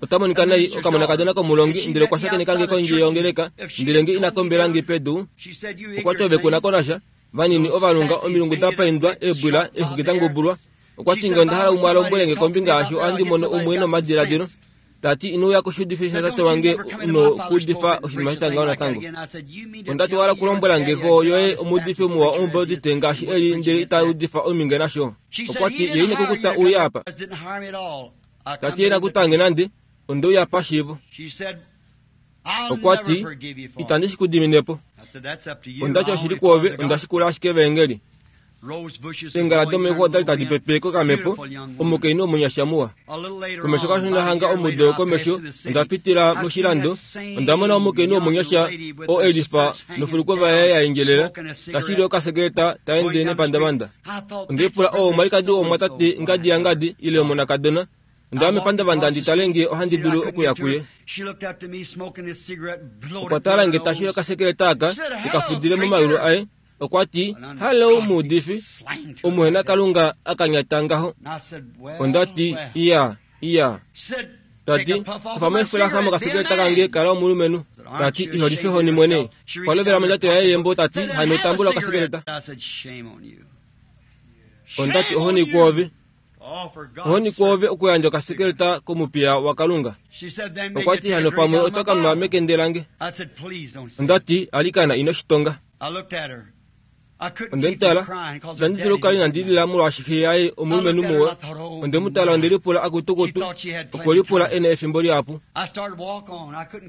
ota monika nai, okamonakadona komulongi, ndele okwa shakeneka nge kondje yongeleka, ndele nge ina kombela nge pedu, okwa ti ove kuna ko nasha, vanini ovalunga, omilungu da paindwa, eebwila, eexwiki da ngubulwa. Okwa ti nge onda hala umwe a lombwele nge kombinga yasho, ohandi mono umwe nomadiladilo. Tati ino uya koshiudifi shatate wange nokuudifa oshinima sha tya ngaho natango. Onda ti wala kulombwela nge ko yoye omuudifi muwa omubautiste ngaashi eli, ndele ita udifa ominge nasho. Okwa ti ye ine kukuta uye apa. Tati ye nakutange nande, onde uya pashiivo. Okwa ti itandi shi kudiminepo. Onda ti oshili kwoove, onda shikula ashike evaengeli. Eengala domexo odali tadi pepe kokamhepo, omukainhu omunyasha muwa. Komesho kashona hanga omudo komesho, onda pitila moshilando, onda mona omukainhu omunyasha oo e lifa nofulukova yaye ya endjelela, tashili okasekeleta ta ende nepandavanda. Onde lipula oo omwalikadi womwatate ngadi yangadi ile omonakadona. Onda ya mepandavanda ndi tale nge ohandi dulu okuya kuye. Okwa tala nge tashi okasekeleta aka tekafudile momayulu aye. Okwa ti, Hallo muudifi, omuhena Kalunga akanyata ngaho. Onda ti, iya, iya. Tati, kufa mo efulaxa mokasekeleta kange kala omulumenhu. Tati, iho life honi mwene. Okwa lovela mondjato yaye yembo tati, hano tambula okasekeleta. Onda ti, ohoni kwoove. Ohoni kwoove okuyandja okasekeleta komupiya waKalunga. Okwa ti, hano pamwe oto ka nwa mekende lange. Onda ti, alikana ino shi tonga. Onde mu tala, itandi dulu okukala inandi lila molwaashi xe yaye omulumenhu muwa. Onde mu tala onde lipula akutukutu, okwe lipula e na efimbo lihapu.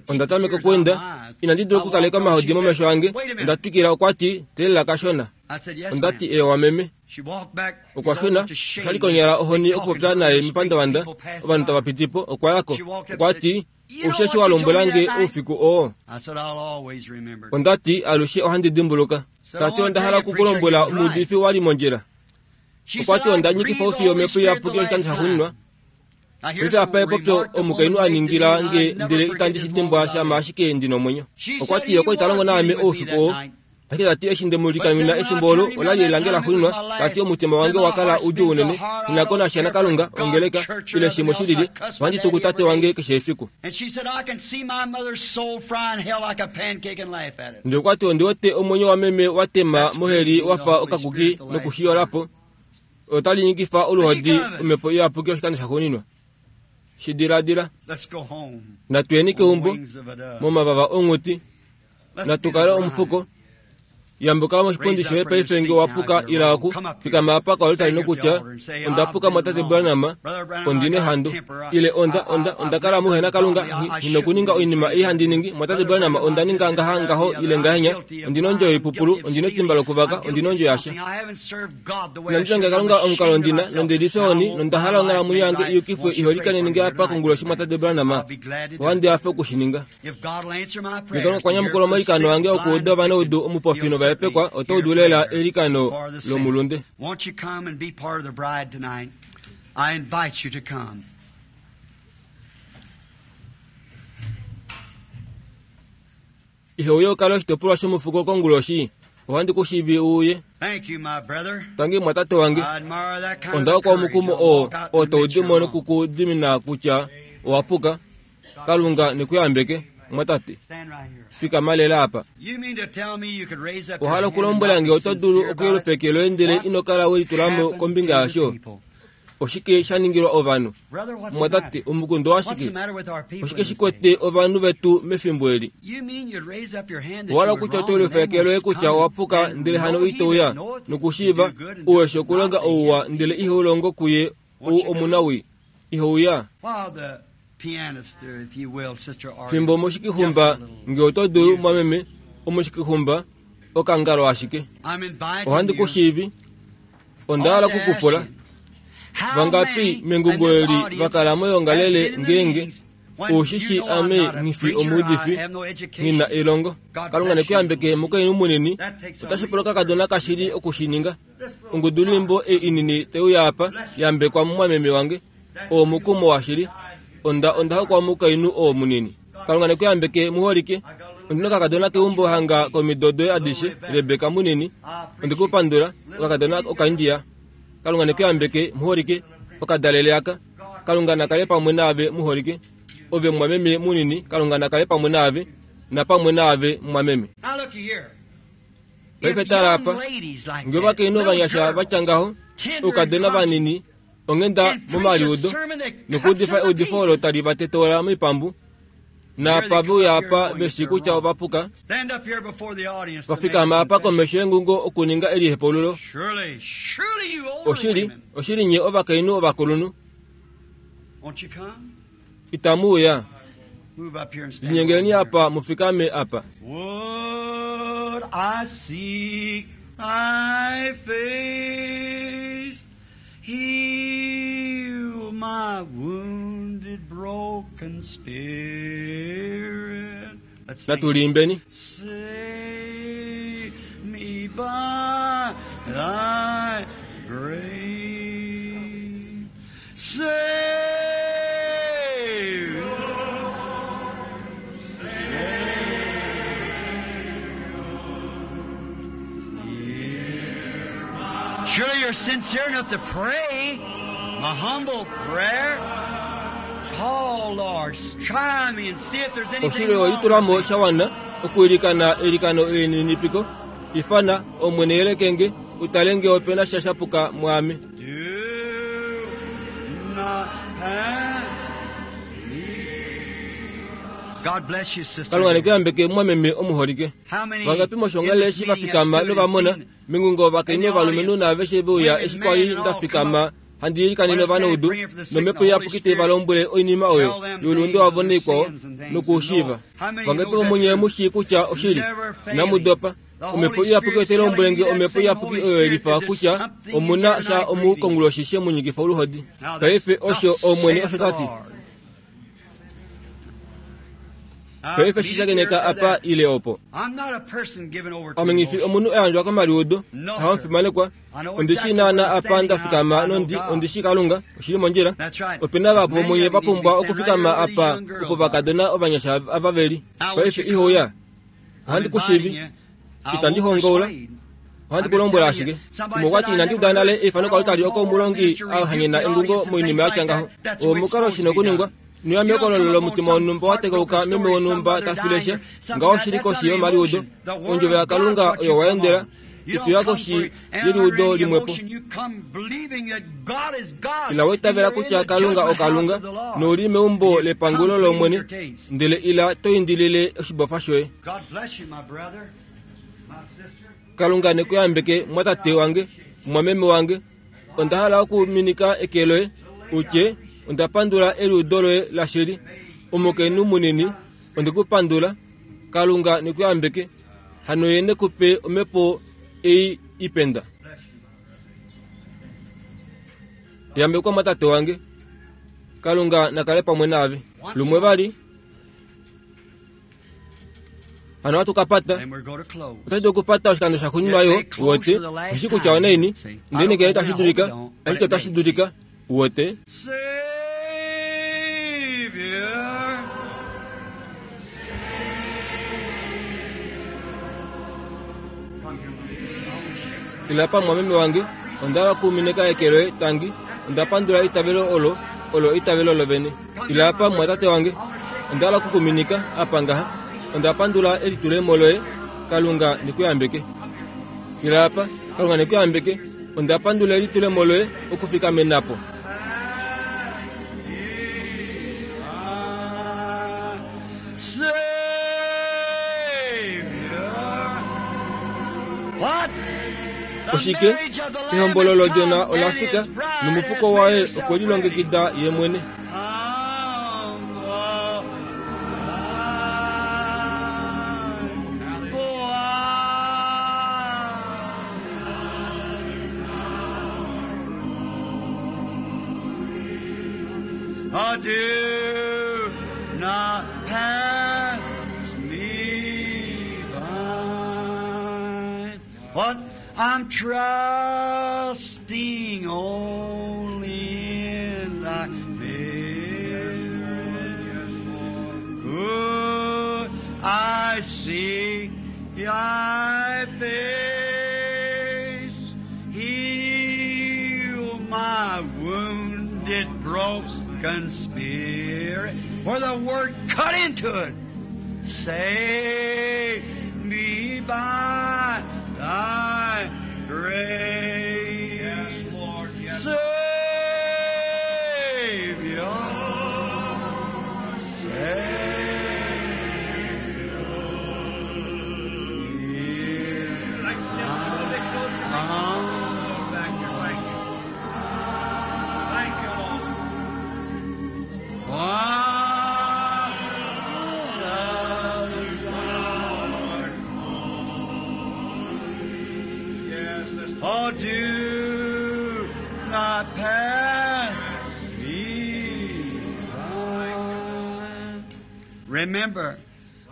Onda tameka okuenda, inandi dula okukaleka omahodi momesho ange. Onda twikila, okwa ti, teelela kashona. Onda ti, eewa meme. Okwa shuna, osha li konyala ohoni okupopya naye mepandavanda, ovanhu tava piti po. Okwa ya ko, okwa ti, Ousheshe wa lombwela nge oufiku oo. Onda ti, alushe ohandi dimbuluka. Ta ti, onda hala oku ku lombwela omuudifi wa li mondjila. Okwa ti, onda nyikifa oufiyo omhepo iyapuki oshikando shaxuuninwa. Paife apa epopyo omukainhu a ningila nge ndele itandi shi dimbwa shama ashike ndi nomwenyo. Okwa ti, okwa li ta longo naame oufiku oo. Ashike ta ti eshi nde mu likamina efimbo olo ola li lange laxuuninwa, ta ti omutima wange wa kala udjuu unene, nghi ko nasha naKalunga, ongeleka, ile shimwe shilili, ohandi tuku tate wange keshe efiku. Ndele okwa ti ondi wete omwenyo wameme wa tema moheli wa fa okakuki nokushiyola po. Otali nyikifa oluhodi omhepo iyapuki oshikando shaxuuninwa. Shi diladila. Natu yeni keumbo, momavava onghuti. Natu kale omufuko. Yambuka moshipundi shoye paife nge wa puka ila oku fikama apa koaltari nokutya, onda puka mwatate Branham, ondi nehandu. Ile onda, onda, onda kala muhena Kalunga, nghi nokuninga oinima ei handi ningi, mwatate Branham, onda ninga ngaha ngaho ile ngahenya, ondi nondjo yoipupulu, ondi netimba lokuvaka, ondi nondjo yasha. Inandi longa Kalunga omukalo ndina, nonde lifya ohoni, nonda hala onghalamwenyo yange iyukifwe iholikaneni nge apa konguloshi mwatate Branham. Ohandi hafe okushininga. Nge Kalunga okwa nyamukula omailikano ange okuuda ovanaudu omupofi novahepekwa, oto udu lela eilikano lomulunde. Won't you come and be part of the bride tonight? I invite you to come. Ihe uye u kale oshitopolwa shomufuko konguloshi, ohandi ku shivi u uye. Thank you, my brother. Tangi mwatate wange. I admire that kind Onda of hokwa courage. omukumo I'll oo walk out oo and tau admit di you're mo wrong. nokukudimina kutya owa puka. Kalunga nekuyambeke, mwatate. Stand right here. Fikama lela apa. You mean to tell me you could raise up your Ohala hand and okulombwela not nge be oto dulu sincere about it? okuyelufa eke loye ndele What's ino kala we litula mo happened kombinga to the yasho. people? Oshike sha ningilwa ovanhu? Brother, what's the Mwatate, matter? omukundo What's washike? the matter with our people Oshike in this shi day? kwete ovanhu vetu mefimbo eli? You mean you'd raise up your hand that Ohala you were kutya wrong oto and yelufa then eke loye won't kutya come owa puka and ndele hano know he ito uya that knoweth to nokushiiva do good and uweshe doeth okulonga not, ouwa he ndele is ihe ulongo kuye ou Won't you come? omunawi ihe uya. While the pianist, uh, if you will, Sister Artie, Fimbo just omushikihumba a little nge oto dulu music. mwameme omushikihumba okangalo ashike. I'm inviting Ohandi you. ku shiivi. Onda I hala want to ask okukupula. you, how Vangapi many in mengungo this eli audience vakala has moyongalele been in the ngeenge meetings when ushishi you know I'm ame not a nghifi preacher, I omuudifi have no education. nghi na elongo. God Kalunga bless you. nekuyambeke mukainhu munini. That takes a Otashi pula real okakadona courage to do kashili that. okushininga. This little Ongudulwimbo choir, ei inini teuya apa yambekwa mumwameme wange. that Oo mukumo washili. Onda onda hokwa mukainhu oo munini. Kalunga nekuyambeke muholike. I got a little Ondina okakadona keumbo hanga komido doye adishe Rebeka munini. I Onde appreciate kupandula little okakadona bitty okaindia. Kalunga nekuyambeke muholike okadalele aka. Kalunga nakale pamwe naave muholike. Ove mwameme munini Kalunga nakale pamwe naave napamwe naave mwameme. Now look here. Paife If tala young apa ladies like nge that, ovakainhu little ovanyasha girls, vatya ngaho tender and oukadona conscious, vanini onghenda and preach a momaliudo sermon that cuts nokuudifa them to eudifo olo pieces. tali va tetola moipambu Here they naapa come veuya up here apa knowing veshi that they're kutya wrong. ova puka Stand up here before the audience to make a vafikama apa confession. komesho yengungo okuninga elihepululo. Surely, surely you older Oshili, women, oshili nye ovakainhu ovakulunhu won't you come? itamu uya. Move up here and stand along Linyengeleni here. apa mufikame apa. Would I seek thy face, heal my wounded, broken spirit. Let's sing it. Natulimbeni. Save me by thy grace. Save, save. Surely you're sincere enough to pray my humble prayer. Call, Lord, try me and see if there's anything Oshili wrong with olitulamo me. shawana okuilikana eilikano elininipiko. Ifana omwene yelekenge utale nge opena sha shapuka mwaame. Do not pass me. Kalunga nekuyambeke mwameme omuholike. Vangapi moshongale eshi vafikama novamona mengungo ovakainhu ovalumenhu naaveshe veuya eshi kwali ndafikama handi ilikanene ovanaudu nomhepo iyapuki te valombwele oinima oyo youlunde wavo neikwao nokuushiiva. Vangapi vomunye mushii kutya oshili? Inamu dopa. Omhepo iyapuki otai lombwele nge omhepo iyapuki oyo elifa kutya omuna sha omukonguloshi she munyikifa oluhodi. Paife osho Omwene osho tati. Paife shishakeneka apa ile opo. Ame ngifi omunhu ayandjwa komaliudo, hamufimanekwa. Ondishi naana apa ndafikama nondi ondishi Kalunga, oshili mondjila. Opena vahapu vomunye vapumbwa okufikama apa opo vakadona ovanyasha ava veli. Paife ihouya. Ohandi kushivi. Itandi hongaula. Ohandi kulombwela ashike. Umwe okwati inandi uda nale eifano kalutali oko omulongi ahanyena engungo moinima yatya ngaho. Omukalo shina okuningwa. Nuya mekololo lomutima wonhumba watekauka meme wonhumba tafileshe ngaho shili koshi yomaliudo. Ondjovo yaKalunga oyo waendela ituya koshi yeliudo limwepo. Ila waitavela kutya Kalunga oKalunga nouli meumbo lepangulo lOmwene, ndele ila toindilile oshibofa shoye. Kalunga nekuyambeke mwatate wange, mwameme wange. Onda hala okuminika eke loye utye onda pandula eliudo loye lashili. Omukainhu munini, ondekupandula. Kalunga nekuyambeke. Hano ye nekupe omhepo ei ipenda. Yambekwa mwatate wange. Kalunga nakale pamwe naave. Lumwe vali. Hano hatukapata. Otadi okupata oshikando shaxuuninwa yo wote. Nghishi kutya onaini. Ndele ngele tashi dulika, ashike otashi dulika. Wote. Ila pamwe wange, onda kumineka eke loye tangi, onda pandula itavelo olo, olo itavelo lovene. Ila pamwe tate wange, onda kukuminika apa ngaha, onda pandula elitulemo loye, Kalunga nikuyambeke. Ila apa, Kalunga nikuyambeke, onda pandula elitulemo loye okufika menapo. Oshike ehombolo lodjona olafika nomufuko waye okwe lilongekida ye mwene. Do not pass me by. What? I'm trusting only in thy good. I see thy face. Heal my wounded, broken spirit. Where the word cut into it. Save me by thy grace. Yes, Lord, yes. Savior, Savior. Like to step a little bit closer. Back here, thank you. Thank you, Lord. Yes, let's Oh, do not pass me by. Remember,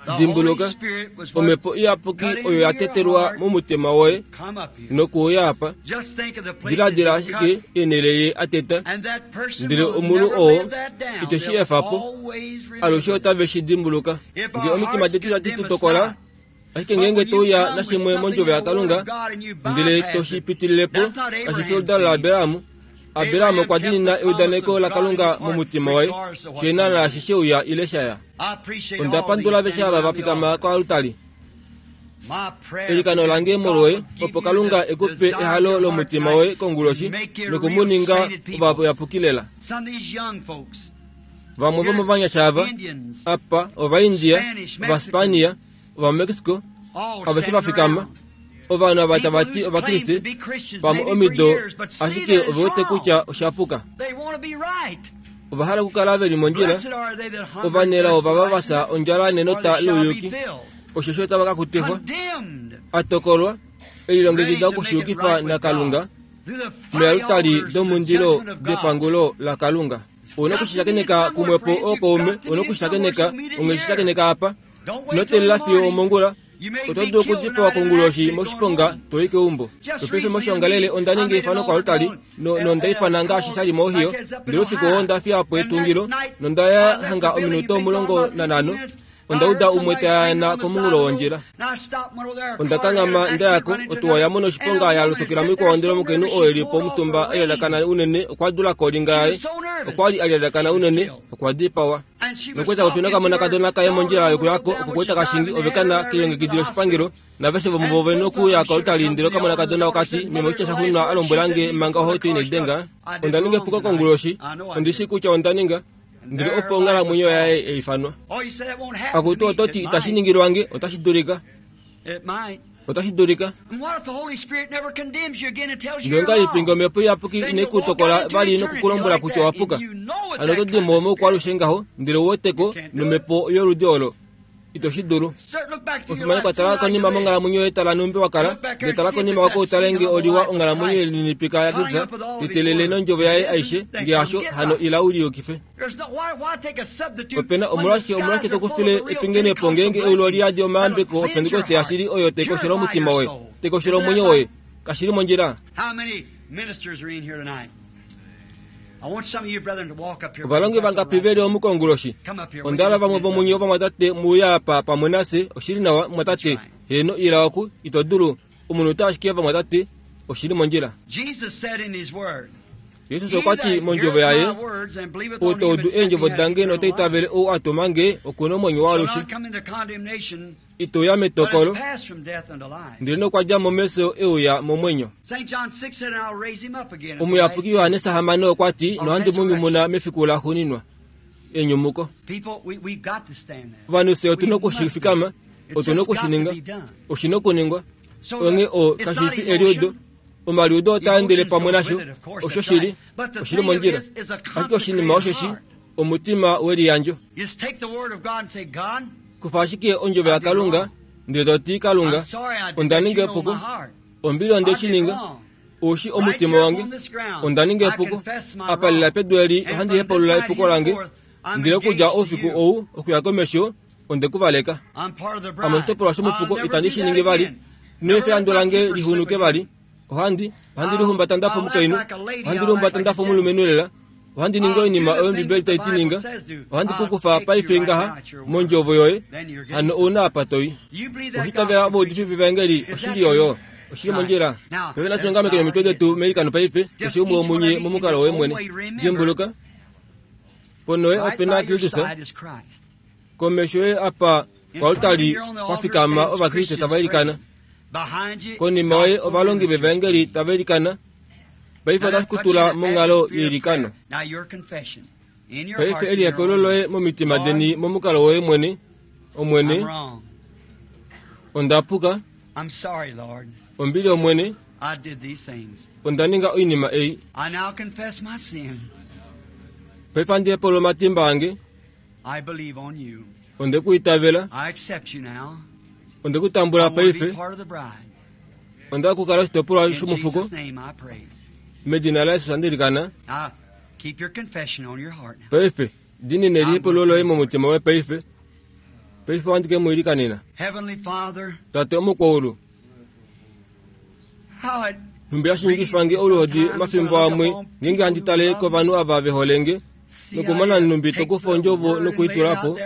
the Holy Dimbuluka, Spirit was what omhepo iyapuki oyo yatetelwa momutima woye come up here. nokuuya apa. Just think of the places Diladila it ashike cut, eenhele ye ateta, and that person ndele will omunhu never oo live that down. iteshi They'll efapo, always remember alushe it. otave shi dimbuluka. If Nge our omitima hearts detu tadi condemn tu us tokola, not, ashike ngeenge touya nashimwe mondjovo yaKalunga, ndele toshi pitililepo, kashi fi oludalo laAbraham. Abraham okwa diinina eudaneko laKalunga momutima waye, shena naashi sheuya ile shaya. Onda pandula aveshe ava vafikama koalutali. Elikano lange molwoye, opo Kalunga ekupe ehalo lomutima woye konguloshi nokumuninga ovayapuki lela. Some of these young folks Vamwe vomovanyasha ava apa Ovaindia, Ovaspania, Ovamexico, aveshe vafikama. Ovanhu ava tava ti Ovakriste pamwe omido, ashike ove wete kutya oshapuka. Ova hala okukala veli mondjila. Ovanelao ovava vafya ondjala nenota louyuki, osheshi otava ka kutifwa. Atokolwa, elilongekida okushiyukifa naKalunga mealutali domundilo depangulo laKalunga. Ouna okushishakeneka kumwepo ookaume, ouna okushishakeneka, ongeshishakeneka apa. Ino teelela fiyo omongula. Oto dulu okudipawa konguloshi moshiponga to i keumbo. Nopaife moshiongalele onda ninga eifano koaltari nonda ifana ngaashi sha li moOhio, ndele oufiku oo onda fiya po etungilo nonda ya hanga ominute omulongo nanhano onda uda umwe tayana komunghulo wondjila. Onda kanghama nda yako, otuwa ya mona oshiponga ya lotokela moikwao ndele omukainhu oo eli po omutumba a unene okwa dula kolinga yaye. Okwa li a lyalakana unene, okwa dipawa. Nokweta popi nokamonakadona kaye mondjila yokuyako oko kashingi ove kana kelilongekidilo oshipangelo naveshe vomuvo ove nokuya koaltari ndele okamonakadona okati meme oshitya shaxuuninwa a lombwelange manga ohauto inaidenga. Onda ninga epuko konguloshi, ondi shii kutya onda ninga. Ndele opo onghalamwenyo yaye yaifanwa. Akutu oto ti itashi ningilwange, otashi dulika. Otashi dulika. Ndele ongahelipi ngee omhepo iyapuki inai ku tokola vali nokukulombwela kutya owapuka? Hano oto di mo moukwaalushe ngaho, ndele ouweteko nomhepo yoludi olo. Ito shi dulu. Omufimanekwa tala konima monghalamwenyo yoye tala nhumbi wakala, ndele tala konima oko utale ngee oliwa onghalamwenyo yelininipika yaKristus, tetelele nondjovo yaye aishe, ngee hasho hano ila u liyukife. Opena omolwashike omolwashike tokufile epingenepo ngeenge eulu oliyadi omayambeko opentekoste yashili oyo taikoshela omutima woye, taikoshela omwenyo woye? Kashili mondjila. Ovalongi vangapi veli omu konguloshi? Onda hala vamwe vomunye ovamwatate muuya apa pamwe nafye. Oshili nawa, mumwatate. Heeno, ila oku. Ito dulu. Omunhu ashike vamwatate. Oshili mondjila. Jesus okwa ti mondjovo yaye, ou ta udu eendjovo dange nota itavele ou a tuma nge, oku na omwenyo waalushe. Ito uya metokolo, ndele nokwa dja mo mefyo e uya momwenyo. Omuyapuki Johannes hamano okwa ti, nohandi mu nyumuna mefiku laxuuninwa. Enyumuko. Ovanhu fye otu na okushifikama, otu na okushininga, oshi na okuningwa. Onghee o kashi fi eliudo. Omaliudo otaa endele pamwe nasho, osho shili, oshili mondjila. Ashike oshinima osheshi omutima weliyandjo. Kufa ashike ondjovo yaKalunga ndele to ti, Kalunga, onda ninga epuko. Ombili onde shi ninga. Oushi omutima wange. Onda ninga epuko. Apa lela pedu eli ohandi hepaulula epuko lange. Ndele okudja oufiku ou okuya komesho onde ku valeka. Ame oshitopolwa shomufuko itandi shi ningi vali. Ino efa ehandu lange lixunuke vali. Ohandi ohandi lihumbata ndafa omukainhu, ohandi lihumbata ndafa omulumenhu lela. Ohandi ningi oinima oyo Ombibeli tai ti ninga. Ohandi ku kufa paife ngaha mondjovo yoye, hano ouna apa to i. Oshitavela ovaudifi vevaengeli oshili oyo. Oshili mondjila. Paife natu nyongamekeni omitwe detu meilikano paife, keshe umwe womunye momukalo woye mwene. Dimbuluka, ponoye ope na Kristus, komesho yoye apa koaltari kwa fikama Ovakriste tava ilikana. Konima yoye ovalongi vevaengeli tava ilikana. Paife otashi ku tula monghalo yeilikano. Paife elihepelo loye momitima deni momukalo woye mwene. Omwene, onda puka. Ombili Omwene, onda ninga oinima ei. Paife handi hepalula omatimba ange. Onde ku itavela. Onde ku tambula paife. Onda okukala oshitopolwa shomufuko. Medina laJesus handi ilikana. Paife, diinina elihepelo loye momutima woye paife. Paife ohandi ke mu ilikanena. Tate omukwaulu, nhumbi hashi ningifange oluhodi omafimbo amwe ngeenge handi tale kovanhu ava ve hole nge, nokumona nhumbi tokufa ondjovo nokuitula po,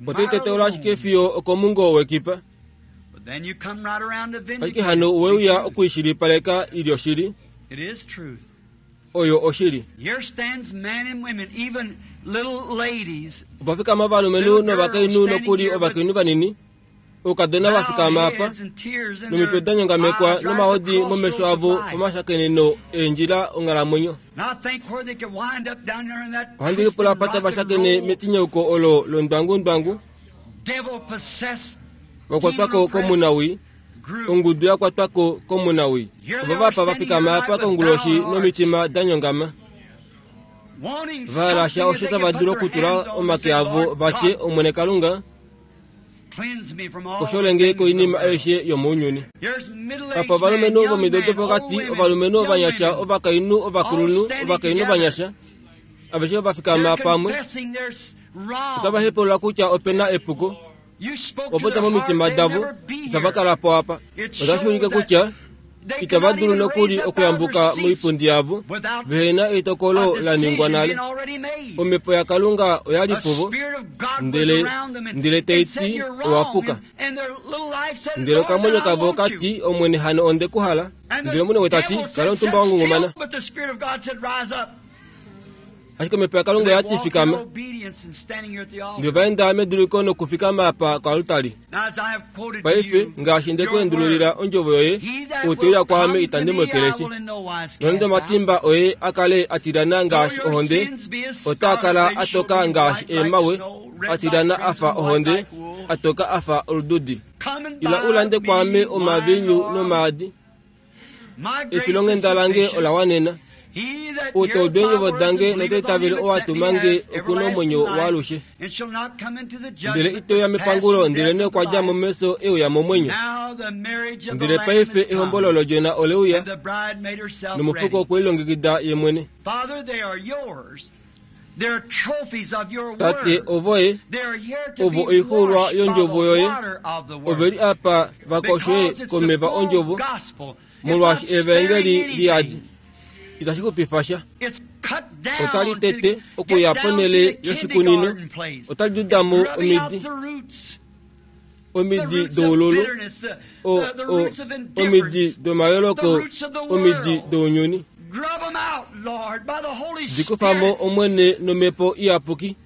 otai teteula ashike fiyo okomungo wekipa. Ashike hano oweuya okuishilipaleka ili oshili. Oyo oshili. Opa fikama ovalumenhu novakainhu nokuli ovakainhu vanini, Oukadona va fikama apa nomitwe da nyongamekwa nomahodi momesho avo pomashakeneno eendjila onghalamwenyo. Ohandi lipula apa tava shakene metinyauko olo londwangundwangu vakwatwako komunawi, ongudu ya kwatwako komunawi. Ovo vapa va fikama apa konguloshi nomitima da nyongama, va lasha osho tava dulu okutula omake avo vatye, Omwene Kalunga, kosholenge koinima aishe yomounyuni. Apa ovalumenhu vomido dopokati, ovalumenhu ovanyasha, ovakainhu ovakulunhu, ovakainhu ovanyasha, aveshe va fikama pamwe, otava hepaulula kutya opena epuko. Opota momitima davo itava kala po apa. Otashi ulike kutya itava dulu nokuli okuyambuka moipundi yavo vehena etokolo la ningwa nale. Omhepo yaKalunga oya li puvo, ndele ndele tai ti owa puka. Ndele okamwenyo kavo ka ti, Omwene hano onde ku hala. Ndele omwene we ta ti, kala omutumba wa ngungumana. Ashike omhepo yaKalunga oya ti fikama. Ndele ova enda meduliko nokufikama apa koaltari. Paife ngaashi nde ku endululila ondjovo yoye, ou te uya kwaame itandi mu ekeleshi. Nonande omatimba oye a kale a tilyana ngaashi ohonde, otaa kala a toka ngaashi eemawe, a tilyana a fa ohonde, a toka a fa olududi. Ila u lande kwaame omaviinyu nomaadi. Efilonghenda lange ola wanena. Ou ta udu eendjovo dange nota itavele ou a tuma nge oku na omwenyo waalushe, ndele ite uya mepangulo, ndelenee okwa dja mo mefyo e uya momwenyo. Ndele paife ehombolo lOdjona ole uya, nomufuko okwe lilongekida ye mwene. Tate, ovoye, ovo oixuulwa yondjovo yoye, ove li apa va koshe komeva ondjovo, molwaashi evangeli liyadi. Itashi xupifa sha. Otali tete okuya ponhele yoshikunino, otali duda mo omidi, omidi doululu, o, o, omidi domayooloko, omidi dounyuni. Di kufa mo, Omwene, nomhepo iyapuki.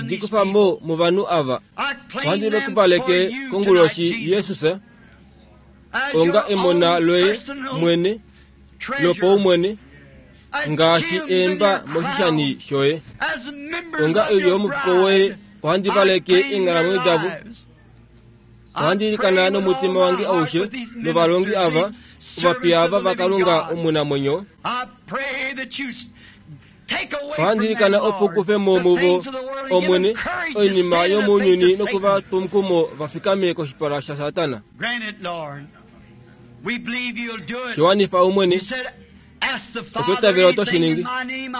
Di kufa mo movanhu ava. Ohandi va kuvaleke konguloshi Jesus, onga emona loye mwene, lopaumwene, ngaashi eemba moshishani shoye. Onga oilyo yomufuko woye, ohandi valeke eenghalamwenyo davo. Ohandi ilikana nomutima wange aushe novalongi ava, ovapiya ava vaKalunga omunamwenyo. Ohandi ilikana opo kufe mo muvo, Omwene, oinima yomounyuni nokuva twa omukumo va fikame koshipala shaSatana. Shiwanifa Omwene, otwa itavela oto shi ningi.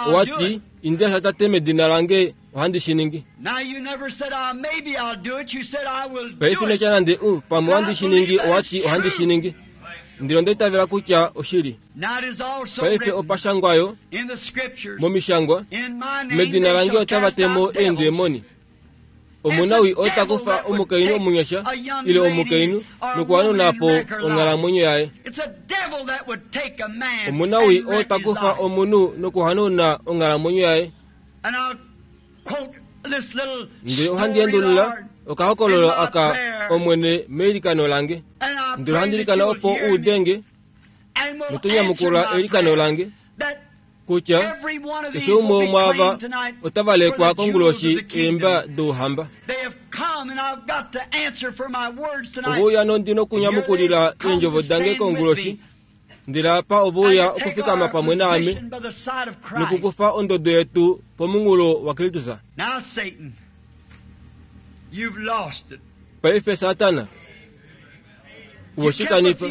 Owa ti, indila sha Tate medina lange, ohandi shi ningi. Paife ino tya nande u, pamwe ohandi shi ningi, owa ti ohandi shi ningi. Ndele onda itavela kutya oshili. Paife opa shangwa yo momishangwa, medina lange otava temo eendemoni. Omunawi ota kufa omukainhu omunyasha ile omukainhu nokuhanuna po onghalamwenyo yaye. Omunawi ota kufa omunhu nokuhanuna onghalamwenyo yaye. Ndele ohandi endulula okahokololo aka Omwene meilikano lange. Ndele ohandi ilikana opo u udenge noto nyamukula eilikano lange kutya keshe umwe womwaava otava lekwa konguloshi eemba douhamba. Ove uya nondi nokunyamukulila eendjovo dange konguloshi, ndele apa ove uya okufikama pamwe naame nokukufa ondodo yetu pomunghulo waKristus. Paife Satana, owe shi kanifa.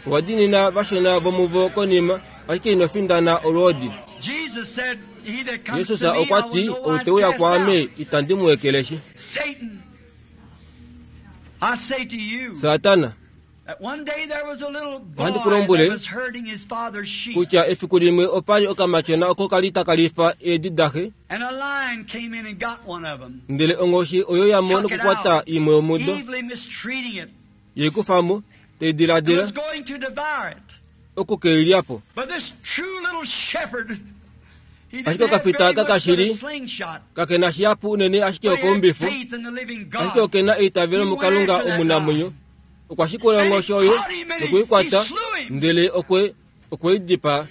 Owa diinina vashona vomuvo konima, ashike ino findana olwoodi. Jesus okwa ti, ou te uya kwaame itandi mu ekeleshi. Satana, ohandi ku lombwele kutya efiku limwe opa li okamatyona oko kali taka lifa eedi daxe, ndele onghoshi oyo ya mo nokukwata imwe yomudo, ye kufa mo, tai diladila oku ke i lya po. Ashike okafita kakashili kakena shihapu unene ashike okoumbifu, ashike okena eitavelo muKalunga omunamwenyo. Okwa shikula onghoshi oyo nokuikwata, ndele okwe okwe i dipaa.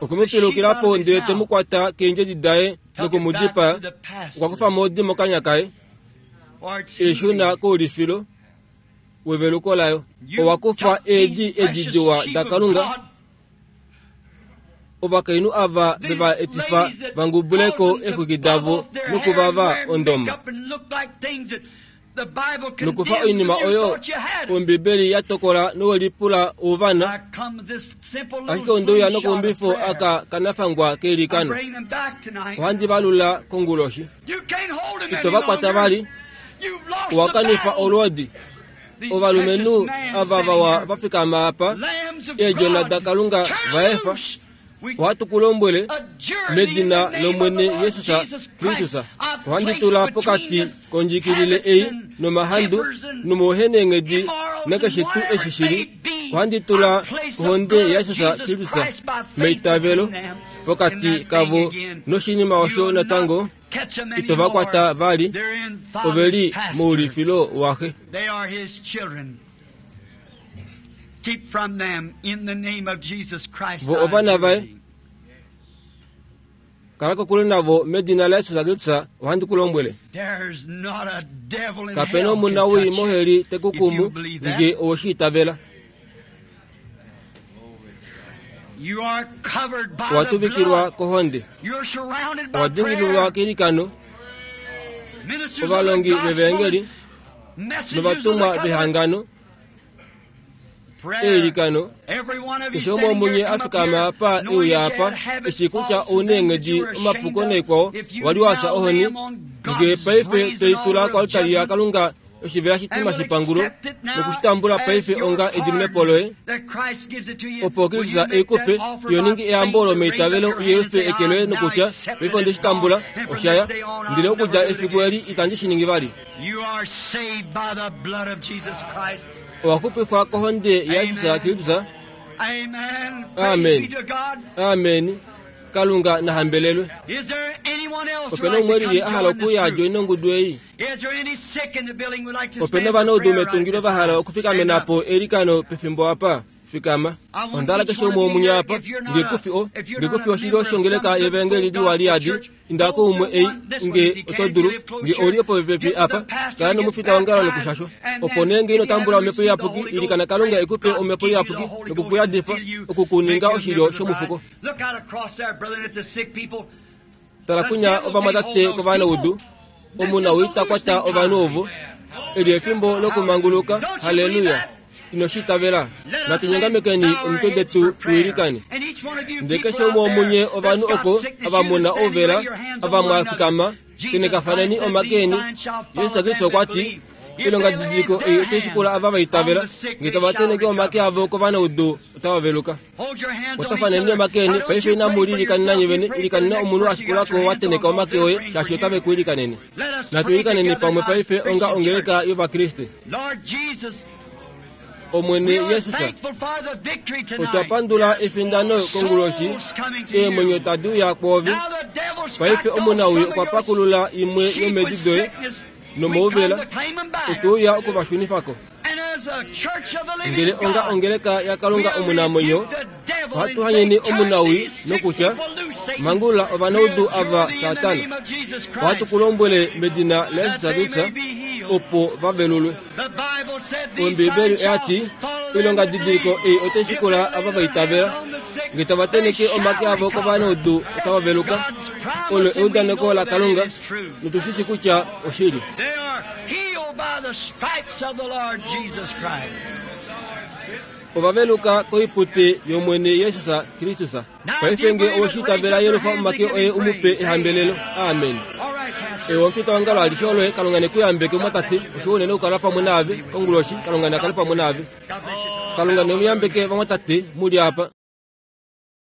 Okwe mu pilukila po ndele te mu kwata keendjedi daye noku mu dipaa. Okwa kufa mo odi mokanya kaye, e shuna koulifilo weveluko layo. Owa kufa eedi edi diwa daKalunga. Ovakainhu ava veva etifa vangubuleko eexwiki davo nokuvava ondoma, nokufa oinima oyo Ombibeli ya tokola nowelipula ouvana. Ashike ondeuya nokaumbifo aka kanafangwa keilikano. Ohandi valula konguloshi. Ito va kwata vali, owa kanifa olwoodi. Ovalumenhu ava vawa va fikama apa, eedjona daKalunga va efa. Ohatu ku lombwele medina lOmwene Jesus Kristus, ohandi tula pokati kondjikilile ei nomahandu nomauheneenghedi nakeshe tuu eshi shili. Ohandi tula ohonde yaJesus Kristus meitavelo pokati kavo noshinima osho natango ito va kwata vali. Ove li moulifilo waxe. Vo ovana vaye. Kala kokule navo medina laJesus Kristus, ohandi ku lombwele. Kapena omunawii moheli te ku kumu nge oweshi itavela. Owa tuvikilwa kohonde, owa dingililwa keilikano. Ovalongi vevangeli novatumwa vehangano eilikano. Keshe umwe womunye a fikama apa euya apa, eshi kutya ouna eenghedi omapuko naikwao, wali wa fya ohoni, nge paife toitula koaltari yaKalunga oshivela shitima shepangulo nokushitambula paife onga ediminepo loye, opo Kristus e ku pe, yo ningi eyambo lomeitavelo u yelufe eke loye nokutya paife onde shi tambula, oshaya, ndele okudja efiku eli itandi shi ningi vali. Owa xupifwa kohonde yaJesus Kristus. Amen. Amen. Kalunga na hambelelwe. Opena umwe lili a hala okuya a joine ongudu ei? Opena ovanaudu metungilo va hala okufikamena po eilikano pefimbo apa? Fikama. Onda hala keshe umwe womunye apa, nge kufi o, nge kufi oshilyo shongeleka yevangeli liwa liyadi, inda koumwe ei nge oto dulu, nge ouli popepi apa, kala nomufita wongalo nokushashwa. Opo nee nge ino tambula omhepo iyapuki, ilikana Kalunga e ku pe omhepo iyapuki nokukuyadifa, okukuninga oshilyo shomufuko. Tala kunya ovamwatate kovanaudu, omunawii ta kwata ovanhu ovo. Eli efimbo lokumanguluka. Halleluya. Ino shi itavela? Natu nyongamekeni omitwe detu tu ilikane. Ndele keshe umwe womunye ovanhu oko ava muna ouvela, ava mwa fikama, tenekafaneni omake eni. Jesus Kristus okwa ti, ilongadidiliko ei otai shikula ava va itavela, nge tava teneke omake avo kovanaudu otava veluka. Kwatafaneni omake eni paife. Inamu lilikanena nye vene, ilikanena omunhu a shikulako wa teneka omake oye, shaashi otave ku ilikanene. Natu ilikaneni pamwe paife onga ongeleka yOvakriste. Omwene Jesus, otwa pandula efindano konguloshi, eemwenyo tadi uya kwoove. Paife omunawii okwa pakulula imwe yomedi doye nomouvela, otwe uya okuvashunifako. Ndele onga ongeleka yaKalunga omunamwenyo, ohatu hanyeni omunawii nokutya, mangulula ovanaudu ava Satana. Ohatu ku lombwele medina laJesus Kristus, opo va velulwe. Ombibeli oya ti, ilongadidiliko ei otai shikula ava va itavela, nge tava teneke omake avo kovanaudu otava veluka. Olo eudaneko laKalunga, notu shi shi kutya oshili. Ova veluka koipute yOmwene Jesus Kristus. Paife nge owe shi itavela, yelufa omake oye u mu pe ehambelelo. Amen. Ewe omufita wongalo alishe oloye, Kalunga ne ku yambeke mwatate. Oshiwa unene okukala pamwe naave konguloshi. Kalunga na kale pamwe naave. Kalunga ne mu yambeke vamwatate muli apa.